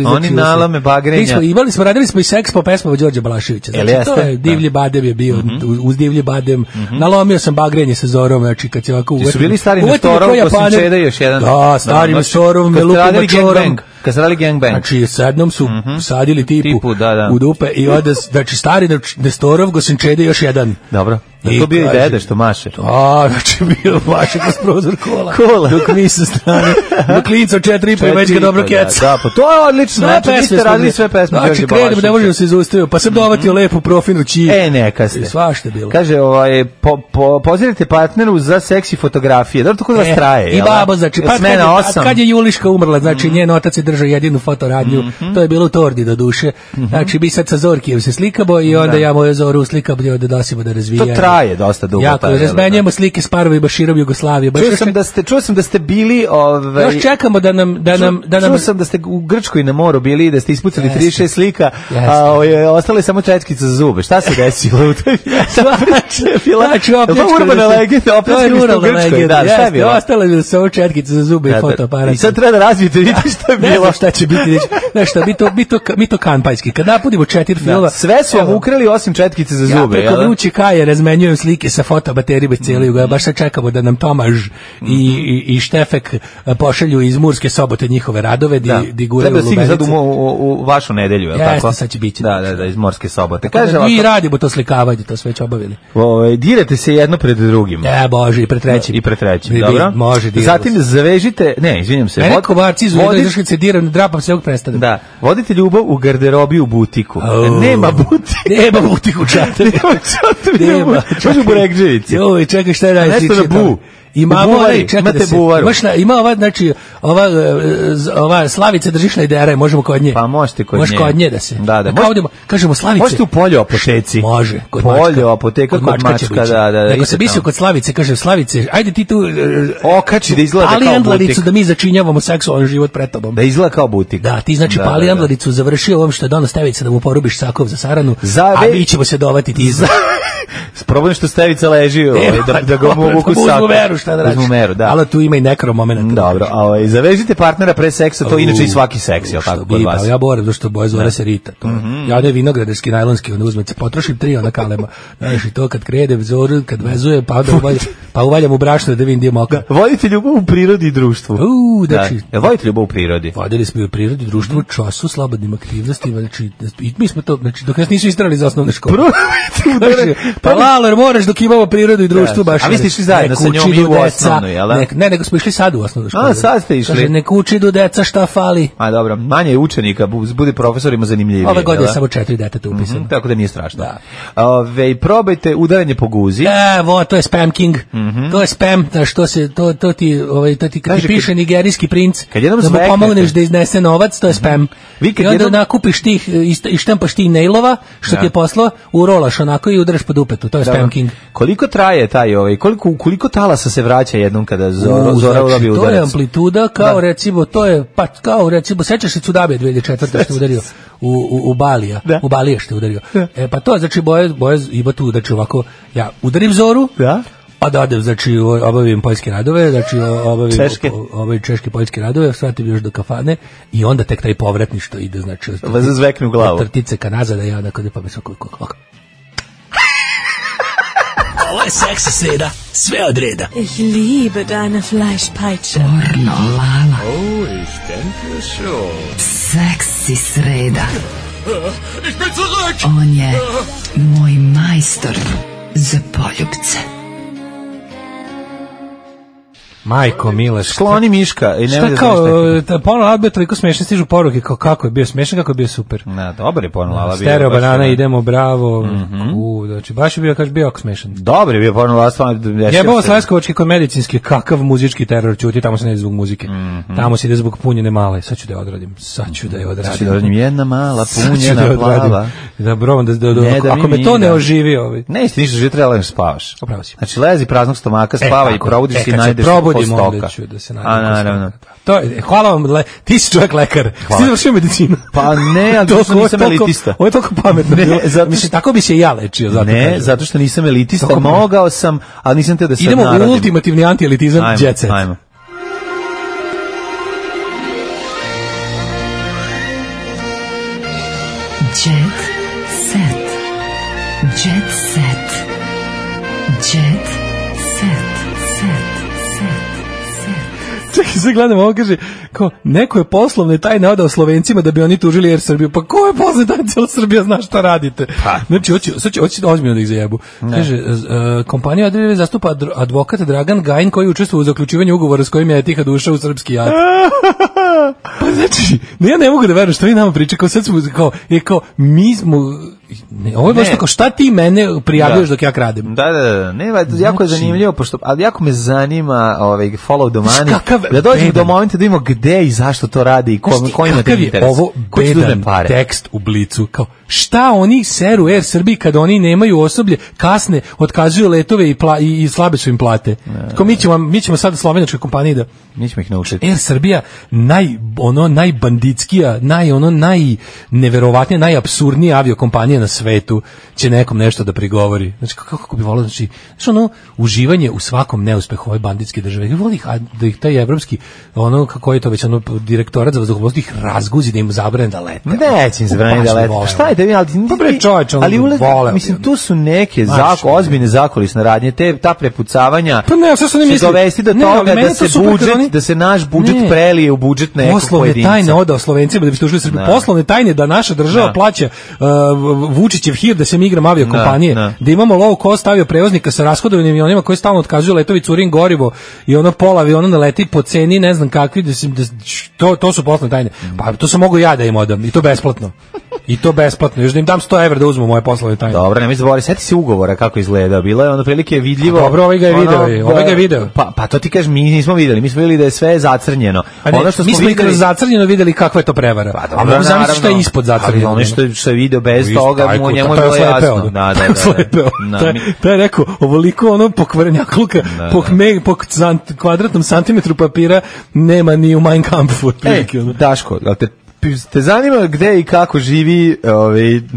Oni nalame bagrenja. Radili smo i seks po pesmama Đorđa Balaševića. Znači, to je Divlji badem je bio, uz Divlji badem. Nalomio sam bagrenje sa Zorom, znači kad se ovako... Ti su bili stari Nestorov, Kosinčeda još jedan... Da, stari Nestorov, Melupima Čorom. Kad se radili gangbang. Znači, s jednom su sadili tipu u dupe i onda, znači, stari Nestorov, Kosinčeda još jedan. Dobro. To bio i dede što maše. Da, znači bio maše kroz prozor kola. Dok mi sa strane, dok klinca 4,5 i već ga dobro keca. Da, pa to je odlično. Znači, vi ste radili sve pesme. Znači, krenemo, ne možemo se izustaviti. Pa sam dovatio lepu profinu čiji. Neka ste. Svašta bilo. Kaže, pozirajte partneru za seksi fotografije. Dobro, to kod vas traje. I babo, znači, kad je Juliška umrla, znači, njen otac je držao jedinu fotoradnju. To je bilo u Tordi do duše. Znači, mi sad sa Zorkijem se slikamo i onda ja moju Zoru slikam i onda nosimo da razvijamo. traje dosta dugo. Jako, razmenjujemo slike s parovima širom Jugoslavije. Čuo sam da ste bili... Još čekamo da nam... Čuo sam da ste u Grčkoj na moru bili i da ste ispucali 36 slika, a ostale samo četkice za zube. Šta se desilo u toj Znači, urbana legenda, opljačkali ste u Grčkoj. Da, šta je bilo? Ostale mi samo četkice za zube i fotoaparat. I sad treba da razvijete, vidite šta je bilo. Ne znam šta će biti. Znaš šta, mi to kanpajski. Kad napudimo 4 filma... Sve su vam ukrali osim četkice za zube. Ja preko vruće kaje razmenjujem pozajmljujem slike sa fotobaterijima cijeli Jugoslavije. Baš sad čekamo da nam Tomaž i Štefek pošalju iz Murske Sobote njihove radove di guraju Lubenice. Treba stigne sad u vašu nedelju, je li tako? Jeste, sad će biti. Da, iz Morske Sobote. Kaže, mi radimo to slikavanje, to sve već obavili. Direte se jedno pred drugim. Bože, i pred trećim. I pred trećim, dobro. Može, zatim zavežite, izvinjam se. Mene kovarci izuđu, izašli se diram, drapam se ovog prestane. Da, vodite ljubav u garderobi u butiku. Nema butiku. Nema butiku čata. Nema. Može u Burekđevici. Joj, čekaj, šta je radi? Nešto na bu. Imate buvaru. Ima ova, znači, ova Slavica drži šlajdera, možemo kod nje. Pa možete kod nje. Može kod nje da se. Da. Kažemo Slavice. Možete u polju apoteci. Može, kod polju apoteka kod mačka, da. Nego se bisio kod Slavice, kaže Slavice, ajde ti tu okači da izgleda kao butik. Pali andlaricu da mi začinjavamo seksualan život pred tobom. Da izgleda kao butik. Da, ti znači pali andlaricu, završio ovom što je dono Stevica da mu porubiš sakov za saranu, a mi ćemo se dovati ti za... Problem što Stevica leži, da ga mogu sakov. Uzmu meru, šta da radiš. Ali tu ima i nekro moment. Dobro, zavežite partnera pre seksa, to inače i svaki seks, je li tako kod vas? Ja boram, zato što boje zove se Rita. Ja ne vinogradarski, najlonski, onda uzmem, potrošim 3 ona kalema. Znaš, i to kad krede vzoru, kad vezuje, pa uvaljam u brašno da vidim gdje je moka. Vodite ljubav u prirodi i društvu. Vodite ljubav u prirodi. Vodili smo i u prirodi, društvu, u času, slobodnim aktivnostima, znači, mi smo to, znači, dok nas nisu istrali za osnovne škole. Pa lalo, jer moraš dok imamo prirodu i društvo baš. A vi ste išli zajedno sa njom i u osnovnu, jel da? Ne, nego smo išli sad u osnovnu školu. A, sad ste išli. Kaže, nek uči do deca šta fali. A dobro, manje je učenika, bude profesorima zanimljivije. Ove godine je samo 4 deteta upisano. Tako da nije strašno. Probajte udaranje po guzi. To je spam king. To je spam, što se, to ti kad ti piše nigerijski princ, da mu pomogneš da iznese novac, to je spam. I onda nakupiš tih, i štampaš tih nailova, što ti je poslao, urolaš onako i udaraš po dupetu, to je spam king. Koliko traje taj, koliko talasa se vraća jednom kada Zora udabi udarac? To je amplituda, kao recimo, sećaš se Cudabe 2004. što je udario u Balija, u Balije što je udario. Pa to, znači, boje ima tu, znači ovako, ja udarim Zoru, a da odem, znači, obavim poljske radove, znači, obavim češke poljske radove, svratim još do kafane i onda tek taj povratni što ide, znači, vas zvekne u glavu. Trtice ka nazad, ja onako, pa me svako. Ovo je seksi sreda, sve od reda. Ich liebe deine Fleischpeitsche. Pornolala. Oh, ich denke schon. Seksi sreda. Ich bin zurück! On je moj majstor za poljubce. Majko mila, skloni Miška i šta kao Porno Lala bio toliko smešan, stižu poruke kako je bio smešan, kako je bio super. Dobar je Porno Lala bio. Stereo banana, idemo, bravo. Znači baš je bio, kaže, bio smešan. Dobar je bio Porno Lala, stvarno. Jebao Sleskovački kod medicinski, kakav muzički teror, ćuti, tamo se ne ide zbog muzike. Tamo se ide zbog punjene male. Sad ću da je odradim. Jedna mala punjena plava. Da brovam ako me to ne oživi ovaj. Ne, isti ništa, že treba da spavaš. Upravo si. Znači lezi praznog stomaka, spava i probudiš se i najdeš onda ću da se naravno. To je, hvala vam, ti si čovjek lekar. Ti završio medicinu. Pa ne, ali zato što nisam elitista. Ovo je toliko pametno. Mislim, tako bi se i ja lečio. Zato što nisam elitista, mogao sam, ali nisam te da sad narodim. Idemo u ultimativni anti-elitizam, jet set. Jet set. Jet set. Jet set. Čekaj, sad gledam, ovo kaže, kao, neko je poslovne tajne odao Slovencima da bi oni tužili Air Srbiju. Pa ko je poslovne tajne, cijela Srbija zna šta radite. Znači, hoće ozbiljno da ih zajebu. Kaže, kompanija Adrive zastupa advokat Dragan Gajin koji učestvuje u zaključivanju ugovora s kojim je Etihad ušao u srpski jat. Pa znači, ja ne mogu da verujem što vi nama priča, kao sad smo, kao, mi smo... Ovo je baš tako, šta ti mene prijavljaš dok ja kradim? Da, jako je zanimljivo, ali jako me zanima follow the money, da dođemo do momenta da vidimo gde i zašto to radi i ko ima te interes. Ovo bedan tekst u Blicu, kao, šta oni seru Air Srbiji kada oni nemaju osoblje, kasne, otkazuju letove i slabe su im plate. Kao, mi ćemo sad slovenačkoj kompaniji da... Mi ćemo ih naučiti. Air Srbija, najbanditskija, najneverovatnija, najapsurdnija aviokompanija na svetu će nekom nešto da prigovori. Znači, kako bi volio, znači ono, uživanje u svakom neuspehu ove banditske države. Ja volim da ih taj evropski, ono, kako je to već, ono, direktorat za vazduhoplovstvo ih razguzi, da im zabrane da lete. Neće im zabrane da lete. Šta je tebi, ali mislim, tu su neke ozbiljne zakulisne radnje, ta prepucavanja će dovesti do toga da se naš budžet prelije u budžet nekog pojedinca. Poslovne tajne odao Slovencima da biste ušli u Srbiju. Poslovne tajne da naša država plaća Vučićev hir da se mi igram aviokompanije, da imamo low cost avioprevoznika sa rashodovanim avionima koji stalno otkazuju letovi, curin gorivo i ono pola aviona ne leti po ceni ne znam kakvi, to su poslovne tajne. Pa to sam mogu ja da im odam i to besplatno. I to besplatno, još da im dam 100 evra da uzmu moje poslovne tajne. Dobro, nemoj zaboraviti, sjeti se ugovora kako izgleda. Bilo je ono prilike vidljivo. Dobro, ovaj ga je video. Pa to ti kažeš, mi nismo vidjeli. Mi smo vidjeli da je sve zacrnjeno. Mi smo i kroz zacrnjeno vidjeli kakva je to prevara. A mogu zamisliti što je ispod zacrnjeno. Ali ono što je video bez toga, njemu je bilo jasno. To je rekao, ovoliko ono pokvarenjakluka, po kvadratnom santimetru papira nema ni u Mein Kampfu. Daško, te zanima gde i kako živi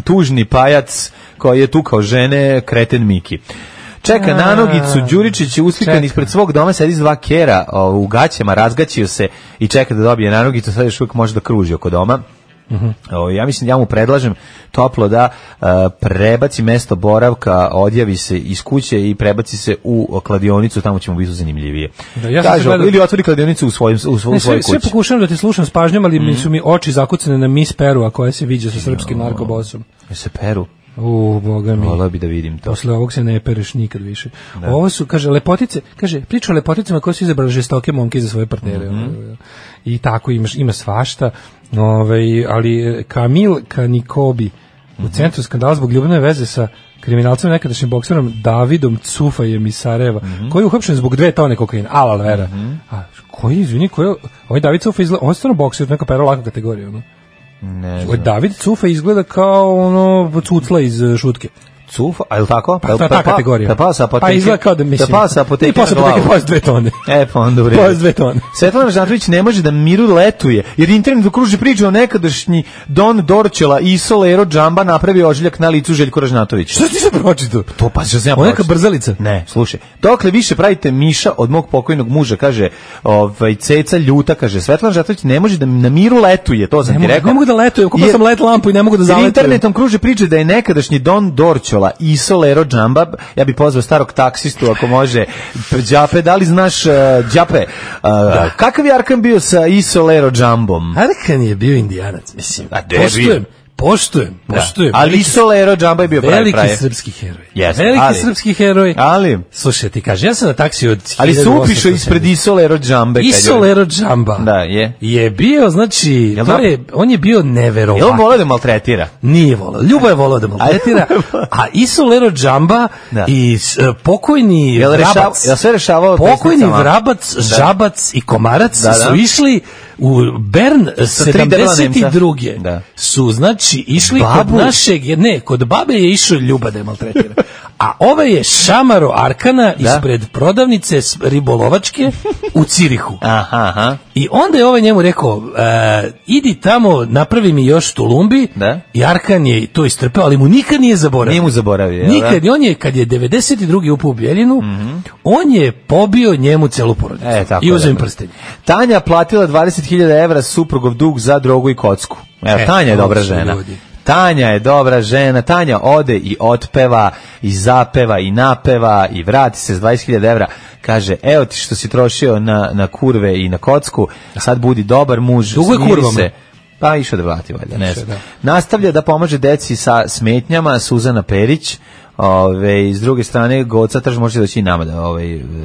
tužni pajac koji je tukao žene, kreten Miki. Čeka nanogicu, Đuričić je uslikan ispred svog doma, sedi s 2 kera u gaćama, razgaćio se i čeka da dobije nanogicu, sad još uvijek može da kruži oko doma. Ja mislim, ja mu predlažem toplo da prebaci mesto boravka, odjavi se iz kuće i prebaci se u kladionicu, tamo će mu biti zanimljivije. Kaže, ili otvori kladionicu u svojoj kući. Sve pokušavam da te slušam s pažnjom, ali su mi oči zakucane na Miss Peru, a koja se viđa sa srpskim narkobosom. Se Peru? Boga mi. Volao bi da vidim to. Posle ovog se ne pereš nikad više. Ovo su, kaže, lepotice, priča o lepoticama koje su izabrali žestoke momke za svoje partnere. I tako ima svašta. Ali Kamil Kanikobi u centru skandala zbog ljubavne veze sa kriminalcem nekadašnjim bokserom Davidom Cufajem iz Sarajeva, koji je uhapšen zbog 2 tone kokaina. Alal vera. A ovaj David Cufa izgleda, on je stvarno bokser, neka pero laka kategorija, ono. Ne znam. David Cufa izgleda kao ono cucla iz Šutke. Cufa, a je li tako? Pa to je ta kategorija. Pa izgleda kao da mislim. Pa sa apoteke. I posle apoteke pojez 2 tone. Pa onda u redu. Pojez 2 tone. Svetlana Žantović ne može da miru letuje, jer internet okruži priču o nekadašnji Don Dorčela i Solero Džamba napravio ožiljak na licu Željko Ražnatović. Što ti se pročitao? To pa što sam ja pročitao. Neka brzalica. Ne, slušaj. Dokle više pravite miša od mog pokojnog muža, kaže, Ceca ljuta, kaže, Svetlana Žantović ne može da na miru letuje, to sam ti rekao. Ne mogu da letujem, kupio sam let lampu i ne mogu da zaletujem. Internetom kruži priče da je nekadašnji Don Dorčela i Solero Džamba, ja bih pozvao starog taksistu ako može. Đape, da li znaš Đape? Kakav je Arkan bio sa Isolero Džambom? Arkan je bio Indijanac, mislim. Poštujem. Ali Isolero Džamba je bio veliki srpski heroj. Veliki srpski heroj. Ali slušaj, ti kaže, ja sam na taksiju od 1800. Ali su upišao ispred Isolero Džambe. Isolero Džamba. Da, je bio, znači, on je bio neverovatan. Je on volao da maltretira? Nije volao. Ljubo je volao da maltretira. A Isolero Džamba i pokojni Vrabac. Ja sve rešavao. Pokojni Vrabac, Žabac i Komarac su išli u Bern 72. Su, znači, išli kod našeg, kod babe je išao Ljuba da je maltretira. A ovaj je šamaro Arkana ispred prodavnice ribolovačke u Cirihu. Aha. I onda je ovaj njemu rekao, idi tamo, napravi mi još tulumbi. I Arkan je to istrpeo, ali mu nikad nije zaboravio. Nije mu zaboravio. Nikad. I on je, kad je 92. upao u Bijeljinu, on je pobio njemu celu porodicu. I uzeo im prstenje. Tanja platila 20.000 evra suprugov dug za drogu i kocku. Tanja je dobra žena. Tanja je dobra žena, Tanja ode i otpeva, i zapeva, i napeva, i vrati se s 20.000 evra, kaže, evo ti što si trošio na kurve i na kocku, sad budi dobar muž, smiri se. Pa išao da vrati, valjda, ne znam. Nastavlja da pomaže deci sa smetnjama, Suzana Perić, s druge strane, Goca Tržan može doći i nama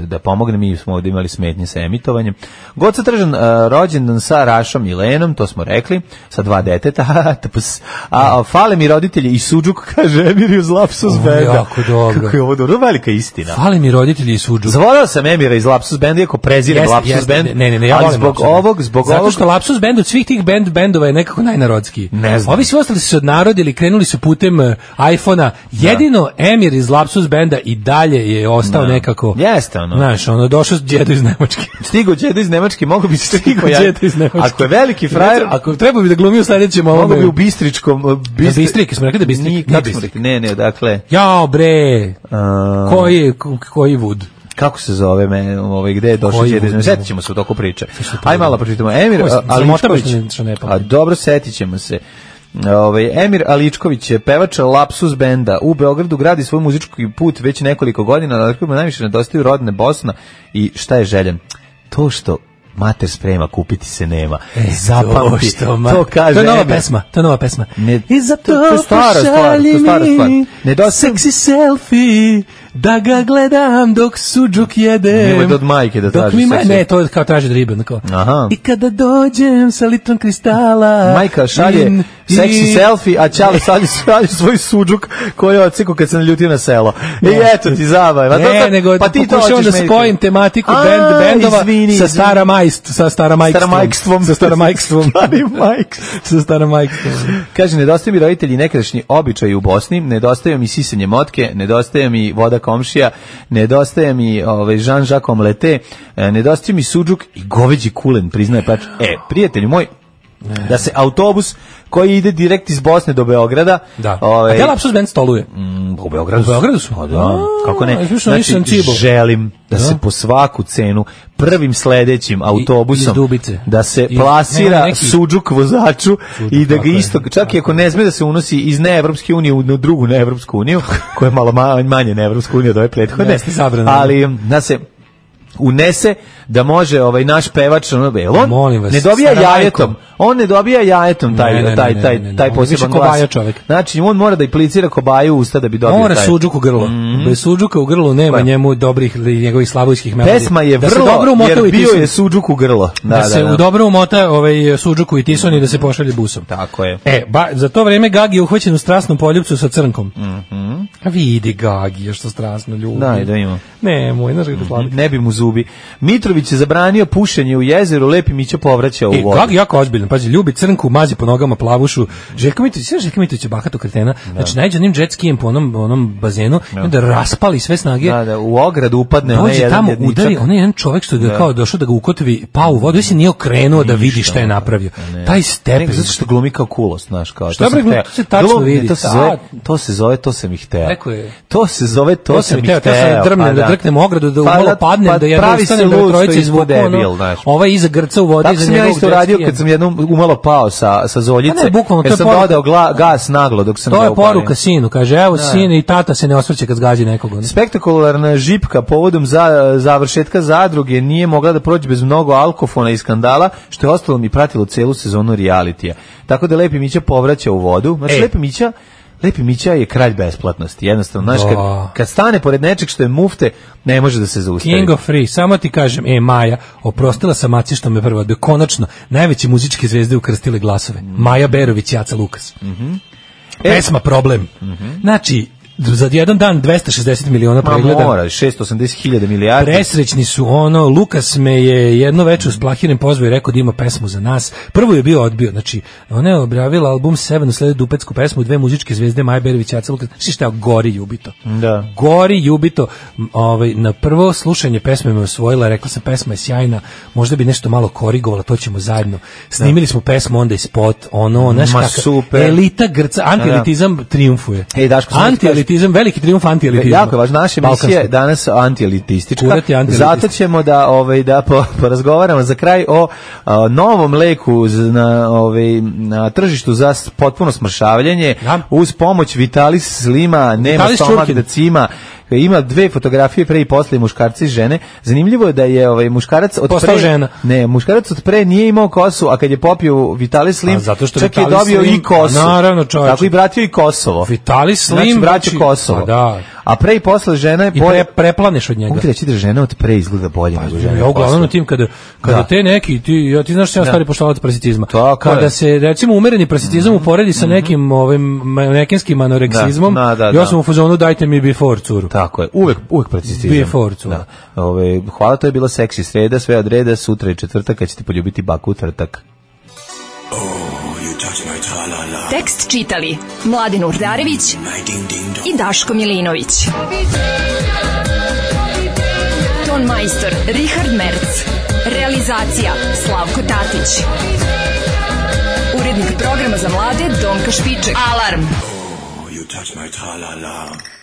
da pomogne, mi smo ovdje imali smetnje sa emitovanjem. Goca Tržan rođendan sa Rašom i Lenom, to smo rekli, sa 2 deteta, a fale mi roditelji i Suđuk, kaže Emir iz Lapsus Benda. Jako dobro. Kako je ovo dobro, velika istina. Fale mi roditelji i Suđuk. Zavolao sam Emira iz Lapsus Benda, iako prezirem Lapsus Bend, ne, ja volim zbog ovog... Zato što Lapsus Bend od svih tih bendova je nekako najnarodskiji. Ne znam. Ovi svi ostali su se odnarodili, krenuli su putem iPhona, jedino Emir iz Lapsus benda i dalje je ostao nekako... Jeste, ono. Znaš, ono, došao đedo iz Nemačke. Stigo đedo iz Nemačke, mogu bi se stigo đedo iz Nemačke. Ako je veliki frajer... Ako treba bi da glumi u sledećem ovome... Mogu bi u Bistričkom... Bistrik, smo rekli da Bistrik? Na Bistrik. Ne, dakle... Jao, bre! Koji Vud? Kako se zove gde je došao đedo? Setit ćemo se u toku priče. Aj malo pročitamo. Emir Aličković. A dobro, setit ćemo se. Emir Aličković je pevač Lapsus benda. U Beogradu gradi svoj muzički put već nekoliko godina, na kojima najviše nedostaju rodne Bosna i šta je željen? To što mater sprema, kupiti se nema. Zapamti, to kaže. To je nova pesma. I zato to je stara stvar. Seksi selfie, da ga gledam dok suđuk jedem. Nemoj od majke da traži seksi. Ne, to je kao traži od ribe. I kada dođem sa litrom kristala. Majka šalje seksi selfie, a Ćale šalje svoj suđuk koji je odsekao kad se naljutio na selo. I eto ti zabava. Ne, nego pokušavam da spojim tematiku bendova sa staramajkstvom. Sa staramajkstvom. Kaže, nedostaju mi roditelji nekadašnji običaji u Bosni, nedostaju mi sisanje motke, nedostaje mi voda komšija, nedostaje mi Jean-Jacques Omelette, nedostaje mi suđuk i goveđi kulen, priznaje plač. Prijatelji moj, da se autobus koji ide direkt iz Bosne do Beograda. Da. A gdje Lapsus band stoluje? U Beogradu. U Beogradu su? Da. Kako ne? Znači, želim da se po svaku cenu prvim sledećim autobusom da se plasira suđuk vozaču i da ga isto, čak i ako ne sme da se unosi iz neevropske unije u drugu neevropsku uniju, koja je malo manje neevropsku uniju od ove prethodne, ali da se unese da može naš pevač on ne dobija jajetom. On ne dobija jajetom taj poseban glas. Znači on mora da implicira kobaju u usta da bi dobio taj. Mora suđuk u grlo. Bez suđuka u grlu nema njemu dobrih njegovih slavojskih melodija. Pesma je vrlo, jer bio je suđuk u grlo. Da se u dobro umota suđuku i tison i da se pošalje busom. Tako je. Za to vreme Gagi je uhvaćen u strasnom poljupcu sa crnkom. A vidi Gagi, što strasno ljubi. Da ima. Nemoj, znaš kako slabi. Ne bi mu zubi. Mitrović je zabranio pušenje u jezeru, Lepi Mića povraća u vodu. Gagi jako ozbiljno, pazi, ljubi crnku, mazi po nogama plavušu. Željko Mitrović je bahato kretena. Znači, najde onim jet skijem po onom bazenu i onda raspali sve snage. Da, u ogradu upadne onaj jedan tamo udari, onaj jedan čovjek što je kao došao da ga ukotovi, pao u vodu i se nije okrenuo da vidi šta je napravio. Taj stepen. Zato što glumi kao kulost, znaš, kao. Šta bre, to se tačno vidi. To se zove, to sam ih hteo. To se zove, to sam ih hteo. Da drmnem, da drknem u ogradu, da umalo padnem, da jedno ustanem, da trojice izvuku. Ovaj iza grca u vodi, iza njegovog. Tako sam ja isto radio kad sam jednom umalo pao sa zoljice, jer sam dodao gas naglo dok sam to je poruka sinu, kaže, evo sin i tata se ne osvrće kad zgađi nekoga. Spektakularna žipka povodom završetka zadruge nije mogla da prođe bez mnogo alkofona i skandala, što je ostalo mi pratilo celu sezonu realitija. Tako da Lepi Mića povraća u vodu. Znači, Lepi Mića je kralj besplatnosti. Jednostavno, znaš, kad stane pored nečeg što je mufte, ne može da se zaustavi. King of Free, samo ti kažem, Maja, oprostila sam Maci što me prvo, da konačno najveće muzičke zvezde ukrstile glasove. Maja Berović i Aca Lukas. Pesma Problem. Znači, za jedan dan 260 miliona pregleda. Mora, 680.000 milijardi. Presrećni su Lukas me je jedno večer s Plahirim pozvao i rekao da ima pesmu za nas. Prvo je bio odbio, znači ona je objavila album Seven, usledio dupetsku pesmu, dve muzičke zvezde, Maja Berović i Aca Lukas. Šta je Gori Jubito. Da. Gori Jubito, na prvo slušanje pesme me osvojila, rekla sam pesma je sjajna, možda bi nešto malo korigovala, to ćemo zajedno. Snimili smo pesmu, onda i spot, znaš kakav. Elita grca, antielitizam triumfuje. Antielitizam, veliki triumf antielitizma. Jako je važno, naša emisija je danas antielitistička. Zato ćemo da porazgovaramo za kraj o novom leku na tržištu za potpuno smršavljanje uz pomoć Vitalis Slima, nema stomak da cima. Ima dve fotografije pre i posle muškarca i žene. Zanimljivo je da je muškarac od pre muškarac od pre nije imao kosu, a kad je popio Vitalis Slim, čak je dobio i kosu. Naravno, čovječe. Tako i vratio i Kosovo. Vitalis Slim, znači vraća Kosovo. A pre i posle žena je bolje. I preplaneš od njega. Mogu ti reći da žena od pre izgleda bolje nego žena. Ja uglavnom tim kada te neki, ti znaš što ja stari poštovalac prasitizma. Kada se recimo umereni prasitizam uporedi sa nekim nekenskim anoreksizmom, ja sam u fazonu dajte mi before curu. Tako je, uvek precizizam. Before cura. Hvala, to je bila seksi sreda, sve od reda, sutra je četvrtak, kad ćete poljubiti baku u tvrtak. Tekst čitali Mladin Urdarević i Daško Milinović. Ton majstor Richard Merc. Realizacija Slavko Tatić. Urednik programa za mlade Donka Špiček. Alarm! You touch my tra-la-la.